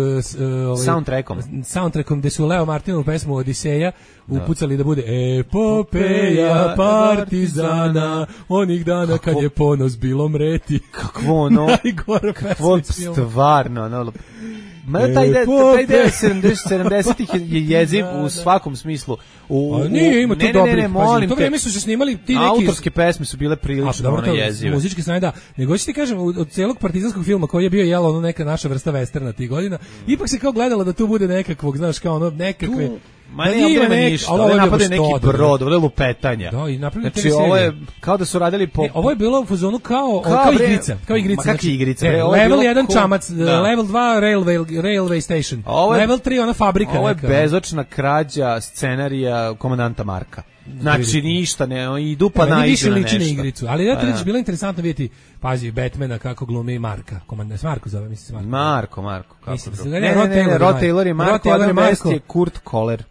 ovaj soundtrackom. Soundtrackom gde su Leo Martinovu pesmu Odiseja upucali da bude epopeja partizana onih dana kad je ponos bilo mreti. Kakvo ono, kakvo stvarno, ono, ma taj deo, taj deo sedamdesetih je jeziv u svakom smislu. U, a nije, ima tu dobrih. Ne, ne, molim to vreme su se snimali ti neki autorske pesme su bile prilično ono jezive. Muzičke strane, da. Nego ću ti kažem, od celog partizanskog filma koji je bio jelo ono neka naša vrsta westerna tih godina, ipak se kao gledalo da tu bude nekakvog, znaš, kao ono nekakve tu... Ma ne, nema nek, ništa, ali napade neki brod, ovdje lupetanja. Da, i napravili znači, ovo je kao da su radili po... Ne, ovo je bilo u fazonu kao, kao, kao igrica. Kao igrica. Ma kakvi igrica? Ne, level jedan ko... čamac, da. Level dva railway, railway station, je, level tri ona fabrika. Ovo je neka. Bezočna krađa scenarija komandanta Marka. Znači ništa, ne, idu pa naiđu na nešto. Igricu, ali da je bilo interesantno vidjeti, pazi, Batmana kako glumi Marka, komandant Marko zove, mislim se Marko. Marko, Marko, kako mislim, drugo. Ne, ne, ne, Rod Taylor je Marko, Adam West je Kurt Koller.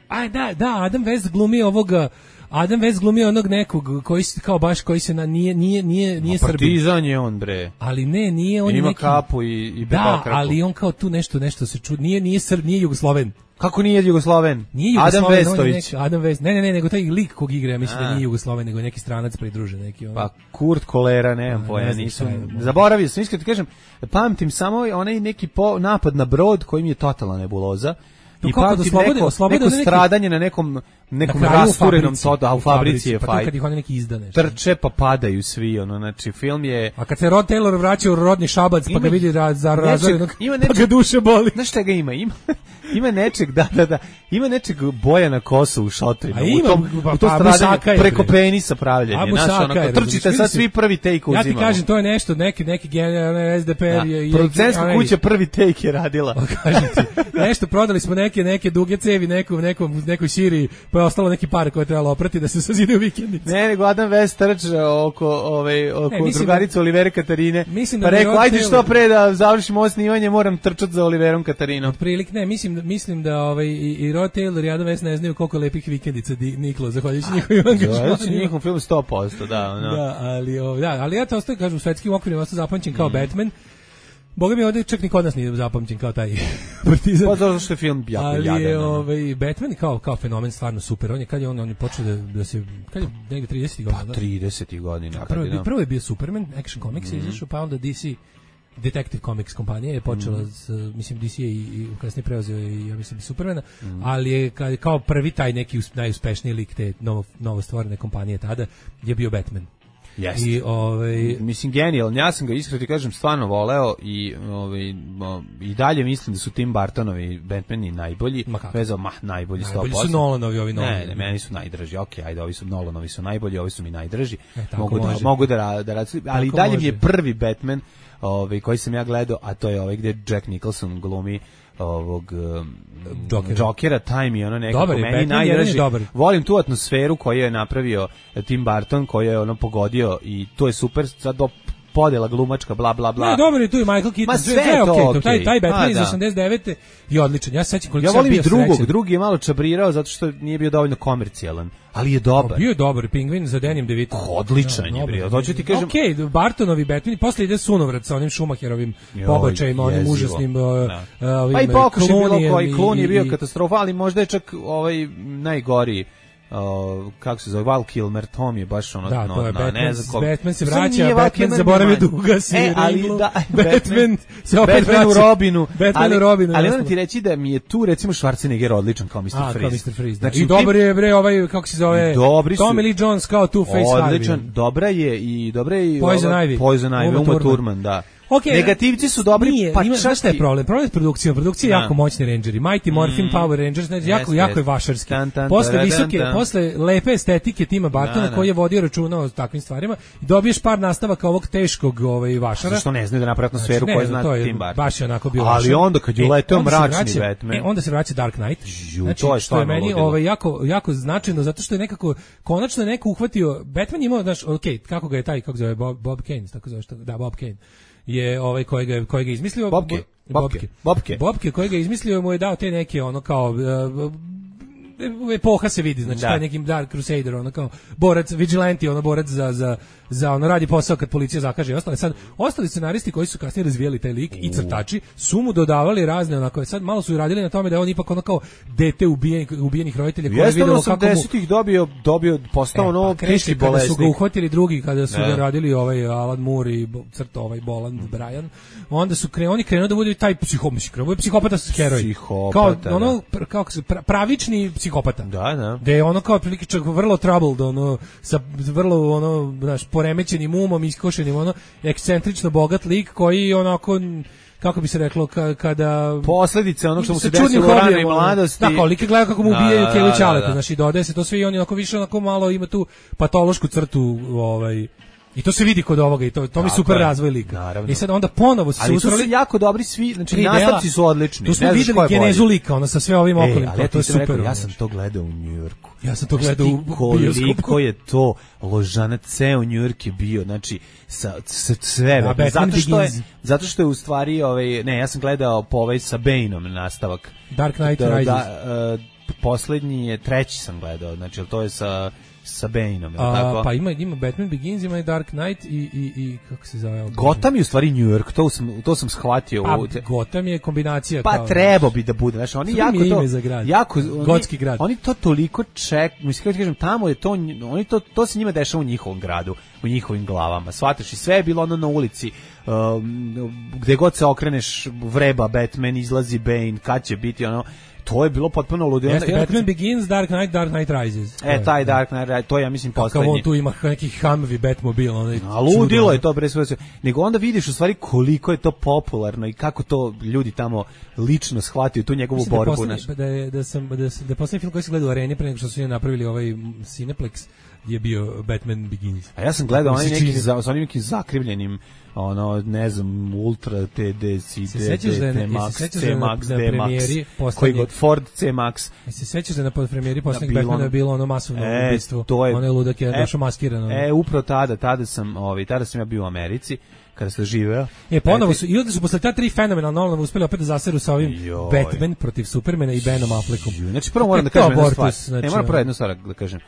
Aj, da, da, Adam West glumi ovoga, Adam West glumi onog nekog koji se kao baš koji se na nije nije nije nije Srbin. Partizan je on bre. Ali ne, nije on ima neki kapu i i da, ali on kao tu nešto nešto se čudi. Nije nije Srb, nije Jugosloven. Kako nije Jugosloven? Nije Jugosloven, Adam Vestović. Adam West. Ne, ne, ne, nego taj lik kog igra, ja mislim da nije Jugosloven, nego je neki stranac pridružen, neki on. Pa Kurt Kolera, nemam pojma, nisam. Zaboravio sam, iskreno ti kažem, pamtim samo onaj neki po, napad na brod koji mi je totalna nebuloza. I pa da slobode, neko, slobode neko stradanje na nekom nekom na rasturenom soda, a u fabrici je pa fajt. Kad ih oni neki izda nešto. Trče pa padaju svi, ono, znači film je... A kad se Rod Taylor vraća u rodni Šabac, pa ga vidi raz, za razvojenog, pa ga duše boli. Znaš šta ga ima? Ima, ima nečeg, da, da, da, ima nečeg boja na kosu u šotrinu. A ima, u tom, pa, u to stradanje preko penisa pravljenje. Znaš, ono, trčite sad svi prvi take uzimamo. Ja ti kažem, to je nešto, neki, neki generalni S D P R je... Producentska kuća prvi take je radila. Kažem ti, nešto, prodali smo neke, neke duge cevi nekom, nekom, nekoj Siriji, pa je ostalo neki par koje je trebalo oprati da se sazide u vikendicu. Ne, nego Adam West trče oko, ove, oko ne, drugarice da, Olivere Katarine, mislim pa da rekao, ajde što pre da završimo ovo snimanje, moram trčati za Oliverom Katarinom. Otprilik, ne, mislim, mislim da ovaj, i, i Rod Taylor i Adam West ne znaju koliko lepih vikendica di, niklo, zahvaljujući njihovim angažmanima. Zahvaljujući njihovom filmu sto posto, da. No. Da, ali, o, da, ali ja to ostaje, kažem, u svetskim okvirima ostao zapamćen kao mm. Batman. Boga mi ovdje čak ni kod nas nije zapamćen kao taj Partizan. Pa zato što je film jako ali jadan. Ali je ovaj, Batman kao, kao fenomen stvarno super. On je, kad je on, on je počeo da, da se, kad je negdje tridesetih godina. Pa tridesetih godina. Da, prvo, je, prvo je bio Superman, Action Comics mm. je izašao, pa onda D C Detective Comics kompanija je počela mm. s, mislim, D C je i, i kasnije preuzeo i, ja mislim, Supermana, mm. ali je ka, kao prvi taj neki najuspešniji lik te novo, novo stvorene kompanije tada je bio Batman. Yes. I ovaj mislim genijalno, ja sam ga iskreno ti kažem stvarno voleo i ovaj i dalje mislim da su Tim Burtonovi Batmani najbolji, vezao ma najbolji sto posto. Najbolji su Nolanovi ovi novi. Ne, ne, meni su najdraži. Okej, okay, ajde, ovi su Nolanovi su najbolji, ovi su mi najdraži. E, mogu da mogu da da rad, ali tako dalje može. Mi je prvi Batman ovaj koji sam ja gledao, a to je ovaj gde Jack Nicholson glumi ovog um, Jokera. Jokera, taj mi je ono nekako dobar, meni najdraži. Volim tu atmosferu koju je napravio Tim Burton, koju je ono pogodio i to je super, sad do podela glumačka, bla, bla, bla. Ne, dobro je tu i Michael Keaton, sve je okej, okay. taj, taj Batman iz osamdeset devete je odličan, ja se sećam koliko ja sam bio srećan. Ja volim i drugog, drugi je malo čabrirao zato što nije bio dovoljno komercijalan, ali je dobar. O, bio je dobar, Pingvin za Dannyem DeVito. Odličan ja, je bio, to ću ti kažem. Okej, okay, Bartonovi Batman, posle ide sunovrat sa onim Schumacherovim pobačajima, onim užasnim no. uh, ovim pa i pokušaj bilo koji, Klon je bio katastrofa, ali možda je čak ovaj najgoriji Uh, kako se zove, Val Kilmer, Tom je baš ono, da, no, to je no, Batman, ne znam koliko. Batman se vraća, Batman zaboravio da ugasi e, ali ringlu, da, Batman se opet Batman vraća. u Robinu, Batman ali, u Robinu. Ali onda ti reći da mi je tu recimo Schwarzenegger odličan kao mister A, Freeze. kao mister Freeze, znači, i dobar je bre ovaj, kako se zove, Tommy Lee Jones kao Two-Face Harvey. Odličan, dobra je i dobra je i Poison Ivy, Poison Ivy, Uma Thurman, da. Okay, negativci su dobri, nije, pa ima, čak šta je problem? Problem je produkcija, produkcija je da. jako moćni rangeri, Mighty Morphin mm. Power Rangers, znači jako, yes, jako yes. je vašarski. Tan, tan, posle tan, visoke, tan, tan. posle lepe estetike Tima Burtona koji je vodio računa o takvim stvarima i dobiješ par nastavaka ovog teškog ovaj vašara. Zašto ne znaju da naprave atmosferu koju zna Tim Burton. Baš je onako bio ali vašar. onda kad je uleteo e, mračni vraća, Batman. E, onda se vraća Dark Knight. Ju, znači, to je što je meni ludilo. ovaj, jako, jako značajno, zato što je nekako, konačno je neko uhvatio, Batman je imao, znaš, ok, kako ga je taj, kako zove, Bob, Bob Kane, tako zove, što, da, Bob Kane. Je ovaj kojega kojega je izmislio Bobke Bobke Bobke Bobke kojega je izmislio mu je dao te neke ono kao uh, epoha se vidi, znači da. Taj neki Dark Crusader, ono kao borac, vigilante, ono borac za, za, za ono radi posao kad policija zakaže i ostale. Sad, ostali scenaristi koji su kasnije razvijali taj lik i crtači su mu dodavali razne onako, sad malo su radili na tome da on ipak ono kao dete ubijenih, ubijenih roditelja koji je videlo kako mu... osamdesetih dobio, dobio postao ono e, pa, teški bolesnik. Kada su ga uhvatili drugi, kada su da. ga radili ovaj Alan Moore i crto ovaj Boland Bryan, onda su kre, oni krenuo da bude taj psihopata, psihopata heroj. Psihopata, kao, ono, pr, kao pravični psihopata. Da, da. Da je ono kao otprilike čak vrlo troubled, ono, sa vrlo, ono, znaš, poremećenim umom, iskošenim, ono, ekscentrično bogat lik koji onako, kako bi se reklo, ka, kada... Posledice onog što mu se desilo u ranoj mladosti. Da, kao like gleda kako mu ubijaju da, Kevu da, Ćaleta, da. znaš, i dodaje se to sve i on onako više, onako malo ima tu patološku crtu, ovaj... I to se vidi kod ovoga i to to mi super razvoj lika. Naravno. I sad onda ponovo su ali ustrali su jako dobri svi, znači nastavci su odlični. Tu smo videli genezu lika, ona sa sve ovim okolim, e, to je super. Rekao, ja sam to gledao u Njujorku. Ja sam to gledao u koliko je to ložana, ceo Njujork je bio, znači sa, sa sve, da, zato što je zato što je u stvari ovaj ne, ja sam gledao po ovaj sa Baneom nastavak Dark Knight da, Rises. Da, uh, poslednji je treći sam gledao, znači to je sa sa Baneom, A, tako? Pa ima ima Batman Begins, ima i Dark Knight i i i kako se zove? Gotham je u stvari New York, to sam to sam shvatio. Pa, u te... Gotham je kombinacija pa, kao. Pa trebao bi da bude, znači oni jako to ime za grad. jako oni, gotski grad. Oni to toliko ček, mislim kako kažem, tamo je to oni to to se njima dešava u njihovom gradu, u njihovim glavama. Shvataš, i sve je bilo ono na ulici. Um, gde god se okreneš vreba Batman, izlazi Bane, kad će biti ono. To je bilo potpuno ludilo. Jeste, Batman Begins, Dark Knight, Dark Knight Rises. E, taj Dark Knight, to je, ja mislim, poslednji. Kako on tu ima neki Humvee Batmobil. Onaj a ludilo je to, bre, sve. Nego onda vidiš u stvari koliko je to popularno i kako to ljudi tamo lično shvatio tu njegovu mislim borbu. Da, poslednji, da, je, da, sam, da, sam, da je poslednji film koji se gleda u areni pre nego što su njih napravili ovaj Cineplex je bio Batman Begins. A ja sam gledao onaj neki za, sa onim nekim zakrivljenim ono, ne znam, Ultra, T D, C D, T Max, C Max, D Max, koji god, Ford C Max. I se sećaš da na podpremijeri poslednjeg Batmana je bilo ono masovno e, ubistvo, to je, ono je ludak je e, došao maskiran. E, upravo tada, tada sam, ovaj, tada sam ja bio u Americi, kada sam živeo. E, ponovo su, i onda su posle ta tri fenomenalna Nolana uspeli opet da zaseru sa ovim Joj. Batman protiv Supermana i Benom Affleckom. Znači, prvo moram da kažem jednu stvar. Znači, ne, moram prvo jednu stvar da kažem.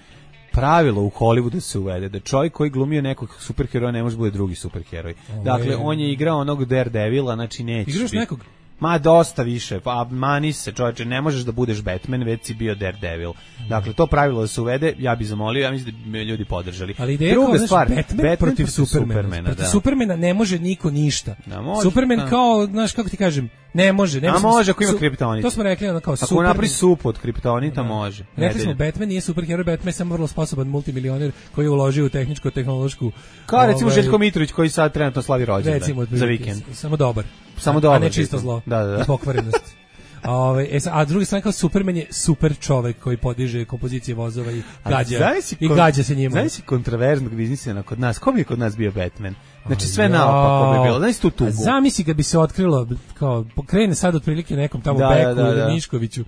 Pravilo u Hollywoodu se uvede da čovjek koji glumio nekog superheroja ne može bude drugi superheroj. Dakle, on je igrao onog Daredevila, znači neće. Igraš nekog? Ma dosta više, pa mani se čovječe, ne možeš da budeš Batman, već si bio Daredevil. Dakle, to pravilo da se uvede, ja bih zamolio, ja mislim da bi ljudi podržali. Ali ideja Druga kao, stvar, Batman, Batman protiv, protiv Supermana. Supermana protiv da. Supermana ne može niko ništa. Da, može, Superman da. kao, znaš, kako ti kažem, ne može. Ne A može ako ima su, kriptonit. To smo rekli, ono kao ako Superman. Ako napravi sup od kriptonita, da. može. Rekli smo, Batman nije superheroj, Batman je samo vrlo sposoban multimilioner koji je uložio u tehničko-tehnološku... Kao recimo ovaj, Željko Mitrović koji sad trenutno slavi rođendan za vikend. Samo dobar. Samo dobar. A ne čisto zlo. Da, da, da. I pokvarenost. A, ove, a drugi strane kao Superman je super čovek koji podiže kompozicije vozova i gađa, i gađa se njima. Znaš si kontroverznog biznisa kod nas? Ko bi kod nas bio Batman? Znači sve naopako bi bilo. Znaš tu tugu. Zamisli kad bi se otkrilo, kao, pokrene sad otprilike nekom tamo da, Beku da, da, ili da. Miškoviću,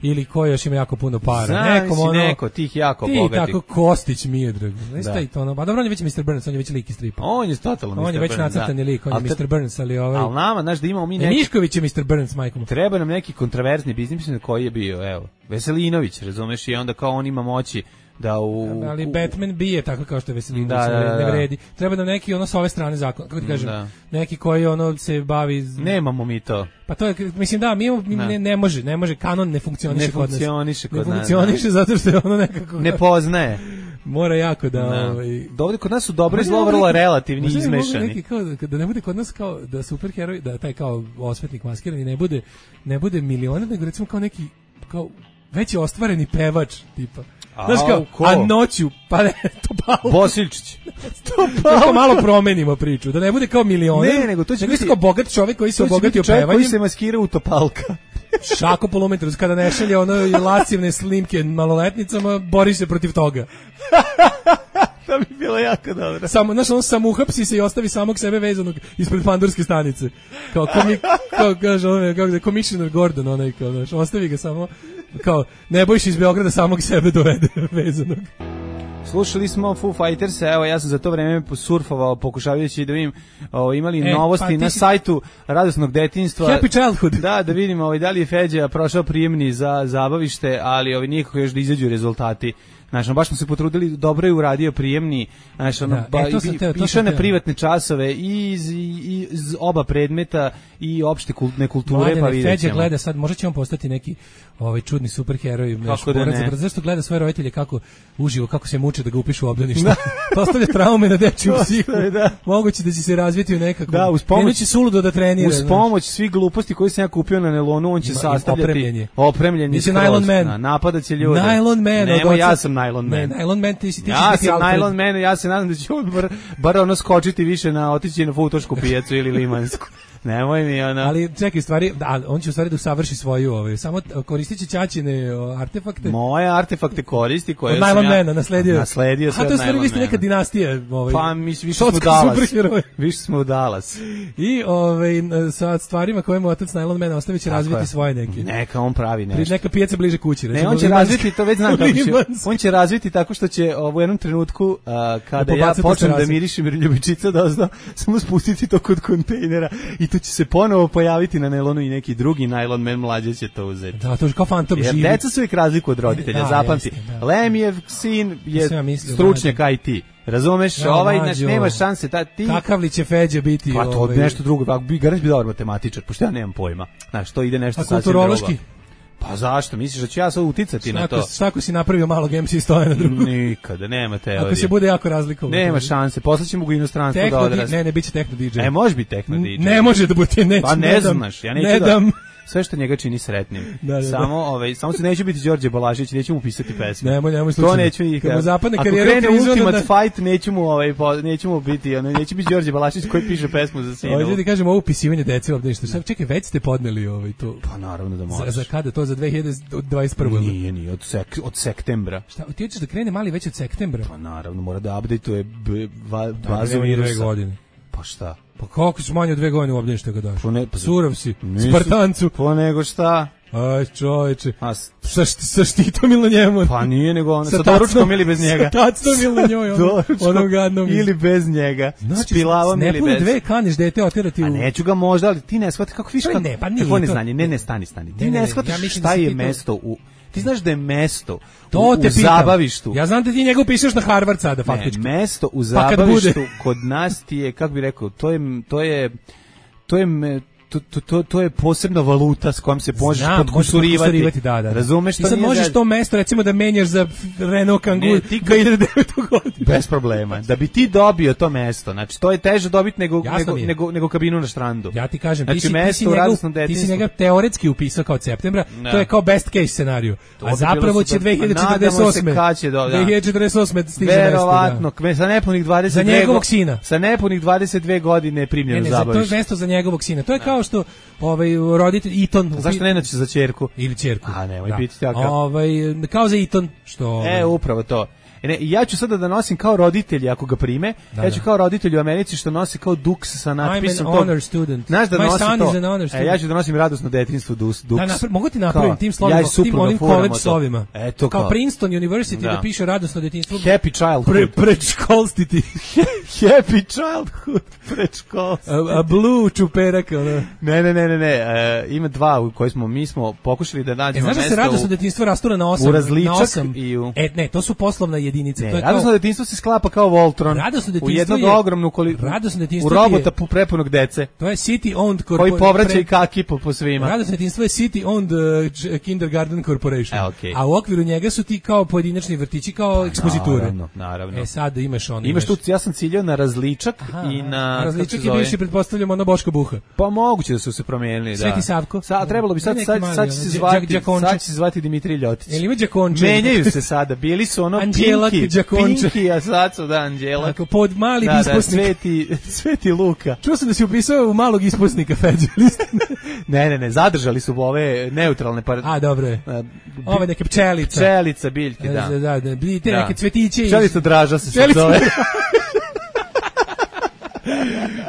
ili ko još ima jako puno para. Znam Nekom si ono, neko, tih jako ti bogatih. Ti tako Kostić Miodrag. Znaš taj to ono, a dobro, on je već mister Burns, on je već lik iz stripa. On je totalno mister Burns. On je već nacrtani lik, on je mister Burns, ali ovaj... Ali nama, znaš da imamo mi neki... Ne, Mišković je mister Burns, majkom. Treba nam neki kontroverzni biznis koji je bio, evo, Veselinović, razumeš, i onda kao on ima moći da u... Ali Batman bije tako kao što je Veselinović, da, da, da, ne vredi. Treba nam neki ono s ove strane zakon, kako ti kažem, da. neki koji ono se bavi... Nemamo mi to. Pa to je, mislim da, mi, mi ne, ne može, ne može, kanon ne funkcioniše ne kod nas. Funkcioniše kod ne nas. Ne funkcioniše zato što je ono nekako... Ne poznaje. Mora jako da... da. Ovaj... Ovdje kod nas su dobro i zlo vrlo relativni i izmešani. Neki kao, da ne bude kod nas kao da superheroj, da taj kao osvetnik maskirani ne bude, ne bude milioner, nego recimo kao neki, kao već je ostvareni pevač, tipa. Znaš kao, ko? a noću, pa ne, Topalka. Bosiljčić. Topalka. Kao malo promenimo priču, da ne bude kao milioner. Ne, nego to će nego biti... kao bogat čovjek koji se obogatio pevanjem. Koji se maskira u Topalka. Šako polumetrus, kada ne šalje ono lascivne slimke maloletnicama, bori se protiv toga. To bi bilo jako dobro. Samo, znaš, on samo uhapsi se i ostavi samog sebe vezanog ispred pandurske stanice. Kao, komi, kao, kaže, ono, kako da, Commissioner Gordon, onaj, kao, znaš, ostavi ga samo, kao, ne bojiš iz Beograda samog sebe dovede vezanog. Slušali smo Foo Fighters, evo ja sam za to vreme surfovao pokušavajući da vidim o, imali e, novosti pa na si... sajtu Radosnog detinjstva. Happy Childhood. Da, da vidimo ovaj, da li je Feđa prošao prijemni za zabavište, ali ovaj, nikako još da izađu rezultati. Znači, baš smo se potrudili, dobro je uradio prijemni, znači, ono, da, ba, e, i, išao na privatne časove i iz, i iz oba predmeta i opšte kulturne kulture, Mladene, pa vidjet ćemo. Feđa gleda sad, možda će on postati neki ovaj čudni superheroj, kako da ne. Zašto gleda svoje roditelje kako uživo, kako se muče da ga upišu u obdanište. To ostavlja traume na dečiju psihu. Da. Moguće da će se razviti u nekako. Da, uz pomoć će suludo da trenira. Uz pomoć svih gluposti koje sam ja kupio na nelonu, on će Ima, sastavljati opremljenje. Opremljenje. Nylon Man. Napadaće ljude. Nylon Man. Nema, ja sam Nylon Man. Ne, Nylon Man, ti si ti ja sam Nylon Man, ja se nadam da će on bar, bar ono skočiti više na otići na futošku pijacu ili limansku. Nemoj mi ono. Ali čekaj, stvari, da, on će u stvari da usavrši svoju, ovaj, samo koristit će ćaćine artefakte. Moje artefakte koristi koje od sam ja Nylon nasledio. Nasledio sve od Nylon Mana. A to je stvari, vi ste neka dinastija. Ovaj, pa mi više smo u Dallas. Više smo u Dallas. I ovaj, sa stvarima koje mu otac Nylon Man ostavit će razviti svoje neke. Neka on pravi nešto. Neka pijaca bliže kući. Ne, on će razviti, to već znam kako će. On će razviti tako što će u jednom trenutku, uh, kada ja počnem da mirišem ljubičica dozna, samo spustiti to kod kontejnera i to će se ponovo pojaviti na nelonu i neki drugi Nylon Man mlađe će to uzeti. Da, to je kao fantom živi. Jer deca su uvijek razliku od roditelja, da, zapamti. Jeste, da. Lemijev sin je mislio, stručnjak I T. Razumeš, ja, ovaj naš nema šanse ta ti. Kakav li će Feđa biti? Pa to ovaj... nešto drugo, ako bi garant bi dobar matematičar, pošto ja nemam pojma. Znaš, to ide nešto sasvim drugo. Kulturološki? Pa zašto? Misliš da ću ja sad uticati šta na to? Šta ako si napravio malog M C stoje na drugu? Nikada, nema teorije. Ako se bude jako razlikovno. Nema šanse, poslaćemo ga u inostranstvo da odrasti. Ne, ne, bit će techno D J. E, može biti techno D J. Ne može da bude, neće. Pa ne, ne znaš, ja neću ne da... dam. Sve što njega čini sretnim. Da, da, samo, ovaj, samo se neće biti Đorđe Balašić, neću mu pisati pesme. Nemoj, nemoj slučajno. To neću nikad. Kad mu zapadne karijera ako krene Ultimate da... Fight, neću mu, ovaj, po, neću mu biti, ono, neće biti Đorđe Balašić koji piše pesmu za sinu. Ovdje ti kažem ovo upisivanje dece ovdje nešto. Sad čekaj, već ste podneli ovaj to. Pa naravno da možeš. Za, za kada to za dve hiljade dvadeset prve. Nije, nije, od, sek, od sektembra. Šta, ti hoćeš da krene mali već od sektembra? Pa naravno, mora da update-uje bazu virusa. Pa šta? Pa kako su manje od dve godine u obdanište ga daš? Pa ne, pa Surov si, nisu, Spartancu. Pa nego šta? Aj čoveče, A, sa, sa štitom ili na njemu? Pa nije nego ono, sa, sa doručkom ili bez njega. Sa tacnom ili na njoj, ono, onom gadnom. Ili bez njega, znači, s pilavom ili bez. Ne dve kaneš dete otirati u... A neću ga možda, ali ti ne shvati kako viška. Ne, pa nije. Kako ne znanje, ne, ne, stani, stani. Ti ne, ne shvatiš ja šta je mesto u... Ti znaš da je mesto to u, te u zabavištu. Ja znam da ti njega upišeš na Harvard sada, faktički. Ne, mesto u zabavištu pa kod nas ti je, kako bi rekao, to je... To je, to je To, to, to, to je posebna valuta s kojom se možeš podkusurivati. Da, da. Razumeš što i sad možeš da... to mesto recimo da menjaš za Renault Kangoo dve hiljade devete. godine. Bez problema. Da bi ti dobio to mesto. Znači to je teže dobiti nego, nego, nego, nego kabinu na štrandu. Ja ti kažem, znači, ti, si, ti, si njega, ti si njega teoretski upisao kao septembra, no. To je kao best case scenariju. To a zapravo će dve hiljade četrdeset osme. Do, dve hiljade četrdeset osme stiže verovatno, da. Sa nepunih dvadeset dve za njegovog sina. Sa nepunih dvadeset dve godine primljeno ne, ne, zabaviš. To je mesto za njegovog sina. To je kao što ovaj roditelj Eton. Zašto ne naći za ćerku ili ćerku? A nemoj biti tako. Ovaj kao za Eton što E upravo to. Ne, ja ću sada da nosim kao roditelji ako ga prime. Da, ja ću da. kao roditelj u Americi što nosi kao Dux sa natpisom. I'm an honor student. Znaš da My nosi son to. is an honor student. E, ja ću da nosim radosno detinjstvo Dux. Da, napra- mogu ti napravim tim slovima, ja tim onim college slovima. Eto kao. kao Princeton University da, da piše radosno detinjstvo. Happy childhood. Pre, predškolstiti. Happy childhood. Predškolstiti. A, a blue čuperak. Ono. Ne, ne, ne, ne. ne. E, ima dva u koje smo, mi smo pokušali da nađemo mesto. E, znaš da se radosno u, detinjstvo rastura na osam? U različak na osam. i u... E, ne, to su poslovna jedinica. Ne, to je radosno kao... detinjstvo se sklapa kao Voltron. Radosno detinjstvo u jednog je... ogromnu koli... Radosno detinjstvo u robota je... prepunog dece. To je city owned corporation. Koji povraća pre... i kaki po, po svima. Radosno detinjstvo je city owned uh, kindergarten corporation. E, okay. A u okviru njega su ti kao pojedinačni vrtići, kao ekspoziture. Naravno, naravno. E, sad imaš ono. Imaš tu, ja sam ciljao na različak. Aha, i na različak je bivši, pretpostavljamo, na Boška Buha. Pa moguće da su se promijenili, da. Sveti Savko. Sad trebalo bi sad sad sad će se zvati, sad će se zvati Dimitrij Ljotić. Jel ima Đakonče? Menjaju se sada, bili su ono Pinki, Pinki, a sad su da Anđelak. Tako pod mali da, isposnik. Da, Sveti, Sveti Luka. Čuo sam da si upisao u malog isposnika Feđe. ne, ne, ne, zadržali su ove neutralne par. A dobro je. Ove neke pčelica. Pčelica biljke, da. Da, da, da, te neke cvetiće. Pčelica Draža se sad zove.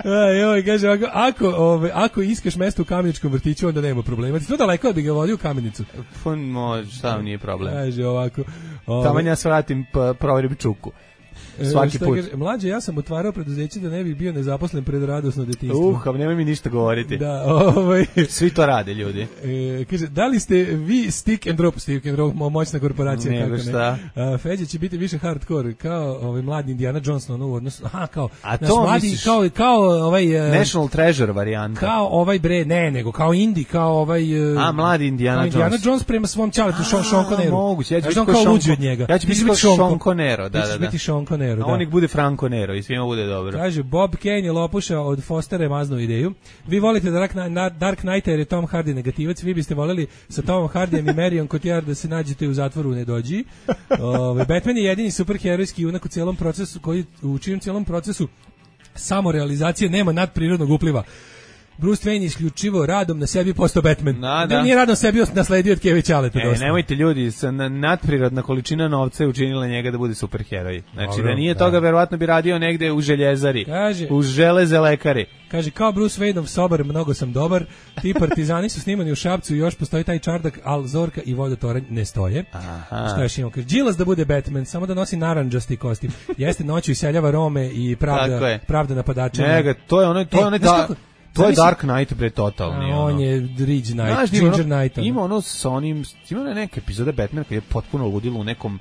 Aj, oj, kaže, ako, ako, ove, ako iskaš mesto u Kameničkom vrtiću, onda nema problema. Ti to daleko da bi ga vodio u Kamenicu? Pa, može, šta nije problem. Kaže ovako. Ove, Tamo ja svratim, pa proverim čuku. Svaki put. Kaže, mlađe, ja sam otvarao preduzeće da ne bih bio nezaposlen pred radosno detinjstvo. Uh, a nemoj mi ništa govoriti. Da, ovaj. Svi to rade, ljudi. E, kaže, da li ste vi stick and drop, stick and drop, moćna korporacija, Nego kako šta? ne? A, Feđa će biti više hardcore, kao ovaj mladi Indiana Jones, ono u odnosu, aha, kao, a to mladi, misliš, kao, kao ovaj... National Treasure varijanta. Kao ovaj bre, ne, nego kao Indi, kao ovaj... A, mladi Indiana Jones. Indiana Jones prema svom čaletu, Sean, Sean Conneru. Moguće, ja ću biti kao luđi od njega. Ja ću biti kao Sean Conneru, da, da, da. biti Sean Conneru, da. A on nek bude Franco Nero i svima bude dobro. Kaže, Bob Kane je lopuša od Fostera maznu ideju. Vi volite Dark, Dark Knighta jer je Tom Hardy negativac, vi biste voleli sa Tomom Hardyjem i Marion Cotillard da se nađete u zatvoru u Nedođi. Ove, Batman je jedini superherojski junak u celom procesu, koji u čijem celom procesu samorealizacije nema nadprirodnog upliva. Bruce Wayne isključivo radom na sebi postao Batman. Da, da. Nije radom sebi nasledio od Keve Ćaleta. E, nemojte ljudi, sa nadprirodna količina novca je učinila njega da bude superheroj. Znači Dobro, da nije da. toga, verovatno bi radio negde u željezari, kaže, u železe lekari. Kaže, kao Bruce Wayneov sobar, mnogo sam dobar. Ti partizani su snimani u Šapcu i još postoji taj čardak, al Zorka i Vodotoranj ne stoje. Aha. Šta još imamo? Kaže, Đilas da bude Batman, samo da nosi narandžasti kostim. Jeste noću iseljava Rome i pravda, pravda napadača. Njega, to je ono, to je ono, da... To je Dark Knight bre totalni. A, on ono. je Ridge Knight, Znaš, Ginger ono, Knight. Ono. Ima ono sa onim, ima one neke epizode Batmana koji je potpuno ludilo u nekom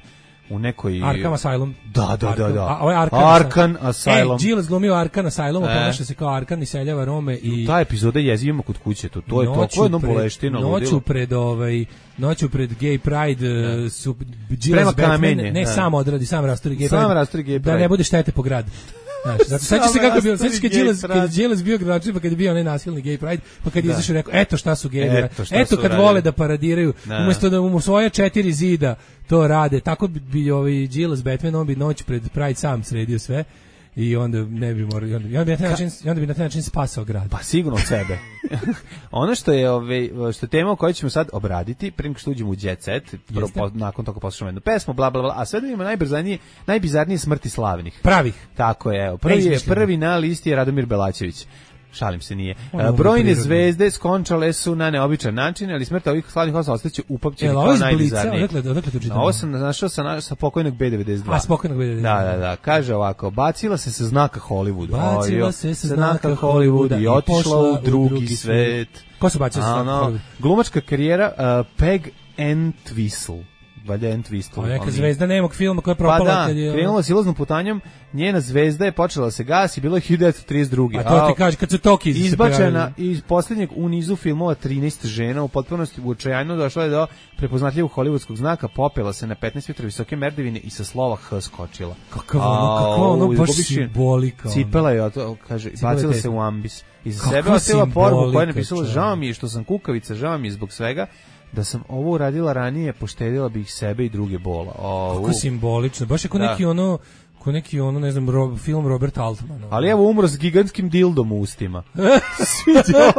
u nekoj Arkham Asylum. Da, da, da, da. A, ovo je Arkham, Arkham Asylum. E, Giles glumio Arkham Asylum, e. ponaša se kao Arkham i seljava Rome i ta epizoda jezivimo kod kuće tu. To je to, ko je jedno boleštino ludilo. Noću pred ovaj Noću pred Gay Pride da. su Giles Batman, ne da. sam odradi, sam rastori Gay sam Pride. rastori Gay Pride. Da ne bude štete po gradu. Znaš, zato seća se kako bio, seća se kad Đilas, kad Đilas bio gradonačelnik, pa kad je bio onaj nasilni gay pride, pa kad je izašao rekao, eto šta su gejevi, eto, eto kad radili. Vole da paradiraju, da. Umjesto da mu svoja četiri zida to rade, tako bi, bi ovaj Đilas Batman, on bi noć pred Pride sam sredio sve. I onda ne bi morao, onda, onda bi na taj način, onda bi na taj način spasao grad. Pa sigurno od sebe. Ono što je ove što je tema koju ćemo sad obraditi, prije nego što uđemo u Jet Set, prvo po, nakon toga poslušamo jednu pesmu, bla bla bla, a sve da imamo najbrzanije, najbizarnije smrti slavnih. Pravih. Tako je, evo. Prvi je prvi na listi je Radomir Belačević. Šalim se, nije. Uh, brojne zvezde skončale su na neobičan način, ali smrt ovih slavnih osoba ostaće upamćeni kao najbizarnije. Odakle, odakle to čitam? Ovo sam našao sa, sa pokojnog B devedeset dva. A, s pokojnog B devedeset dva. Da, da, da. Kaže ovako, bacila se sa znaka Hollywooda. Bacila Ojo, se sa znaka Hollywooda i otišla u drugi, drugi svet. Ko su bacili sa znaka Hollywooda? Glumačka karijera uh, Peg Entwistle. Valjda Entwistle. Neka zvezda nemog filma koja je propala. Pa da, kad je krenula silaznom putanjom, njena zvezda je počela da se gasi, bilo je hiljadu devetsto trideset druge. A to ti kaže, kad su Toki izbačena iz posljednjeg u nizu filmova trinaest žena, u potpunosti uočajano došla je do prepoznatljivog hollywoodskog znaka, popela se na petnaest metra visoke merdevine i sa slova H skočila. Kakav ono, kakva ono baš simbolika. Cipela je, kaže, bacila se u ambis. Iza sebe ostavila poruku koja je napisala, žao mi je što sam kukavica, žao mi je zbog svega, da sam ovo uradila ranije, poštedila bih sebe i druge bola. O, kako simbolično, baš je kao neki ono ko neki ono, ne znam, Rob, film Robert Altman. Ali evo umro s gigantskim dildom u ustima. Sviđa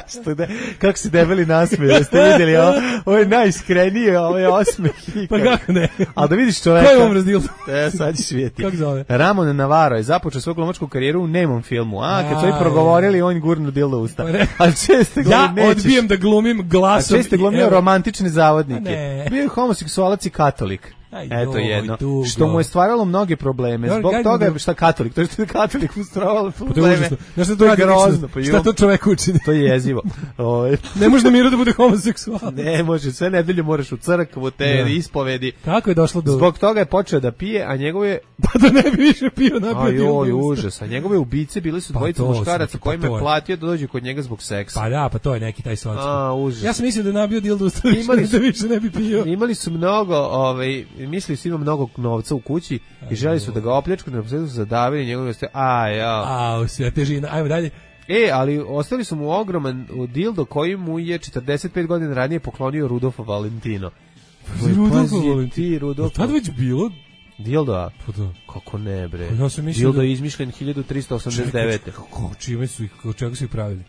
što de, kako se debeli nasmeju, da ste vidjeli, ovo, ovo je najiskrenije, ovo je osmeh. Pa kako ne? Ali da vidiš čoveka... Ko je umro s dildom? E, sad ćeš vidjeti. Kako zove? Ramon Navarro je započeo svoju glumačku karijeru u nemom filmu. A, kad su ovi progovorili, on gurnu dildo u usta. Ali često glumim, ja nećeš. odbijem da glumim glasom. A često glumio romantične zavodnike. Ne. Bio je homoseksualac i katolik. Aj, Eto joj, jedno, tugo. što mu je stvaralo mnoge probleme. Ja, Zbog ja, toga ja, je šta katolik, to je što je katolik mu stvaralo Pa to je probleme. užasno. Znaš šta To to je radi grozno, lično? pa Šta jo. to čovek učini? To je jezivo. Ovaj. Ne može da miru da bude homoseksual. Ne može, sve nedelje moraš u crkvu, te Da. ispovedi. Kako je došlo do... Zbog toga je počeo da pije, a njegove... Pa da ne bi više pio napio Aj, dildo oj, u usta. užas. A njegove ubice bili su Pa dvojica to su muškaraca neki, pa kojima to je je. platio da dođu kod njega zbog seksa. Pa da, pa to je neki taj socko. A, užas. Ja sam mislio da je nabio dildo u usta, Imali su- da više ne bi pio. Imali su mnogo, ovaj, mislili su ima mnogo novca u kući i želi su da ga opljačkaju, na posledu su zadavili njegove ste, a ja. A, sve težina. Ajmo dalje. E, ali ostali su mu ogroman dildo koji mu je četrdeset pet godina ranije poklonio Rudolfo Valentino. Rudolfo Pazi, Valentino. ti, Rudolfo. Tad već bilo? Dildo, a? Pa da. Kako ne, bre. Pa ja sam mislio Dildo da- je izmišljen hiljadu trista osamdeset devete. Čekaj, kako, čime su ih, od čega su ih pravili?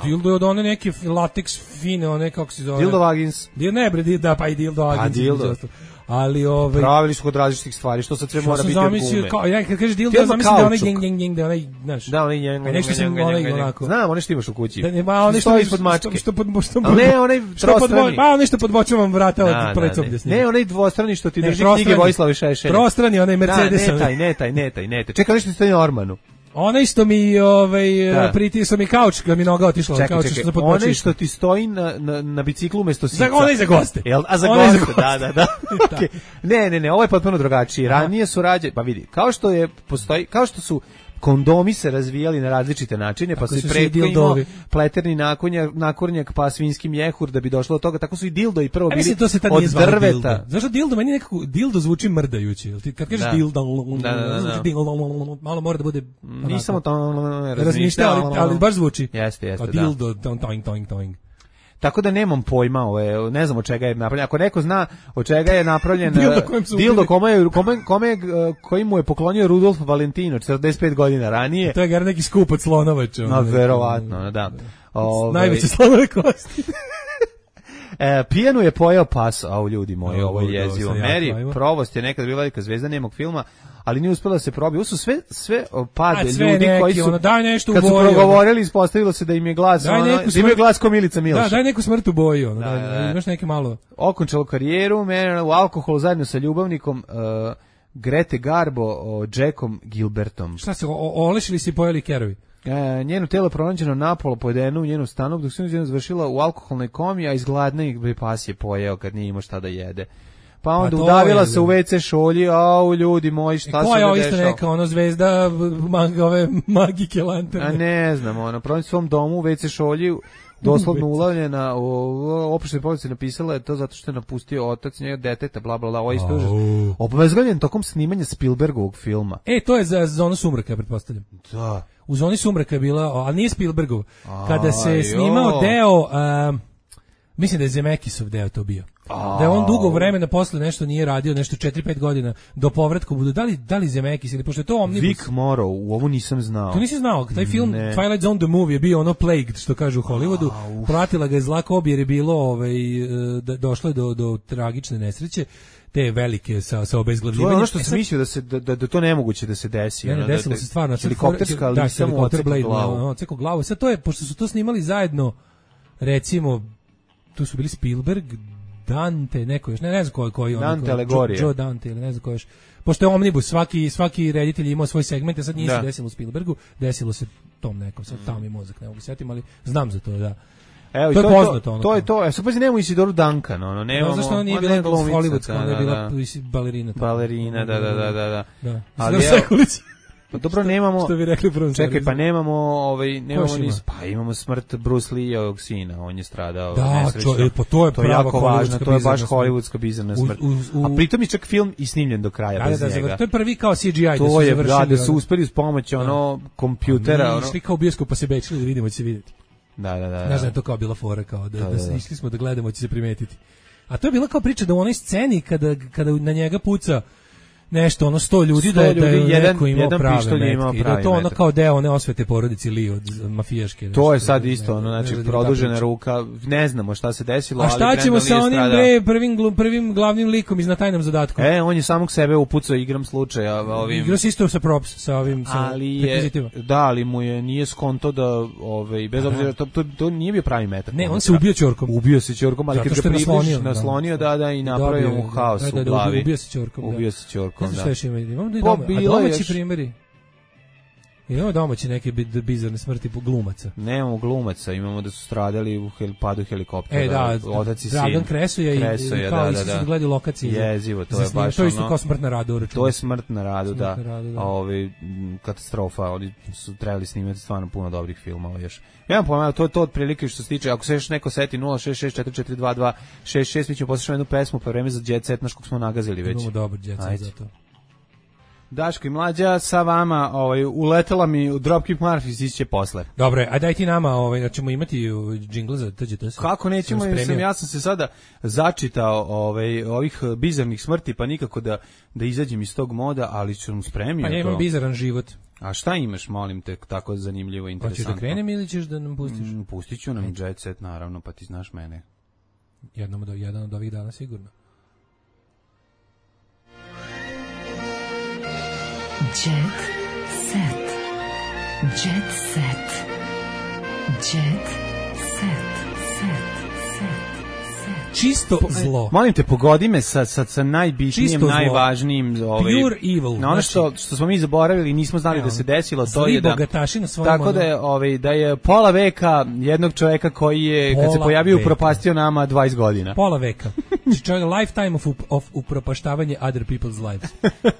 Dildo je od one neke lateks fine, one kako se zove. Dildo Vagins. Dil, ne bre, di- da, pa i dildo Pa, agencija. dildo. između ostalog. Ali ovaj Pravili su kod različitih stvari, što sad sve što mora sam biti od zamislio, gume. kao, ja kad kažeš dildo, Ti ja odmah zamislim da je onaj kaučuk. geng, geng, geng, da je onaj, znaš. Da, onaj njeng, Pa nešto sam onaj onako. Znam, onaj što imaš u kući. Da ne, ma onaj što stoji mi- ispod mačke. Što, što pod, što Ali ne, onaj što pod, trostrani. pa onaj što podbočavam vrata Da, od da, plecom ne. desnije. Ne, onaj dvostrani što ti Ne, drži trostrani. knjige Vojislava Šešelja. Prostrani, onaj Mercedes. Da, ne taj, ne taj, ne taj, ne taj. Čekaj, nešto stoji na ormanu. Onaj što mi ovaj Da. pritisao mi kauč, kad mi noga otišla od Čekaj, kauča, čekaj, što sam podbočio. onaj što ti stoji na, na, na biciklu umesto sica. Za, onaj za goste. Jel, a za Onaj za goste, da, da, da. Okej. Ne, ne, ne, ovo je potpuno drugačije. Ranije su rađe, pa vidi, kao što je postoji, kao što su kondomi se razvijali na različite načine, pa Tako su i su svi pretko imao dildovi. pleterni nakornjak, nakornjak, pa svinjski mjehur da bi došlo do toga, tako su i dildo i prvo Ja bili mislim to se tad od nije zvalo drveta. dildo. Zašto dildo meni nekako dildo zvuči mrdajuće. Jel ti kad kažeš Da. dildo, Da, da, da, da. dildo, malo mora da bude Nisam o tom razmišljao, ali, ali baš zvuči. Jeste, jeste, Kao da. dildo, toing, toing, toing, toing. Tako da nemam pojma, ovo je, ne znam od čega je napravljen. Ako neko zna od čega je napravljen Dildo eh, kojem su dildo ubili. kome je, kome, kome, je, eh, koji mu je poklonio Rudolf Valentino četrdeset pet godina ranije. To je gar neki skup od slonovača. No, verovatno, da. Ovaj, Najveće slonove kosti. E, pijanu je pojeo pas, au ljudi moji, Au, ovo je ovo jezivo. sam jako Meri, ajmo. Provost je nekad bila velika zvezda nemog filma, ali nije uspela da se probi. Ovo su sve, sve o, pade A, sve ljudi neki, koji su, ono, daj nešto u kad su boji, ono. progovorili, ispostavilo se da im je glas, Daj ono, neku da imaju smrt- glas ko Milica Milša. Da, daj neku smrt u boji, ono, Da, daj, da, da. imaš neke malo. Okončalo karijeru, mene u alkoholu zajedno sa ljubavnikom uh, Grete Garbo, o, Jackom Gilbertom. Šta se, o- o- olešili si pojeli kerovi? E, njeno telo pronađeno napolo pojedeno u njenu stanu, dok se njena završila u alkoholnoj komi, a iz gladne ih pas je pojeo kad nije imao šta da jede. Pa onda to udavila je, se u ve ce šolji, au ljudi moji, šta E, se ko je ovo ne isto dešava? neka, ono, zvezda mag, ove magike lanterne? A ne znam, ono, pronađe svom domu u ve ce šolji, doslovno ulavljena, u oprošnoj polici napisala je to zato što je napustio otac njega deteta, bla, bla, bla, ovo je isto užas. Obvezglavljen tokom snimanja Spielbergovog filma. E, to je za zonu sumraka, pretpostavljam. Da. U zoni sumraka je bila, ali nije Spielbergov. Kada se A, snimao jo. deo, um, mislim da je Zemekisov deo to bio. Da je on dugo vremena posle nešto nije radio, nešto četiri pet godina, do povratka budu, da li, da li Zemekis ili, pošto je to Omnibus. Vic Morrow, u ovo nisam znao. To nisi znao, taj film Ne. Twilight Zone the Movie je bio ono plagued, što kažu u Hollywoodu, pratila ga je zla kob jer je bilo, ovaj, e, da, došlo je do, do tragične nesreće, te velike sa, sa To je obezglavljivanjem. ono što E sam sad- mislio da se da, da, da to nemoguće da se desi. Ne, ne, ono, da- desilo da- se stvarno. helikopterska, ali da, nisam mu helikopter odsekao Blade, glavu. no, odsekao glavu. Sad to je, pošto su to snimali zajedno, recimo, tu su bili Spielberg, Dante, neko još, ne, ne znam koji, koji Dante koji, Alegorija. Joe, Joe Dante ili ne znam ko još. Pošto je Omnibus, svaki, svaki reditelj je imao svoj segment, a sad nije Da. se desilo u Spielbergu, desilo se tom nekom, sad tamo mi mozak, ne mogu se setim, ali znam za to, da. Evo, i To je to, poznato, to, ono to je kao. to. E, sad pazi, nemamo Isidoru Duncan, ono, nemamo. No, zašto ona nije ona bila je glumica, hollywoodska, ona je da, bila da. balerina. tamo. Balerina, da, da, da, da, da. Da. Ali Ali evo- Sekulić. Pa dobro, nemamo. Što bi rekli u prvom Čekaj, seriju. pa nemamo, ovaj, nemamo još ni, ima? pa imamo smrt Bruce Lee-ovog sina, on je stradao Da, nesrećno. čo- e, pa to je to je prava jako važno, hollywoodska to je baš bizarna smrt. hollywoodska bizarna U- smrt. u- u- A pritom je čak film i snimljen do kraja Da, da, bez da, njega. zavr- to je prvi kao C G I da To su je, završili. da, da su ono. uspeli uz pomoć ono kompjutera, Mi ono. išli kao u bioskop pa se bečili da vidimo, će se vidjeti. Da, da, da. Znaš da je to kao bila fora, kao da, da, da, da. išli smo da gledamo, će se primetiti. A to je bila kao priča da u onoj sceni kada, kada na njega puca nešto ono sto ljudi da je, da je jedan, neko imao jedan prave pištolj imao metke. I pravi da to ono metak. kao deo one osvete porodici Li od mafijaške. To je nešto, sad ne, isto, ono, znači, ne, produžena ne, ruka, ne znamo šta se desilo, a ali šta Brandon ćemo Lee sa je onim stradao. bre, prvim, glu- prvim glavnim likom iz Na tajnom zadatku? E, on je samog sebe upucao igram slučaja ovim... Igrao se isto sa props, sa ovim, sa ali je, rekvizitima. da, ali mu je, nije skonto da, ovaj, bez obzira, to, to, to nije bio pravi metak. Ne, on se ubio ćorkom. Ubio se ćorkom, ali Zato kad što ga je približiš, naslonio, naslonio, da, da, i Dobio napravio je, mu haos da, da, u da, glavi. ubio se ćorkom, da. Ubio se ćorkom, Ne znam da. šta još ima, imamo i Pa, doma, a bilo je domaći još- primjeri. Imamo domaći neke bi- bizarne smrti po glumaca. Nemamo glumaca, imamo da su stradali u hel, padu helikoptera. E da, otac i Dragan sin. Kresoja i, Kresoja, i kao da, isto da, su da. gledali lokaciji. za- Jezivo, to za je snimanje. baš To je isto ono- kao smrt na radu, računa. To je smrt na radu, Smrt da. na radu, da. A ovaj, m, katastrofa, oni su trebali snimati stvarno puno dobrih filmova još. Ja vam pojma, to je to otprilike što se tiče, ako se još neko seti nula šest šest četiri četiri dva dva šest šest, mi ćemo poslušati jednu pesmu, pa vreme za Jet Set, naš kog smo nagazili već. Imamo dobar Jet Set Ajde. za to. Daško i Mlađa sa vama, ovaj, uletela mi u Dropkick Murphys, iće posle. Dobro, je, a daj ti nama, ovaj, da ćemo imati džingl za T G T S. Kako nećemo, Sam jer sam, spremio. ja sam se sada začitao ovaj, ovih bizarnih smrti, pa nikako da, da izađem iz tog moda, ali ću vam spremio. Pa ja imam to. bizaran život. A šta imaš, molim te, tako zanimljivo, Hoćeš interesantno? da krenem ili ćeš da nam pustiš? Mm, pustit ću nam Jet Set, naravno, pa ti znaš mene. Jednom od, jedan od ovih dana sigurno. Jet set. Jet set. Jet set. Set. Set. Čisto zlo. Molim te, pogodi me sa, sa, sa najbitnijim, Čisto zlo. najvažnijim. Ovaj, Pure evil, Na ono što, znači- što smo mi zaboravili i nismo znali Evo, da se desilo, to zli je da... bogataši na svojim Tako ono- da je, ovaj, da je pola veka jednog čoveka koji je, kad se Pola pojavio, veka. upropastio nama dvadeset godina. Pola veka. Znači čovjek lifetime of, of upropaštavanje other people's lives.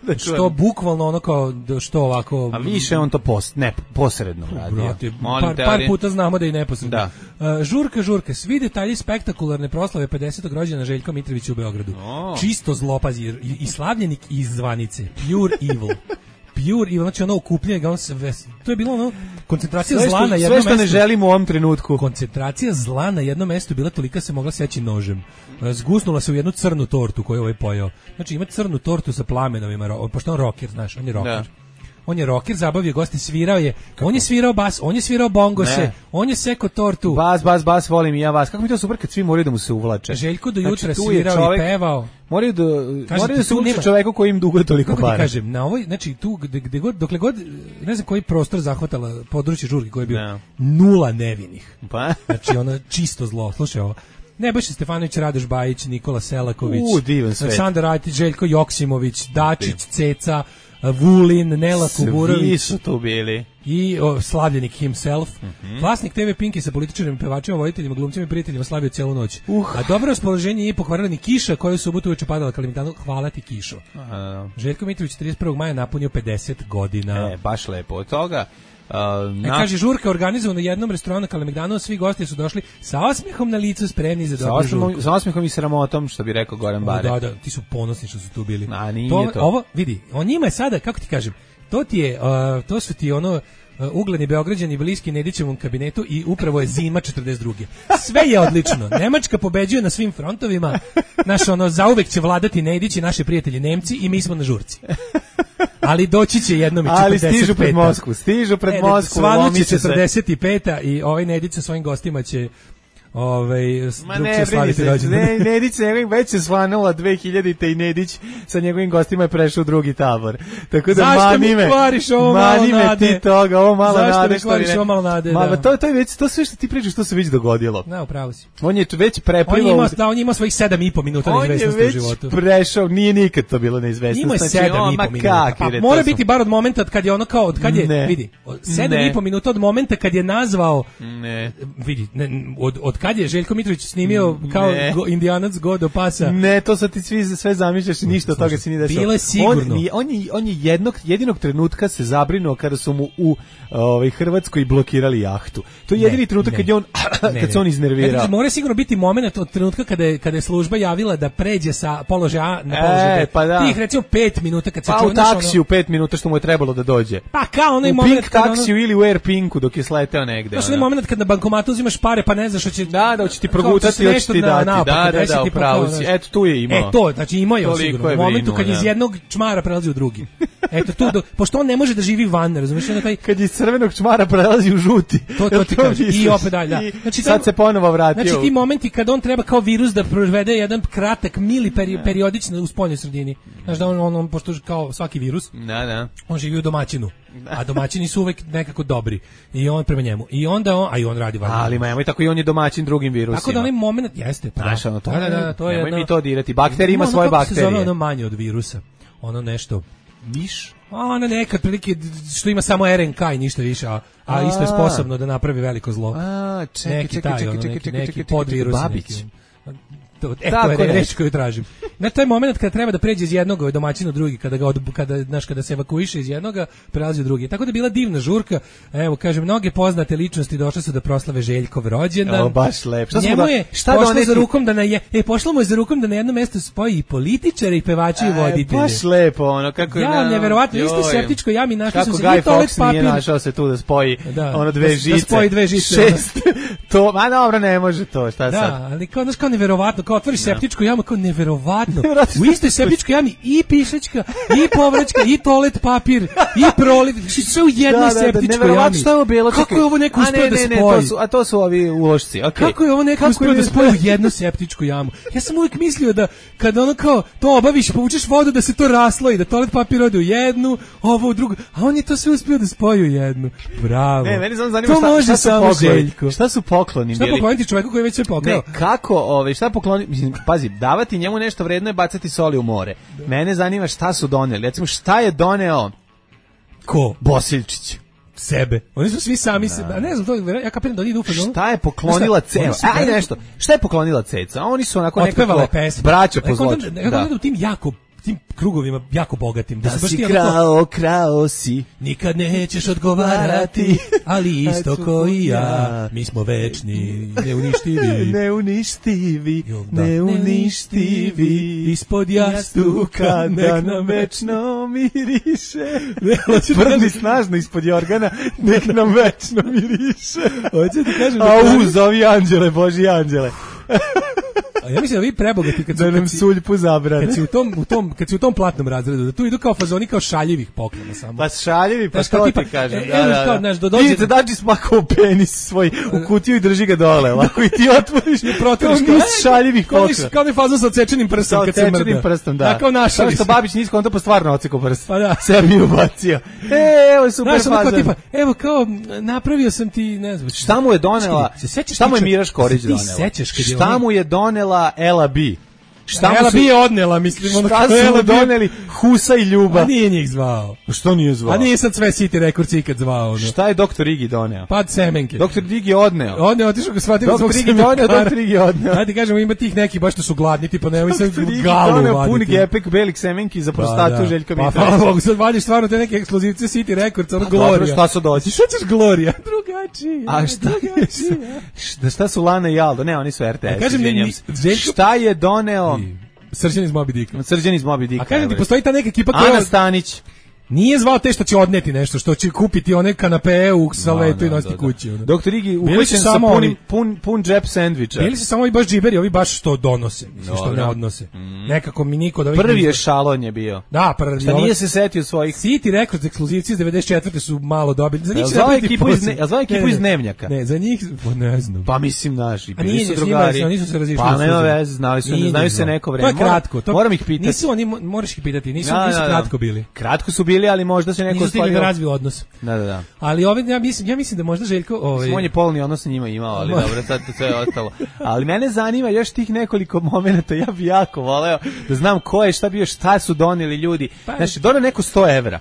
Da Što čujem. bukvalno ono kao, da što ovako... A više on to post, ne, posredno radio. Brate, Molim par, te, par ali- puta znamo da i neposredno. Da. Uh, žurka, žurka, svi detalji spektakularne proslave pedesetog rođena Željka Mitrovića u Beogradu. O. Čisto zlopazi, i, i slavljenik iz zvanice. Pure evil. Pure evil, znači ono okupljanje ga on sve, to je bilo ono koncentracija Sve zla što, na jednom sve što ne mestu. želimo u ovom trenutku. Koncentracija zla na jednom mestu je bila tolika se mogla seći nožem. E, Zgusnula se u jednu crnu tortu koju je ovaj pojeo. Znači ima crnu tortu sa plamenovima, ro- pošto on rocker, znaš, on je rocker. Da. On je rocker, zabavio goste, svirao je, on je svirao bas, on je svirao bongose, Ne. on je seko tortu. Bas, bas, bas, volim i ja vas. Kako mi to super kad svi moraju da mu se uvlače. Željko do Znači, jutra tu je svirao čovek- i pevao. Moraju da, Kažete, moraju da se tu uče nema- čoveku koji im duguje toliko Kako ti para. kažem, na ovoj, znači tu gde, gde god, dokle god, ne znam koji prostor zahvatala područje žurke koji je bio, Da. nula nevinih. Pa? Znači ono čisto zlo. Slušaj ovo. Nebojša Stefanović, Radoš Bajić, Nikola Selaković, U, divan svet. Aleksandar Rajtić, Željko Joksimović, Dačić, Ceca, Vulin, Nela Svi Kuburović su tu bili. i o, slavljenik himself. Mhm. Vlasnik te ve Pinki sa političarima, pevačima, voditeljima, glumcima i prijateljima slavio celu noć. Uh. A dobro raspoloženje nije pokvarila ni kiša koja je u subotu uveče padala Kalemegdanu. Hvala ti, kišo. A, Željko Mitrović trideset prvog maja napunio pedeset godina. e, baš lepo. Od toga... Uh, E, kaže, žurka organizovana u jednom restoranu na Kalemegdanu, svi gosti su došli sa osmehom na licu, spremni za sa, dobru žurku. osmehom, sa osmehom i sramotom, što bi rekao Goran O, Bare. da, da, ti su ponosni što su tu bili. A, nije to. Ovo, vidi, on njima je sada, kako ti kažem, to ti je, uh, to su ti ono, uh, ugledni Beograđani bliski Nedićevom kabinetu i upravo je zima četrdeset druge. Sve je odlično. Nemačka pobeđuje na svim frontovima. Naš ono, zauvek će vladati Nedić i naši prijatelji Nemci i mi smo na žurci. Ali doći će jednom i Ali četrdeset peta. stižu pred Moskvu, stižu pred Ne, Moskvu. Svanuće lomi će se. četrdeset peta i ovaj Nedić sa svojim gostima će ovaj Ma drug ne, će brini slaviti se, rođendan. ne, Nedić se već se svanula dve hiljadite i Nedić sa njegovim gostima je prešao u drugi tabor. Tako da Zašto mani mi me, kvariš ovo malo mani me nade? ti toga, ovo malo Zašto nade mi što kvariš ne- ovo malo nade, Ma, da. to, to je već, to sve što ti pričaš, to se već dogodilo. Da, upravo si. On je već On je preplivao, imao, uz- da, on je imao svojih sedam i po minuta on je neizvesnosti u već životu. prešao, nije nikad to bilo neizvesno. Imao je Znači, sedam o, i ma po minuta. kakvi, Pa, re, mora to su- biti bar od momenta od kad je ono kao, od kad je, Ne. vidi, od sedam Ne. i po minuta od momenta kad je nazvao, Ne. vidi, ne, od, od kad je Željko Mitrović snimio kao Ne. go, Indijanac go do pasa. Ne, to sad ti svi sve zamišljaš i ništa od toga se nije desilo. Bilo je sigurno. On, nije- on, je, on je jednog, jedinog trenutka se zabrinuo kada su mu u ovaj, Hrvatskoj blokirali jahtu. To je jedini Ne, trenutak ne. kad je on, Ne, kad se ne. on iznervirao. Znači, mora sigurno biti moment od trenutka kada je, kada je služba javila da pređe sa položaja A na položaj E, B. pa da. Tih recimo pet minuta kad se Pa čuje, u znaš, ono- taksiju pet minuta što mu je trebalo da dođe. Pa kao onaj U moment Pink kad ono- taksiju ili u Air Pinku dok je sleteo negde. Znaš, ono. onaj moment kad na bankomatu uzimaš pare pa ne znaš što će, Da, da, hoće ti progutati, hoće ti dati. Da, da, da, upravo si. Eto, tu je imao. E, to, znači imao je sigurno. U momentu kad iz jednog čmara prelazi u drugi. Eto, tu, do, pošto on ne može da živi van, razumiješ? Taj... Kad iz crvenog čmara prelazi u žuti. To, to ti kaže. I opet dalje, da. Znači, sad se ponovo vratio. Znači, ti momenti kad on treba kao virus da provede jedan kratak, mili peri, periodično u spoljnoj sredini. Znaš da on, on, on, pošto kao svaki virus, da, da. On živi u domaćinu. A domaćini su uvek nekako dobri. I on prema njemu. I onda on, a i on radi van. Ali ma nemoj tako i on je domaćin drugim virusima. Tako da onaj moment, jeste. Pa, znaš, ono, to, da, da, da, to je nemoj jedno, mi to dirati. Bakterija ima ono, svoje kako bakterije. Se zove ono manje od virusa. Ono nešto... Miš? A ono neka prilike što ima samo R N K i ništa više, a, a isto je sposobno da napravi veliko zlo. A, čekaj, neki čekaj, taj, čekaj, ono, čekaj, neki, čekaj, neki čekaj, podvirus. Babić. Neki, to, e, to je reč koju tražim. Na taj moment kada treba da pređe iz jednog domaćina u drugi, kada ga od, kada znaš kada se evakuiše iz jednoga, prelazi u drugi. Tako da je bila divna žurka. Evo kažem, mnoge poznate ličnosti došle su da proslave Željkov rođendan. O, baš lepo. Šta Njemu smo da, je šta pošlo doneti? za rukom da na je, e pošlo mu je za rukom da na jedno mesto spoji i političare i pevači i voditelje. Baš lepo, ono kako ja, je. neverovatno, isto septičko jami našli kako su se Guy toalet Fawkes papir. Nije našao se tu da spoji da, ono dve da, žice. Da spoji dve žice. Šest. To, ma dobro, ne može to, šta da, sad? Da, ali kao, znaš, kao neverovatno, kao otvoriš septičku jamu, kao neverovatno. U istoj septičkoj jami i pišačka, i povraćka, i toalet papir, i proliv, sve u jednoj da, da, septičkoj da, jami. Šta je ovo bilo? Kako je ovo neko uspio da spoji? Ne, to su, a to su ovi ulošci, okej. Okay. Kako je ovo neko uspio da spoji u jednu septičku jamu? Ja sam uvijek mislio da kada ono kao to obaviš, povučeš vodu da se to rasloji, da toalet papir ode u jednu, ovo u drugu, a on je to sve uspio da spoji u jednu. Bravo. Ne, meni samo zanima to šta, može šta su samo pokloni. Željko. Šta su pokloni šta bili? Šta pokloniti čoveku koji je već sve pokrao? Ne, kako, ove, šta pokloni, mislim, pazi, davati njemu nešto vredno je bacati soli u more. Da. Mene zanima šta su doneli. Recimo, šta je doneo ko? Bosiljčić. Sebe. Oni su svi sami da. sebe. A ne znam, to, ja kapiram da oni idu u fazonu. Šta je poklonila Ceca? Aj nešto. Šta je poklonila Ceca? Oni su onako nekako braća po zločinu. Da. U tim jako tim krugovima jako bogatim. Da, da si krao, krao si. Nikad nećeš odgovarati, ali isto ko i ja. Mi smo večni, neuništivi. Neuništivi, neuništivi. Ispod jastuka nek nam večno miriše. Vrni snažno ispod jorgana, nek nam večno miriše. Hoće ti kažem da... Au, zovi anđele, Boži anđele. A ja mislim da vi prebogati kad da nam suljpu zabrane. Kad si u tom u tom kad si u tom platnom razredu, da tu idu kao fazoni kao šaljivih poklona samo. Pa šaljivi, pa što ti kažem. E, da, da, da. Kao, znaš, do dođe... Vidite, dađi smakao penis svoj u kutiju i drži ga dole. Lako i ti otvoriš i protvoriš kao niz šaljivih poklona. Kao ne fazon sa odsečenim prstom kad se mrda. Sa odsečenim prstom, da. Da, kao našali. Kao što Babić nisko, on to pa stvarno ocekao prst. Pa da. Sebi ubacio. E, evo je super fazon. Tipa, evo kao, napravio sam ti, ne znam. Šta mu je donela? Šta mu je Miraš Korić donela? Šta mu je donela Ela B? Šta Ela bi je odnela, mislim, ono šta su mu doneli Husa i Ljuba. A nije njih zvao. Što nije zvao? A nije sad sve City Records ikad zvao. Ono. Šta je doktor Igi doneo? Pad semenke. Doktor Igi je odneo. On je otišao ga shvatio da svog semenkara. Doktor Igi je odneo. Ajde kažemo, ima tih neki baš što su gladni, tipa nemoj se galu vaditi. Puni gepek belih semenki za prostatu, da, Željko Mitrović. Pa hvala Bogu, sad vadiš stvarno te neke ekskluzivce City Records, ono Gloria. Dobro, šta su doći? Šta ćeš Gloria? Drugačije. A šta je? Šta su Lana i Aldo? Ne, oni su R T S. Šta je doneo? Srđan iz Moby Dicka. Srđan iz Moby Dicka. A kažem ti, postoji ta neka ekipa koja... Ana Stanić. Nije zvao te što će odneti nešto, što će kupiti one kanapee u saletu no, no, i nositi kući. Ono. Doktor Igi uhvaćen sa punim, pun, pun džep sendviča. Bili se samo ovi baš džiberi, ovi baš što donose, mislim, što ne odnose. Mm. Nekako mi niko da ovih... Prvi je Šalon je bio. Da, prvi. Šta nije se setio svojih... City Records ekskluzivci iz devedeset četvrte su malo dobili. Za njih se napraviti ekipu iz, ne, zvao ekipu ne, iz Dnevnjaka. Ne, za njih, pa ne znam. Pa mislim naši, bili nije, su drugari. Oni su se razišli. Pa nema veze, znali su, ne znaju se neko vreme. To je kratko. Moram ih pitati. Nisu oni, moraš ih pitati, nisu kratko bili. Kratko su bili, ali možda se neko stvario razvio odnos. Da, da, da. Ali ove ja mislim, ja mislim da možda Željko, ovaj on je polni odnos sa njima imao, ali dobro, sad to sve je ostalo. Ali mene zanima još tih nekoliko momenata, ja bih jako voleo da znam ko je, šta bio, šta su doneli ljudi. Pa, znači, doneo neko sto evra.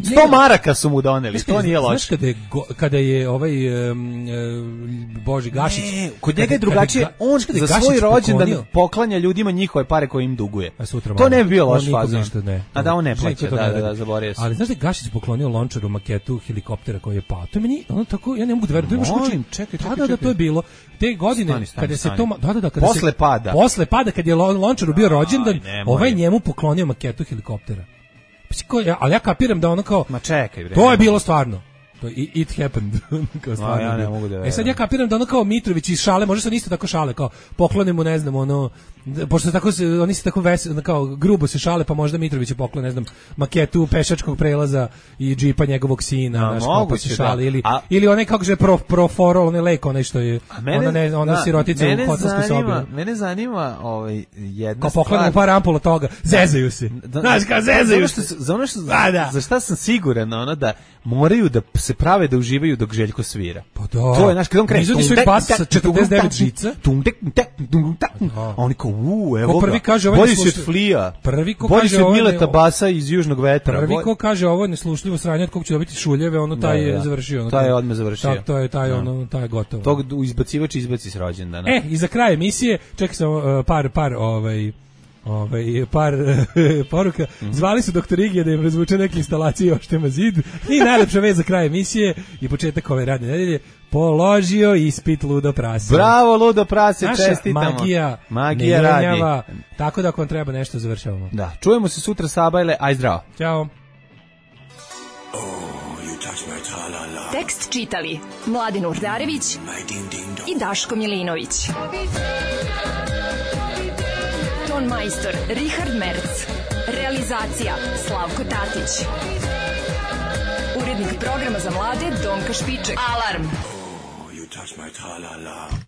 sto maraka su mu doneli, to nije loše. Znaš kada je, kada je ovaj um, Boži Gašić... Ne, kod njega je drugačije, on za svoj rođendan poklanja ljudima njihove pare koje im duguje. To ne bi bio loš fazon. A da, on ne plaća, da, da, da, zaboravio sam. Ali znaš da je Gašić poklonio Lončaru maketu helikoptera koji je pao? To je meni, ono tako, ja ne mogu da verujem. Molim, čekaj, čekaj, da, da, to je bilo. Te godine, kada se to... Da, da, da, kada posle pada. Posle pada, kad je Lončaru bio rođendan, ovaj njemu poklonio maketu helikoptera. Ali ja kapiram da ono kao... Ma čekaj, bre. To je bilo stvarno. To i it happened. Kao A, ja ne mogu da verujem. E sad ja kapiram da ono kao Mitrović iz šale, može se on isto tako šale, kao poklonimo, ne znam, ono, pošto tako se, oni se tako ves, kao grubo se šale, pa možda Mitrović je poklon, ne znam, maketu pešačkog prelaza i džipa njegovog sina, znaš, kao pa se šale, da. ili, a, ili onaj, kako je pro, proforo, onaj lek, onaj što je, mene, ona, ne, ona da, sirotica u hotelskoj sobi. Mene zanima ovaj, jedna kao stvar. Kao poklonimo par ampula toga, zezaju se. Da, znaš, kao zezaju se. Za ono što, a, da. za šta sam siguran, ono da moraju da se prave da uživaju dok Željko svira. Pa da. To je, znaš, kad on kreće. Izvodi svoj bas sa četrdeset devet žica. A oni kao, uuu, evo prvi ga. Kaže, bolji si od Flija. Prvi ko bolji kaže si od ovo Mileta ne, Basa iz Južnog vetra. Prvi ko kaže ovo je neslušljivo sranje od kog će dobiti šuljeve, ono taj da, da. je završio. Ono, taj je odmah završio. To je taj, ono, taj je gotovo. Tog izbacivač izbaci s rođendana. E, i za kraj emisije, čekaj sam uh, par, par, ovaj, ovaj, par poruka. Mm-hmm. Zvali su doktor Igija da im razvuče neke instalacije još tema zid. I najlepša vez za kraj emisije i početak ove radne nedelje. Položio ispit Ludo Prase. Bravo Ludo Prase, naša čestitamo. magija, magija radi. Tako da ako vam treba nešto završavamo. Da, čujemo se sutra Sabajle, aj zdravo. Ćao. Oh, you touch my tra-la-la. Tekst čitali Mladin Urdarević i Daško Milinović. Ton majstor Richard Merc. Realizacija Slavko Tatić. Urednik programa za mlade Donka Špiček. Alarm! Oh, you touch my tra-la-la.